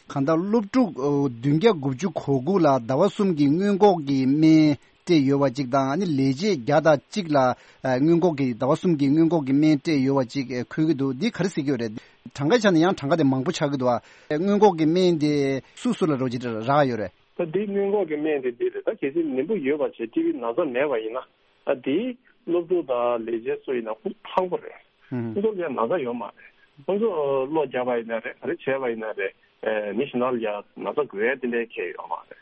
གང་ལྟར་སློབ་ཕྲུག་བདུན་བརྒྱ་དགུ་བཅུ་གོ་དགུ་ལ་ཟླ་བ་གསུམ་གྱི་སྔོན་འགོག་གི་སྨན་སྤྲད་ཡོད་པ་གཅིག་དང་ཨ་ནི་ལས་བྱེད་བརྒྱ་དང་གཅིག་ལ་སྔོན་འགོག་གི་ཟླ་བ་གསུམ་གྱི་སྔོན་འགོག་གི་སྨན་སྤྲད་ཡོད་པ་གཅིག་འཁོད་ཀྱི་འདུག་འདི་ག་རེ་ཟེར་གྱི་ཡོད་རེད། གྲངས་ཀའི་ཆ་ནས་ཡང་གྲངས་ཀ་དེ་མང་པོ་ཆགས་ཀྱི་འདུག་ཨ་སྔོན་འགོག་གི་སྨན་དེ་སུ་སུ་ལ་རོགས་ཀྱི་རག་ཡོད་རེད། ད་འདི་སྔོན་འགོག་གི་སྨན་དེ་འདི་རེད། ད་གལ་སྲིད་ནད་འབུ་ཡོད་པ་བྱས་ཊི་བི་ན་ཚ་མེད་པ་ཡིན་ན། ཨ་དེའི་སློབ་ཕྲུག་དང་ལས་བྱེད་སུ་ཡིན་ན་ཁོ་ཚོ་ཐང་པོ་རེད། ཁོ་ཚོ་ལ་ཡང་ན་ཚ་ཡོད་མ་རེད། ཁོ་ཚོ་གློ་བརྒྱབ་པ་ཡིན་ན་རེད། ག་རེ་བྱས་པ་ཡིན་ན་རེད། ཨེ་མི་གཞན་དག་ལ་ཡང་ན་ཚ་འགོས་ཡ་དེ་འདྲའི་གལ་ཡོད་མ་རེད།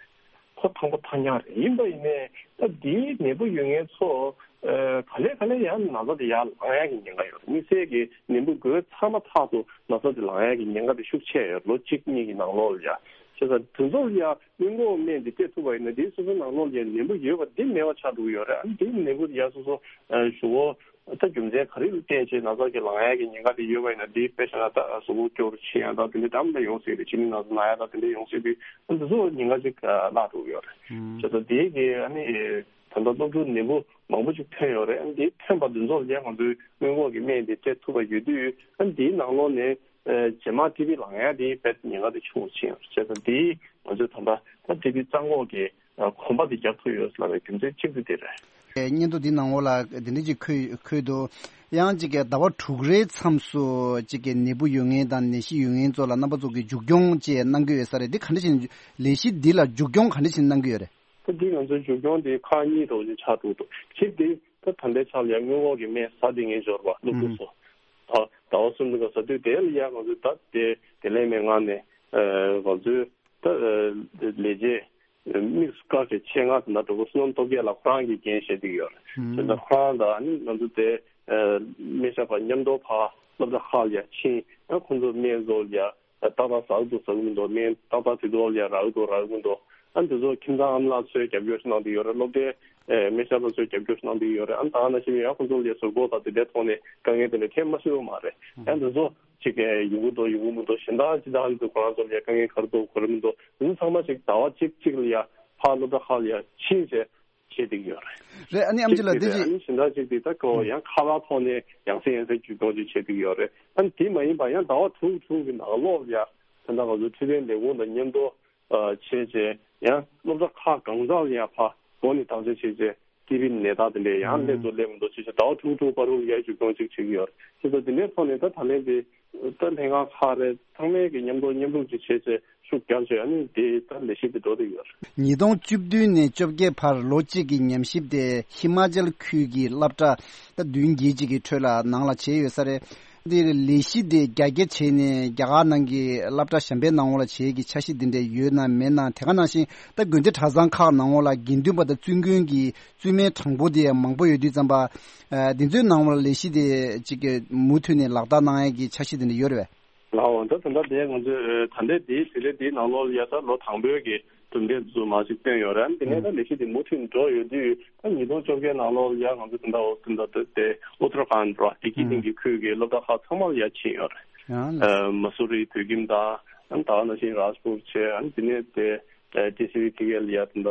ཁོ་ཐང་པོ་ཐང་རྐྱང་རེད། ཡིན་པ་ཡིན་ནའི་ད་དེའི་ནད་འབུ་ཡོད་མཁན་ཚོ་ཨེ་ག་ལེ་ག་ལེ་ཡང་ན་ཚ་དེ་ཡར་ལངས་ཡ་གི་ཉེན་ཁ་ཡོད་རེད། དམིགས་བསལ་གྱི་ནད་འབུ་འགོས་ཚར་མ་ཐག་ཏུ་ན་ཚ་དེ་ལངས་ཡ་གི་ཉེན་ཁ་དེ་ཤུགས་ཆེ་ཡོད་རེད། ལོ་གཅིག་གཉིས་ཀྱི་ནང་ལོགས་ལ་ཡ། བྱས་ཙང་དེ་ཚོ་ལ་ཡ། སྔོན་འགོག་སྨན་འདི་སྤྲད་ཐུབ་པ་ཡིན་ན་འདིའི་སོ་སོའི་ནང་ལོགས་ལ་ནད་འབུ་ཡོད་པ་འདི་མེད་པ་ཆགས་འགྲོ་གི་ཡོད་རེད། ཨ་ནི་འདིའི་ནད་འབུ་ཡ་སོ་སོ་ཨ་ཞུ་བོ་ད་རྒྱུ་མཚན་ག་རེ་ལ་བརྟེན་བྱས་ན་ཚ་གི་ལངས་ཡ་གི་ཉེན་ཁ་དེ་ཡོད་པ་ཡིན་ན་འདི་དཔེ་བཞག་ན་ད་གཟུགས་པོ་སྐྱོ་རུ་ཕྱིན་ཡ་ད་དེ་འདྲ་འདྲ་མི་འདྲ་ཡོང་སྲིད་རེད། ཕྱི་ནད་ན་ཚ་ན་ཡ་ད་དེ་འདྲ་ཡོང་སྲིད་པས་ཨ་འདི་ཚོ་ཉེན་ཁ་ཅིག་བརླག་འགྲོ་གི་ཡོད་རེད། བྱས་ཙང་འདི་གི་ཨ་ནི་ད་ལྟ་སློབ་ཕྲུག་ནད་འབུ་མང་པོ་ཅིག་ཐོན་ཡོད་རེད། ཨ་ནི་འདི་ཐོན་པ་འདི་ཚོ་ལ་ཡ་ང་ཚོས་སྔོན་འགོག་གི་སྨན་འདི་སྤྲད་ཐུབ་པ་ཡོད་དུས་ཨ་ནི་འདིའི་ནང་ལོགས་ནས། རྗེས་མ་ཊི་བི་ལངས་ཡ་དེ་དཔེ་ཉེན་ཁ་དེ་ཆུང་ཆེ་ཡོད་རེད། བྱས་ཙང་དེས་ང་ཚོས་ད་ལྟ་ད་ཊི་བི་རྩ་འགོག་གི་གོམ་པ་དེ་རྒྱག་ཐུབ་ཡོད་ལབ་པའི་རྒྱུ་མཚན་གཅིག་དེ་དེ་རེད། སྙན་ཐོ་འདི་ནང་ལོགས་ལ་དེ་འདྲ་ཅིག་འཁོད་འཁོད་འདུག་ཡང་ཅིག་གི་ཟླ་བ་དྲུག་རེའི་མཚམས་སུ་ཅིག་གི་ནད་འབུ་ཡོད་མཁན་དང་ནད་གཞི་ཡོད་མཁན་ཚོ་ལ་རྣམ་པ་ཚོ་གིས་མཇུག་སྐྱོང་བཅས་གནང་གི་ཡོད་ས་རེད། འདི་ག་འདྲ་ཞིག་ལས་གཞི་འདི་ལ་མཇུག་སྐྱོང་ག་འདྲ་ཞིག་གནང་གི་ཡོད་རེད། ད་འདི་ང་ཚོའི་མཇུག་སྐྱོང་དེ་ཁག་གཉིས་འདྲ་བོ་ཅིག་ཆགས་འདུག་གཅིག་དེ། ད་ད་ལྟའི་ཆར་ལ་ཡང་སྔོན་འགོག་གི་སྨན་ཟ་བསྡད་མཁན་ཡོད་རེད་པ། སློབ་ཕྲུག་ཚོ། ད་ཟླ་བ་གསུམ་དུས་སྐབས་ཟ་དུས་དེ་ལ་ཡང་ང་ཚོས་ད་དེ་དེ་ལས་མེད་ངང་ནས་ང་ཚོའི་ད་ལས་བྱེད་དམིགས་སུ་བཀར་བའི་ཆེད་མངགས་དེ་འདྲ་འགྲོ་དགོས། བསོད་ནམས་སྟོབས་རྒྱས་ལགས་ཁོ་རང་གིས་འགན་བཞེས་བསྡད་ཡོད་རེད། བྱས་ཙང་ཁོ་རང་དང་ཨ་ནི་ང་ཚོ་དེ་སྨན་ཞབས་པ་མཉམ་དུ་ཕར་སློབ་གྲྭ་ཁག་ལ་ཡ་ཕྱིན། ཨ་ཁོང་ཚོ་སྨན་བཟོ་ལ་ཡ། ཏག་ཏག་ཟ་གི་འདུག་ཟ་གི་མི་འདུག་སྨན་ཏག་ཏག་དུས་ཐོག་ལ་ཡ་རག་གི་འདུག་རག་གི་མི་འདུག་ཨ་འདི་ཚོ་ཁྱིམ་ཚང་ཨ་མ་ལགས་ཚོས་རྒྱབ་སྐྱོར་ཞིག་གནང་བསྡད་ཡོད་རེད། སློབ་གྲྭའི་ཨེ་སྨན་ཞབས་པ་ཚོས་རྒྱབ་སྐྱོར་ཞིག་གནང་བསྡད་ཡོད་རེད། ཨ་ནི་ད་ག་ནང་བཞིན་ཡང་ཁོང་ཚོ་ལ་ཡ་ཟུར་འགོག་དང་དེ་འདྲའི་ཐོག་ནས་དཀའ་ངལ་དེ་འདྲ་འཕྲད་མ་སྲིད་པ་མ་རེད། ཨ་འདི་ཚོ་ཅིག་ཨེ་ཡོང་གི་འདུག་ཡོང་གི་མི་འདུག་གཞན་དག་ཅི་ལྟར་འདུག་ཁོ་རང་ཚོ་ལ་ཡ་དཀའ་ངལ་ག་རེ་འདུག་ག་རེ་མི་འདུག་འདི་ཚོ་ཚང་མ་ཅིག་ཟླ་བ་གཅིག་གཅིག་ལ་ཡ་ཕར་སློབ་གྲྭ་ཁག་ལ་ཡ་ཕྱིན་བྱས། བྱེད་བསྡད་ཀྱི་ཡོད་རེད། རེད། ཨ་ནི་ཨམ་ཆི་ལགས་འདི་ཅིག་ཅིག་ཨ་ནི་གཞན་དག་ཅིག་དེ་ད་ཁོ་ཡང་ཁ་པར་ཐོག་ནས་ཡང་སེ་ཡང་སེ་བརྒྱུད་གཏོང་ཅིག་བྱེད་བསྡད་ཀྱི་ཡོད་རེད། ཨ་ནི་དེ་མ་ཡིན་པ་ཡང་ཟླ་བ་དྲུག་དྲུག་གི་ནང་ལོགས་ལ་ཡ་ད་ལྟ་ང་ཚོ་འཕྲོད་བསྟེན་ལས་ཁུངས་དང་མཉམ་དུ་བྱས་བྱས་ཡང་སློབ་གྲྭ་ཁག་གང་ས་ལ་ཡང་ཕར་འགོ་ནས་བདག་འཛིན་བྱས་བྱས་ ཊི་བི་ནད་རྟགས་དེ་འདྲས་ཡང་སླེབས་འདུག་སླེབས་མི་འདུག་ཅེས་བྱས་ཟླ་བ་དྲུག་དྲུག་བར་དུ་ཡར་མཇུག་སྐྱོང་ཅིག་བྱེད་ཀྱི་ཡོད་རེད། བྱས་ཙང་དེ་འདྲའི་ཐོག་ནས་ད་ད་ལན་དེ་ད་ལྷན་ཁང་ཁག་རེ་ཚང་མས་ཀྱི་མཉམ་དུ་མཉམ་རུབ་ཅིག་བྱས་ཚེ་ཤུགས་རྒྱག་བྱས་ཨ་ནི་དེ་ད་ལས་གཞི་དེ་འགྲོ་བསྡད་ཡོད་རེད། ཉིས་སྟོང་བཅུ་བདུན་ནས་བཅོ་བརྒྱད་བར་ལོ་གཅིག་གི་ཉམས་ཞིབ་དེ་ཧི་མ་ཅལ་ཁུལ་གྱི་སློབ་གྲྭ་ད་བདུན་བརྒྱད་ཅིག་གི་ཁྲོད་ལ་ནང་ལ་བྱས་ཡོད་ས་རེད། འདིར་ལས་གཞི་དེ་རྒྱ་སྐྱེད་བྱས་ནས་རྒྱ་གར་ནང་གི་སློབ་གྲྭ་གཞན་པའི་ནང་ལོགས་ལ་བྱེད་ཀྱི་འཆར་གཞི་འདི་འདྲ་ཡོད་ན་མེད་ན། དེ་ག་ནང་བཞིན་ད་དགོན་སྡེ་གྲྭ་ཚང་ཁག་ནང་ལོགས་ལ་དགེ་འདུན་པ་དང་བཙུན་དགོན་གྱི་བཙུན་མའི་གྲངས་འབོར་དེ་མང་པོ་ཡོད་དུས་ཙམ་པ། ཨ་འདི་ཚོའི་ནང་ལོགས་ལ་ལས་གཞི་དེ་གཅིག་གི་མུ་མཐུད་ནས་ལག་བསྟར་གནང་ཡས་ཀྱི་འཆར་གཞི་འདི་འདྲ་ཡོད་རེད་པས། ལགས་འོང་ད་ད་ལྟ་དེ་ང་ཚོས་ད་ལྟའི་དེའི་དུས་ཚོད་འདིའི་ནང་ལོགས་ལ་ཡ་ད་ལོ་དང་པོའི་གི་གྲུབ་འབྲས་ཚོ་མར་ཅིག་བཏོན་ཡོད་རེད། དེ་ནས་ད་ལས་གཞི་དེ་མུ་མཐུད་འགྲོ་ཡོད་དུས་ད་ཉིས་སྟོང་བཅོ་བརྒྱད་ནང་ལོགས་ལ་ཡ་ང་ཚོ་ད་ལྟ་འོ་ད་ལྟ་དེ་ཨུ་ཏར་ཁཱན་ར་ལྡི་ཀི་སྟེང་གི་ཁུལ་གྱི་སློབ་གྲྭ་ཁག་ཚང་མ་ལ་ཡ་ཕྱིན་ཡོད་རེད། ཡང་ལགས། ཨ་མ་སུ་རི་བོད་ཁྱིམ་དང་ཨ་ད་ག་ནང་བཞིན་རཱཇ་པུར་བྱས་ཨ་དེ་ནས་དེ་ཨ་ཊི་སི་ཝི་ཕི་ཀེ་ལ་ཡ་ད་ལྟ་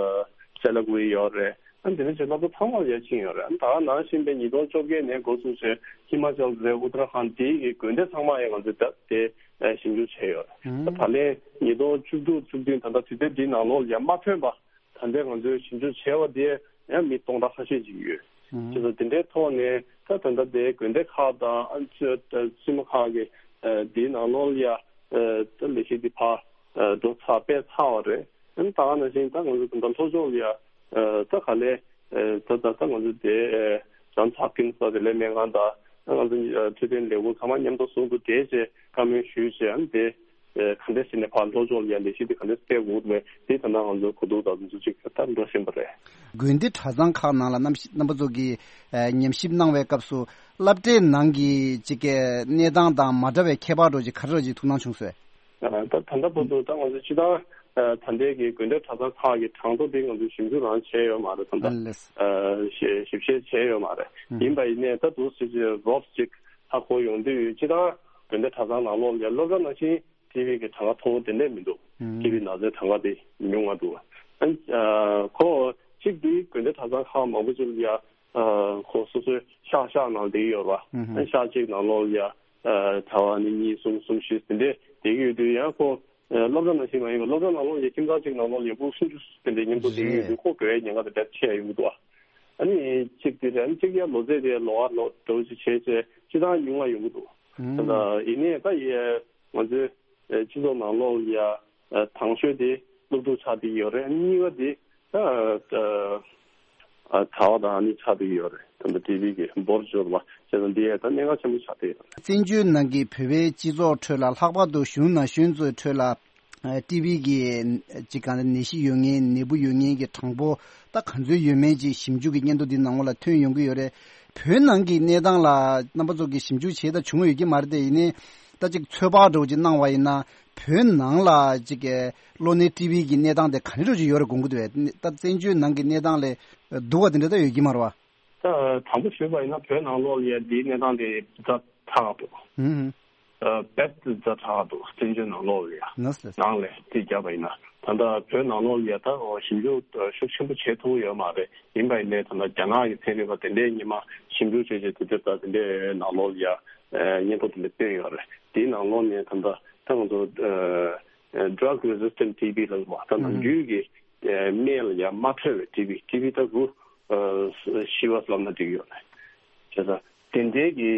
སེ་ལ་ཀུ་ཝི་ཡོད་རེད། ཨ་དེ་ནས་ཅིག་སློབ་གྲྭ་ཚང་མར་ཡར་ཕྱིན་ཡོད་རེད། ཨ་ད་ག་ནང་བཞིན་པའི་ཉིས་སྟོང་བཅོ་བརྒྱད་ནས་འགོ་བཙུགས་བྱས་ཧི་མ་ཅལ་རེད་ཨུ་ཏར་ཁཱན་དེའི་གི་དགོན་སྡེ་ཚང་མ་ཡང་ང་ཚོས་ད་དེ་ཨ་ཞིབ་འཇུག་བྱས་ཡོད་རེད། ཨ་ད་ལན་ཉིས་སྟོང་བཅུ་དྲུག་བཅུ་བདུན་ད་ལྟ་དུས་ཚོད་འདིའི་ནང་ལོགས་ལ་ཡང་མ་ཐོན་པ་ད་ལྟའི་ང་ཚོས་ཞིབ་འཇུག་བྱས་པ་དེ་ཡང་མི་སྟོང་ཕྲག་ཁ་ཤས་ཅིག་ཡོད། བྱས་ཙང་དེ་འདྲའི་ཐོག་ནས་ད་ད་ལྟ་དེ་དགོན་སྡེ་ཁག་དང་ཨ་ཅོ་ད་བཙུན་མ་ཁག་གི་ཨ་དེའི་ནང་ལོགས་ལ་ཡང་ཨ་ད་ལས་གཞི་འདི་ཕར་ཨ་འགྲོ་ཚར་སྤེལ་ཚར་བ་རེད། ཨ་ནི་ད་ག་ནང་བཞིན་ད་ང་ཚོ་ད་ལྟ་ལྷོ་ཕྱོགས་ལ་ཡ་ཨ་ད་ག་ལེ་ཨ་ད་ད་ད་ང་ཚོ་དེ་ཨ་ཇོན་སི་ཧོབ་ཀིན་སི་དང་དེ་ལས་སྨན་ཁང་དང་ཨ་ང་ཚོ་ཨ་འཕྲོད་བསྟེན་ལས་ཁུངས་ཚང་མ་མཉམ་དུ་ཟུང་དུ་འབྲེལ་བྱས་བཀའ་མོལ་ཞུས་བྱས་ཨ་ནི་དེ་ཨ་ག་འདྲ་ཟེར་ནས་ཕར་ལྷོ་ཕྱོགས་ལ་ཡ་ལས་གཞི་དེ་ག་འདྲ་སྤེལ་དགོས་མེད་དེ་ད་ལྟ་ང་ཚོ་གོ་བསྡུར་དང་འཛུལ་ཞུགས་ད་འགྲོ་བཞིན་པ་རེད། དགོན་སྡེ་གྲྭ་ཚང་ཁག་ནང་ལ་རྣམ་རྣམ་པ་ཚོ་གིས་ཨ་ཉམས་ཞིབ་གནང་བའི་སྐབས་སུ་སློབ་གྲྭའི་ནང་གི་ཅིག་གི་གནས་སྟངས་དང་མ་འདྲ་བའི་ཁྱད་པར་འདྲ་ཅིག་ག་རེ་འདྲ་ཅིག་ཐུགས་སྣང་བྱུང་སོང་། ད་ད་ལྟ་བར་དུ་ད་ང་ཚོ་སྤྱི་བཏང་ད་ལྟའི་གི་དགོན་སྡེ་གྲྭ་ཚང་ཁག་གི་གྲངས་ཐོ་དེ་ང་ཚོས་ཞིབ་འཇུག་རང་བྱས་ཡོད་མ་རེད། ད་ལྟ་ཨ་ལགས། ཞིབ་ཞིབ་བཤེར་བྱས་ཡོད་མ་རེད། ཡིན་པ་ཡིན་ནའི་ད་དུ་སྲིད་ཇུས་རོབ་ཅིག་ཧ་གོ་ཡོང་དུས་སྤྱི་བཏང་དགོན་སྡེ་གྲྭ་ཚང་ནང་ལོགས་ལ་སློབ་གྲྭ་ནང་བཞིན་ཊི་བི་གི་གྲངས་ཀ་མཐོ་བོ་དེ་འདྲས་མི་འདུག་ཊི་བི་ན་ཚའི་གྲངས་ཀ་དེ་ཉུང་ང་འདུག་ཨ་ཁོ་གཅིག་དེ་དགོན་སྡེ་གྲྭ་ཚང་ཁག་མང་པོ་ཅིག་ལ་ཡ་ཁོ་སོ་སོའི་ཤག་ཤག་ནང་བསྡད་ཡོད་ར། ཨ་ཤག་གཅིག་ནང་ལོགས་ལ་ཡ་ཨ་གྲྭ་པ་ནི་གཉིས་གསུམ་གསུམ་བཞི་དེ་འདྲས་བསྡད་ཀྱི་ཡོད་དུས་ཡང་ཁོ་ཨ་སློབ་གྲྭ་ནང་བཞིན་མ་ཡིན་པར་སློབ་གྲྭ་ནང་ལོགས་ཡ་ཁྱིམ་ཚང་གཅིག་ནང་ལོགས་ལ་ཡ་ཕྲུ་གུ་སུམ་ཅུ་དེ་འདྲས་མཉམ་དུ་བསྡད་ཀྱི་ཡོད་དུས་ཁོ་དགོས་ཡའི་ཉེན་ཁ་དེ་འདྲ་ཆེ་ཡ་ཡོང་གི་འདུག་ཨ་ནི་གཅིག་དེ་རེད། ཨ་ནི་གཅིག་ཡ་ལོ་ཚད་དེ་ལོ་ཨ་ལོ་འདྲ་བོ་ཅིག་བྱས་བྱས་སྤྱི་བཏང་ཉུང་བ་ཡོང་གི་འདུག་ད་ལྟ་ཡིན་ནའི་ད་ཡ་ང་ཚོའི་ཨ་སྤྱི་ཚོགས་ནང་ལོགས་ལ་ཡ་ཨ་དང་ཤོས་དེ་སློབ་ཕྲུག་ཆགས་བསྡད་ཡོད་རེད། གཉིས་པ་དེ་ད་ཨ་གྲྭ་པ་དང་ཨ་ནི་ཆགས་བསྡད་ཡོད་རེད། ད་ལྟ་ཊི་བི་གི་འབོར་འབྱོར་བ་བྱས་ཙང་འདི་ཡ་ད་གནད་འགག་ཆེན་པོ་ཆགས་བསྡད་ཡོད་རེད། བཙན་བྱོལ་ནང་གི་བོད་པའི་སྤྱི་ཚོགས་ཁྲོད་ལ་ལྷག་པར་དུ་གཞོན་ནུ་ན་གཞོན་ཚོའི་ཁྲོད་ལ་ཨ་ཊི་བི་གི་ཅིག་གང་ནད་གཞི་ཡོད་མཁན་ནད་འབུ་ཡོད་མཁན་གྱི་གྲངས་འབོར་ད་ག་ཚོད་ཡོད་མེད་ཅིག་ཞིབ་འཇུག་གི་སྙན་ཐོ་འདི་ནང་ལ་ཐོན་ཡོང་གི་ཡོད་རེད། བོད་ནང་གི་གནས་སྟངས་ལ་རྣམ་པ་ཚོ་གིས་ཞིབ་འཇུག་བྱས་ད་བྱུང་ཡོད་ཀྱི་མ་རེད་དེ། ཡིན་ནའི་ད་ཅིག་ཚོད་དཔག་འདྲ་བོ་ཅིག་གནང་བ་ཡིན་ན་བོད་ནང་ལ་ཅིག་གློ་ནད་ཊི་བི་གི་གནས་སྟངས་དེ་ག་འདྲ་འདྲ་བོ་ཅིག་ཡོད་རེད་དགོངས་ཀྱི་འདུག་བས། ད་བཙན་བྱོལ་ནང་གི་གནས་སྟངས་ལས་སྡུག་པ་དེ་འདྲ་ད་ཡོད་ཀྱི་མ་རེད་བ། ད་དང་པོ་ཞུས་པ་ཡིན་ན་བོད་ནང་ལོགས་ལ་ཡ་འདིའི་གནས་སྟངས་དེ་ཛ་དྲག་འདུག་ཨུམ། ཨ་དཔེ་ཛ་དྲག་འདུག་བཙན་བྱོལ་ནང་ལོགས་ལ་ཡ། ནགས་ནང་ལས་དེ་བརྒྱབ་པ་ཡིན་ན་ད་ལྟ་བོད་ནང་ལོགས་ལ་ཡ་ད་ཞིབ་འཇུག་ཤུགས་ཆེན་པོ་བྱེད་ཐུབ་ཡོད་མ་རེད། ཡིན་པ་ཡིན་ནའི་ད་ལྟ་རྒྱ་ནག་གི་ཚན་རིག་པ་དེ་འདྲས་སྔོན་མ་ཞིབ་འཇུག་བྱས་བྱས་དེ་འདྲས་ད་དེ་འདྲས་ནང་ལོགས་ལ་ཡ་སྙན་ཐོ་དེ་འདྲས་བཏོན་ཡོད་རེད། དེའི་ནང་ལོགས་ནས་ད་ལྟ་ད་ང་ཚོ་ཨ་drug resistant T B ལབ་པ་ད་ནམ་རྒྱུན་གྱི་ཨ་སྨན་ལ་ཡ་མ་འཕྲོད་པའི་ཊི་བི། ཊི་བི་ད་རུ་ཨ་ཤི་བ་ལབ་ན་འགྲིག་ཡོད་རེད། བྱས་ཙང་དེ་འདྲའི་གི་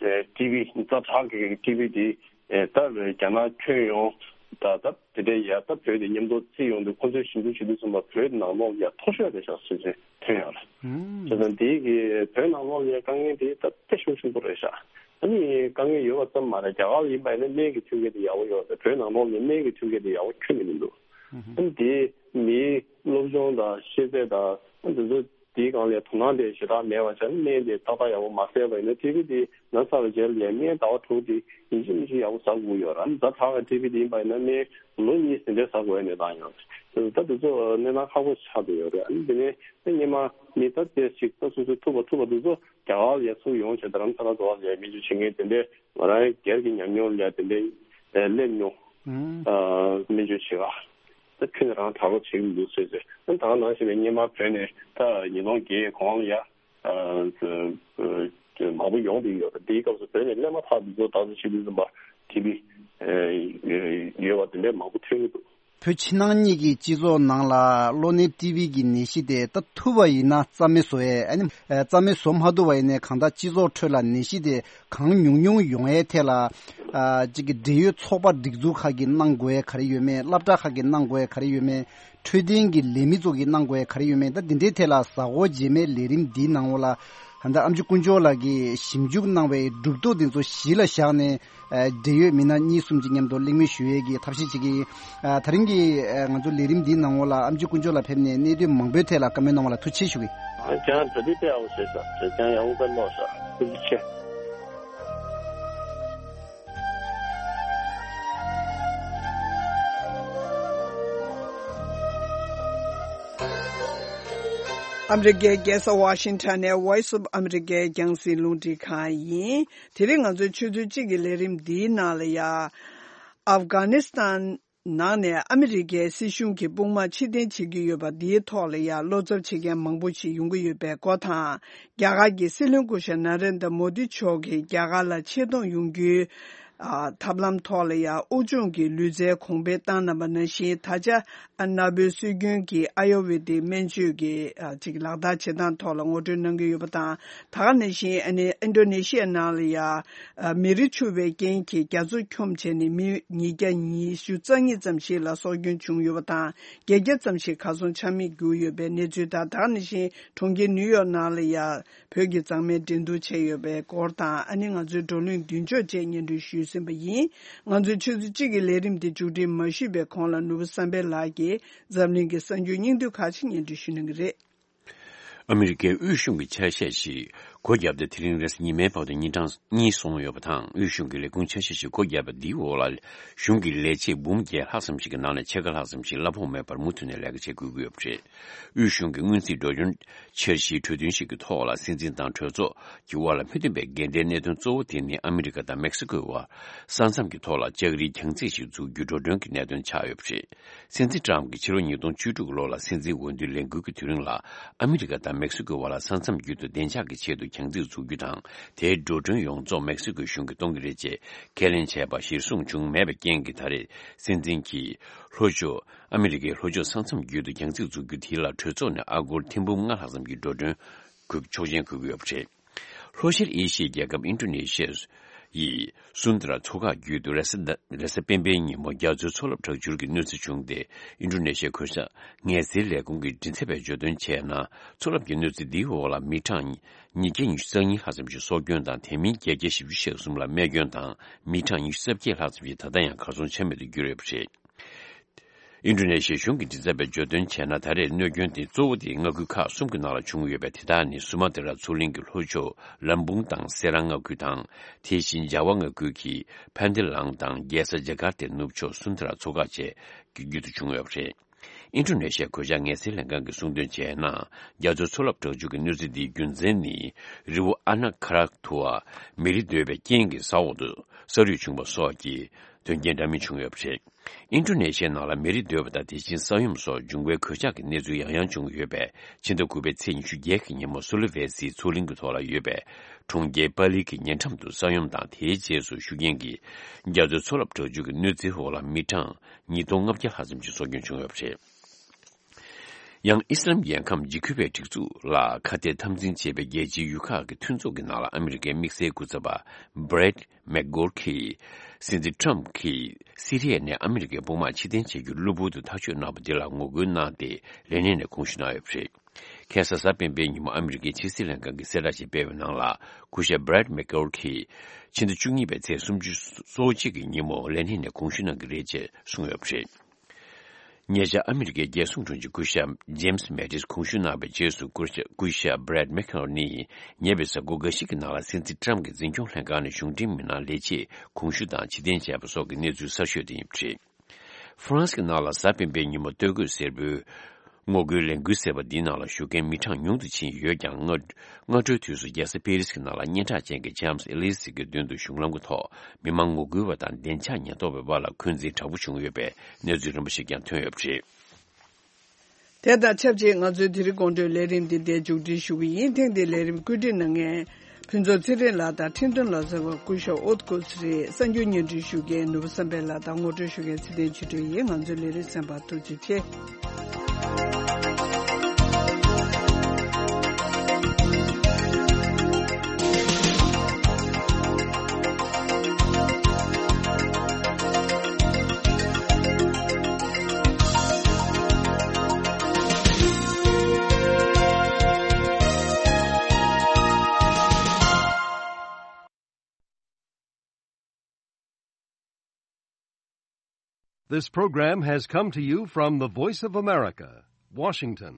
ཨ་ཊི་བི་ཛ་དྲག་གི་ཊི་བི་དེ་ཨ་ད་རྒྱ་ནག་ཐོན་ཡོང་ད་ད་དེ་འདྲའི་ཡ་ད་བོད་དེ་མཉམ་དུ་བརྩིས་ཡོང་དུས་ཁོང་ཚོས་ཞིབ་འཇུག་བྱེད་དུས་ཙམ་པ་བོད་ནང་ལོགས་ཡ་མཐོ་ཤོས་རེད་ཤག་ཟེར་ཟེར་ཐོན་ཡོད་རེད། བྱས་ཙང་དེའི་གི་བོད་ནང་ལོགས་ཡ་དཀའ་ངལ་དེ་ད་དཔེ་ཤུགས་ཆེན་པོ་རེད་ཤག་ཨ་ནི་དཀའ་ངལ་ཡོད་པ་ཙམ་མ་རེད། རྒྱ་གར་ཡིན་པ་ཡིན་ན་སྨན་གྱི་མཐུན་རྐྱེན་དེ་ཡག་པོ་ཡོད་རེད། བོད་ནང་ལོགས་ནས་སྨན་གྱི་མཐུན་རྐྱེན་དེ་ཡག་པོ་ཁྱོན་ནས་མི་འདུག་ཨ་ནི་དེ་མིའི་སློབ་སྦྱོང་དང་ཤེས་ཚད་དང་ཨ་འདི་ཚོ་དེའི་སྒང་ལ་དོ་སྣང་དེ་ཞེ་དྲག་མེད་པ་བྱས་ན་སྨན་དེ་ཏག་ཏག་ཡག་པོ་མ་བཟས་པ་ཡིན་ན་ཊི་བི་དེ་ན་ཚར་བའི་རྗེས་ལ་ཡང་སྨན་ཟླ་བ་དྲུག་དེ་ཡིན་གཅིག་མིན་གཅིག་ཡག་པོ་ཟ་དགོས་ཡོད་རེད། ཨ་ནི་ཛ་དྲག་གི་ཊི་བི་དེ་ཡིན་པ་ཡིན་ན་སྨན་ལོ་གཉིས་ཟིན་བྲིས་ཟ་དགོས་པའི་གནས་སྟངས་ཡོད་རེད། ད་དེ་ཚོ་གནས་སྟངས་ཁག་པོ་ཆགས་བསྡད་ཡོད་རེད། ཨ་ནི་དེ་ནས་ད་སྔོན་མ་མི་ད་ལྟ་ཞིག་ད་སོ་སོའི་ཐུབ་པ་ཐུབ་པ་དེ་ཚོ་རྒྱ་གར་ལ་ཡ་ཚུར་ཡོང་བྱས་རྡ་རམ་ས་ལ་འགྲོ་བ་ལ་ཡ་སྨན་བཅོས་བྱེད་མཁན་དེ་འདྲའི་ང་རང་སྒེར་གྱི་ཉམས་མྱོང་ལ་ཡ་དེ་འདྲའི་ཨ་སླེབས་མྱོང་། ཨ་སྨན་བཅོས་བྱེད་ག་ད་ཁྱོན་ནས་རང་དྲག་པོ་བྱེད་ཀྱི་མི་འདུག་ཟེར་ཟེར། ཨ་ད་ག་ནང་བཞིན་པའི་སྔོན་མ་བོད་ནས་ད་ཉིས་སྟོང་བརྒྱད་གོང་ལ་ཡ་ཨ་མང་པོ་ཡོང་བསྡད་ཡོད་རེད། དེའི་སྐབས་སུ་བོད་ནས་སླེབས་མ་ཐག་དེ་ཚོ་ད་གཟོད་བྱེད་དུས་ཙམ་པ་ཊི་བི་ཡོད་པ་དེ་འདྲའི་མང་པོ་ཐོན་གྱི་འདུག་བོད་ཕྱི་ནང་གཉིས་ཀྱི་སྤྱི་ཚོགས་ནང་ལ་གློ་ནད་ཊི་བི་གི་ནད་གཞི་དེ་ད་ཐུབ་པ་ཡིན་ན་རྩ་མེད་བཟོ་ཡས། ཨ་ནི་རྩ་མེད་བཟོ་མ་ཐུབ་པ་ཡིན་ནའི་གང་ལྟར་སྤྱི་ཚོགས་ཁྲོད་ལ་ནད་གཞི་དེ་གང་ཉུང་ཉུང་ཡོང་ཡས་ཐད་ལ། ཨ་གཅིག་གི་འབྲེལ་ཡོད་ཚོགས་པ་སྒྲིག་འཛུགས་ཁག་གིས་གནང་དགོས་ཡས་ག་རེ་ཡོད་མེད། སློབ་གྲྭ་ཁག་གིས་གནང་དགོས་ཡས་ག་རེ་ཡོད་མེད། འཕྲོད་བསྟེན་གྱི་ལས་མི་ཚོ་གིས་གནང་དགོས་ཡས་ག་རེ་ཡོད་མེད། ད་འདི་འདྲའི་ཐད་ལ་གཟའ་འཁོར་རྗེས་མའི་ལས་རིམ་འདིའི་ནང་འོག་ལ་ད་ལྟ་ཨམ་ཆི་དཀོན་མཆོག་ལགས་ཀྱིས་ཞིབ་འཇུག་གནང་བའི་གྲུབ་ཐོབ་འདི་ཚོ་གཞི་ལ་བཞག་ནས། ཨ་འབྲེལ་ཡོད་མི་སྣ་གཉིས་གསུམ་གྱི་མཉམ་དུ་གླེང་མོལ་ཞུ་ཡས་ཀྱི་ཐབས་ཤེས་བྱེད་ཀྱི་ཡིན། ཨ་དེ་རིང་གི་ཨ་ང་ཚོ་ལས་རིམ་འདིའི་ནང་འོག་ལ་ཨམ་ཆི་དཀོན་མཆོག་ལགས་ཕེབས་ནས་གནད་དོན་མང་པོའི་ཐད་ལ་བཀའ་མོལ་གནང་བ་ལ་ཐུགས་རྗེ་ཆེ་ཞུ་གི་ཡིན། ཨ་ཅང་ད་དེ་དེ་ཨའོ་ཟེར་ས་ཟེར་ཅང་ཡང་འུ་ཀ་ནོ་ས་ཐུགས་རྗེ་ཆེ། ཨ་མི་རི་ཀའི་རྒྱལ་ས་ཝ་ཤིང་ཊོན་ནས་Voice of America་རྒྱང་སྲིང་རླུང་འཕྲིན་ཁང་ཡིན། དེ་རིང་ང་ཚོའི་ཆུ་ཚོད་གཅིག་གི་ལས་རིམ་འདིའི་ནང་ལ་ཡ། ཨབ་གྷ་ནི་སི་ཐན་ནང་ནས་ཨ་མི་རི་ཀའི་སྲིད་གཞུང་གི་དཔུང་དམག་ཕྱིར་འཐེན་བྱེད་ཀྱི་ཡོད་པ་འདིའི་ཐོག་ལ་ཡ་བློ་འཚབ་བྱེད་མཁན་མང་པོ་ཞིག་ཡོང་གི་ཡོད་པའི་སྐོར་དང་། རྒྱ་གར་གྱི་སྲིད་བློན་སྐུ་ཞབས་ན་རེན་དྲ་མོ་དི་མཆོག་གིས་རྒྱ་གར་ལ་ཆེད་གཏོང་ཡོང་རྒྱུའི་ཨ་ཐབས་ལམ་ཐོག་ལ་ཡང་དབུགས་སྦྱོང་གི་ལུས་རྩལ་གོང་འཕེལ་བཏང་གནང་པ་ནང་བཞིན། ད་ཆ་ཨ་ན་བོའི་སྲོལ་རྒྱུན་གྱི་ཨ་ཡུར་ཝེ་དིག་སྨན་བཅོས་ཀྱི་ཨ་ཅིག་ལག་བསྟར་བྱེད་སྟངས་ཐོག་ལ་ངོ་སྤྲོད་གནང་གི་ཡོད་པ་དང་། ད་ག་ནང་བཞིན་ཨ་ནི་ཨིན་ཌོ་ནེ་ཤི་ཡ་ནང་ལ་ཡང་ཨ་མེ་རི་འཕྱུར་བའི་རྐྱེན་གྱིས་རྒྱ་མཚོ་འཁྱོམས་བྱས་ནས་མི་ཉིས་བརྒྱ་ཉི་ཤུ་རྩ་གཉིས་ཙམ་ཞིག་ལ་སྲོག་སྐྱོན་བྱུང་ཡོད་པ་དང་། བརྒྱད་བརྒྱ་ཙམ་ཞིག་གར་སོང་ཆ་མེད་གྱུར་ཡོད་པའི་གནས་ཚུལ་དང་། ད་ག་ནང་བཞིན་གྲོང་ཁྱེར་ནིའུ་ཡོག་ནང་ལ་ཡང་བོད་ཀྱི་མཛངས་མའི་འགྲན་བསྡུར་བྱས་ཡོད་པའི་སྐོར་དང་། ཨ་ནི་ང་ཚོའི་བགྲོ་གླེང་མདུན་ལྕོག་བཅས་སྙན་སྒྲོན་ཞུས་ཟིན་པ་ཡིན། ང་ཚོའི་ཆུ་ཚོད་གཅིག་གི་ལས་རིམ་འདི་མཇུག་སྒྲིལ་མ་ཞུས་པའི་གོང་ལ་ནོར་བུ་བསམ་འཕེལ་ལགས་ཀྱིས་འཛམ་གླིང་གི་གསར་འགྱུར་སྙིང་བསྡུས་ཁག་ཅིག་སྙན་སྒྲོན་ཞུ་གནང་གི་རེད། ཨ་མི་རི་ཀའི་དབུས་གཞུང་གི་ཆ་ཤས་ཤིག་སྒོ་བརྒྱབ་སྟེ་དེ་རིང་རེས་གཟའ་ཉི་མའི་བར་དུ་ཉིན་གྲངས་གཉིས་སོང་ཡོད་པ་དང་། དབུས་གཞུང་གི་ལས་ཁུངས་ཆ་ཤས་ཤིག་སྒོ་བརྒྱབ་པ་འདིའི་འོག་ལ་གཞུང་གི་ལས་བྱེད་འབུམ་བརྒྱད་ལྷག་ཙམ་ཞིག་གི་ནང་ནས་ཕྱེད་ཀ་ལྷག་ཙམ་ཞིག་གླ་ཕོགས་མེད་པར་མུ་མཐུད་ནས་ལས་ཀ་བྱེད་དགོས་ཀྱི་ཡོད་པ་རེད། དབུས་གཞུང་གི་སྔོན་རྩིས་འགྲོ་སྐྱོར་འཆར་གཞིའི་གྲོས་མཐུན་ཞིག་གི་ཐོག་ལ། སྲིད་འཛིན་དང་གྲོས་ཚོགས་ཀྱི་དབར་ལ་མི་མཐུན་པའི་འགལ་ཟླའི་གནད་དོན་གཙོ་བོ་དེ་ནི་ཨ་མི་རི་ཀ་དང་མེག་སི་ཀོའི་བར་ས་མཚམས་ཀྱི་ཐོག་ལ་ལྕགས་རིའི་རྒྱང་རྩེག་ཞིག་འཛུགས་རྒྱུ་འགྲོ་གྲོན་གྱི་གནད་དོན་ཆགས་ཡོད་པ་རེད། སྲིད་འཛིན་ཊམ་གྱིས་ཕྱི་ལོ་ཉིས་སྟོང་བཅུ་དྲུག་ལོ་ལ་སྲིད་འཛིན་འོས་བསྡུའི་ལས་འགུལ་གྱི་དུས་རིང་ལ། ཨ་མི་རི་ཀ་དང་མེག་སི་ཀོའི་བར་ལ་ས་མཚམས་བརྒྱུད་དུ་བདེ་འཇགས་ཀྱི་ཆེད་དུ་རྒྱང་རྩེག་འཛུགས་རྒྱུ་དང་། དེའི་འགྲོ་གྲོན་ཡོངས་རྫོགས་མེག་སི་ཀོའི་གཞུང་གིས་གཏོང་གི་རེད་ཅེས་ཁས་ལེན་བྱས་པ་གཞིར་བཟུང་བྱུང་མེད་པའི་རྐྱེན་གྱིས། ད་རེས་སྲིད་འཛིན་གྱིས་ལྷོ་ཕྱོགས་ཨ་མི་རི་ཀའི་ལྷོ་ཕྱོགས་ས་མཚམས་བརྒྱུད་དུ་རྒྱང་རྩེག་འཛུགས་རྒྱུ་དེ་ལ་གྲོས་ཚོགས་ནས་ཨ་སྒོར་ཐེར་འབུམ་ལྔ་ལྷག་ཙམ་གྱི་འགྲོ་གྲོན་དགོས། ཆོག་མཆན་དགོས་ཀྱི་ཡོད་པ་རེད། ལྷོ་ཤར་ཨེ་ཤི་ཡའི་རྒྱལ་ཁབ་ཨིན་ཌོ་ནེ་ཤི་ཡའི་སུན་ཏྲ་མཚོ་འགག་བརྒྱུད་དུ་རེས་གཟའ་རེས་གཟའ་སྤེན་པའི་ཉིན་མོ་རྒྱ་མཚོའི་མཚོ་རླབས་དྲག་འཕྱུར་གྱི་གནོད་འཚེ་བྱུང་སྟེ། ཨིན་ཌོ་ནེ་ཤི་ཡའི་གོས་ཞྭ་ངལ་སེལ་ལས་ཁུངས་ཀྱི་མགྲིན་ཚབ་པས་བརྗོད་དོན་བྱས་ན། མཚོ་རླབས་ཀྱི་གནོད་འཚེ་འདིའི་འོག་ལ་མི་གྲངས་ཉིས་བརྒྱ་ཉི་ཤུ་རྩ་གཉིས་ལྷག་ཙམ་ཞིག་སྲོག་སྐྱོན་དང་། དེ་མིན་བརྒྱད་བརྒྱ་བཞི་བཅུ་ཞེ་གསུམ་ལ་རྨས་སྐྱོན་དང་། མི་གྲངས་ཉི་ཤུ་རྩ་བརྒྱད་ལྷག་ཙམ་ཞིག་ད་ལྟ་ཡང་གར་སོང་ཆ་མེད་དུ་གྱུར་ཡོད་པ་རེད། ཨིན་ཌོ་ནེ་ཤི་ཡའི་གཞུང་གི་མགྲིན་ཚབ་པས་བརྗོད་དོན་བྱས་ན། ད་རེས་གནོད་སྐྱོན་དེ་གཙོ་བོ་དེ་མངའ་ཁུལ་ཁག་གསུམ་གྱི་ནང་ལ་བྱུང་ཡོད་པས། དེ་དག་ནི་སུ་མ་ཏི་ར་མཚོ་གླིང་གི་ལྷོ་ཕྱོགས་ལམ་བུང་དང་སེ་ར་མངའ་ཁུལ་དང་། དེ་བཞིན་ཇཱ་ཝ་མངའ་ཁུལ་གྱི་ཕན་ཏི་ལང་དང་རྒྱལ་ས་ཇ་ཀར་ཏའི་ནུབ་ཕྱོགས་སུན་ཏྲ་མཚོ་འགག་བཅས་ཀྱི་བརྒྱུད་དུ་བྱུང་ཡོད་པ་རེད། ཨིན་ཌོ་ནེ་ཤི་ཡའི་གོས་ཞྭ་ངལ་སེལ་ལྷན་ཁང་གིས་གསུངས་དོན་བྱས་ན། རྒྱ་མཚོའི་མཚོ་རླབས་དྲག་འཕྱུར་གྱི་གནོད་འཚེ་འདིའི་རྒྱུ་མཚན་ནི། རི་བོ་ཨ་ན་ཁ་ར་ཐུ་བ་མེ་རི་རྡོལ་བའི་རྐྱེན་གྱིས་ས་འོག་ཏུ་ས་རུད་བྱུང་བ་སོགས་ཀྱི་དོན་རྐྱེན་འདྲ་མིན་བྱུང་ཡོད་པ་རེད། ཨིན་ཌོ་ནེ་ཤི་ཡའི་ནང་ལ་མེ་རི་རྡོལ་བ་དང་། དེ་བཞིན་ས་ཡོམ་སོགས་འབྱུང་བའི་གོད་ཆག་གི་གནས་ཚུལ་ཡང་ཡང་བྱུང་ཡོད་པས། ཕྱི་ཟླ་དགུ་པའི་ཚེས་ཉི་ཤུ་བརྒྱད་ཀྱི་ཉིན་མོ་སུ་ལི་ཝེ་སིའི་མཚོ་གླིང་གི་ཐོག་ལ་ཡོད་པའི་གྲོང་ཁྱེར་པ་ལི་གི་ཉེ་འགྲམ་དུ་ས་ཡོམ་དང་། དེའི་རྗེས་སུ་ཤུགས་རྐྱེན་གྱིས་རྒྱ་མཚོའི་མཚོ་རླབས་དྲག་འཕྱུར་གྱི་གནོད་འཚེའི་འོག་ལ་མི་གྲངས་ཉིས་སྟོང་ལྔ་བརྒྱ་ལྷག་ཙམ་ཞིག་སྲོག་སྐྱོན་བྱུང་ཡོད་པ་རེད། ཡང་ཨི་སི་ལམ་རྒྱལ་ཁམས་འཇིགས་སྐུལ་བའི་སྒྲིག་འཛུགས་ལ་ཁ་གཏད་འཐབ་འཛིང་བྱེད་པའི་རྒྱལ་སྤྱིའི་ཡུལ་ཁག་གི་མཐུན་ཚོགས་ཀྱི་ནང་ལ་ཨ་མི་རི་ཀའི་དམིགས་བསལ་སྐུ་ཚབ་པ་Brett McGurk གིས། སྲིད་འཛིན་Trump གིས་སི་རི་ཡ་ནས་ཨ་མི་རི་ཀའི་དཔུང་དམག་ཕྱིར་འཐེན་བྱེད་རྒྱུར་གློ་བུར་དུ་ཐག་གཅོད་གནང་བ་འདི་ལ་ངོ་རྒོལ་གནང་སྟེ། ལས་གནས་ནས་དགོངས་ཞུ་གནང་ཡོད་པ་རེད། ཁ་སང་གཟའ་སྤེན་པའི་ཉིན་མོ་ཨ་མི་རི་ཀའི་ཕྱི་སྲིད་ལྷན་ཁང་གིས་གསལ་བསྒྲགས་ཤིག་སྤེལ་བའི་ནང་ལ། སྐུ་ཞབས་Brett McGurk གིས་ཕྱི་ཟླ་བཅུ་གཉིས་པའི་ཚེས་སུམ་ཅུ་སོ་གཅིག་གི་ཉིན་མོ་ལས་གནས་ནས་དགོངས་ཞུ་གནང་གི་རེད་ཅེས་གསུངས་ཡོད་པ་རེད། ཉེ་ཆར་ཨ་མི་རི་ཀའི་རྒྱལ་སྲུང་དྲུང་ཆེ་སྐུ་ཞབས་James Mattis དགོངས་ཞུ་གནང་བའི་རྗེས་སུ། སྐུ་ཞབས་སྐུ་ཞབས་Brett McGurk ནི་ཉེ་བའི་གཟའ་འཁོར་འགའ་ཞིག་གི་ནང་ལ་སྲིད་འཛིན་Trump གྱི་འཛིན་སྐྱོང་ལྷན་ཁང་ནས་གཞུང་འབྲེལ་མི་སྣར་ལས་བྱེད་དགོངས་ཞུ་དང་ཕྱིར་འཐེན་བྱས་པ་སོགས་ཀྱི་གནས་ཚུལ་གསར་ཤོས་དེ་ཡིན་པ་རེད། ཧྥ་རན་སི་གི་ནང་ལ་གཟའ་སྤེན་པའི་ཉིན་མོ་སྟོད་གོས་སེར་པོའི་ངོ་རྒོལ་ལས་འགུལ་ཟེར་བ་འདིའི་ནང་ལ་ཞུགས་མཁན་མི་གྲངས་ཉུང་དུ་ཕྱིན་ཡོད་ཀྱང་། སྔ་སྔ་དྲོའི་དུས་སུ་རྒྱལ་ས་པེ་རིས་ཀྱི་ནང་ལ་སྙན་གྲགས་ཅན་གྱི་Champs Élysées གི་མདུན་དུ་གཞུང་ལམ་གྱི་ཐོག་མི་མང་ངོ་རྒོལ་བ་དང་བདེ་འཇགས་ཉེན་རྟོག་པའི་བར་ལ་འཁོན་འཛིན་དྲག་པོ་བྱུང་ཡོད་པའི་གནས་ཚུལ་རིམ་པ་ཞིག་ཀྱང་ཐོན་ཡོད་པ་རེད། དེ་དང་ཆབས་ཅིག་ང་ཚོའི་དེ་རིང་དགོང་དྲོའི་ལས་རིམ་འདི་འདིར་མཇུག་སྒྲིལ་ཞུ་གི་ཡིན། ཐེངས་འདིའི་ལས་རིམ་བཀོད་སྒྲིག་གནང་མཁན་ ཕུན་ཚོགས་ཚེ་རིང་ལགས་དང་ཁྲིན་ཏུན་ལོ་ཙཱ་བ་སྐུ་ཞབས་ཨོ་ཏི་ཀུ་སི་རེད། གསར་འགྱུར་སྙན་སྒྲོན་ཞུ་མཁན་ནོར་བུ་བསམ་འཕེལ་ལགས་དང་ངོ་སྤྲོད་ཞུ་མཁན་ཚེ་བརྟན་ཆོས་སྒྲོན་ཡིན། ང་ཚོའི་ལས་རིམ་གསན་པར་ཐུགས་རྗེ་ཆེ། This program has come to you from the Voice of America, Washington.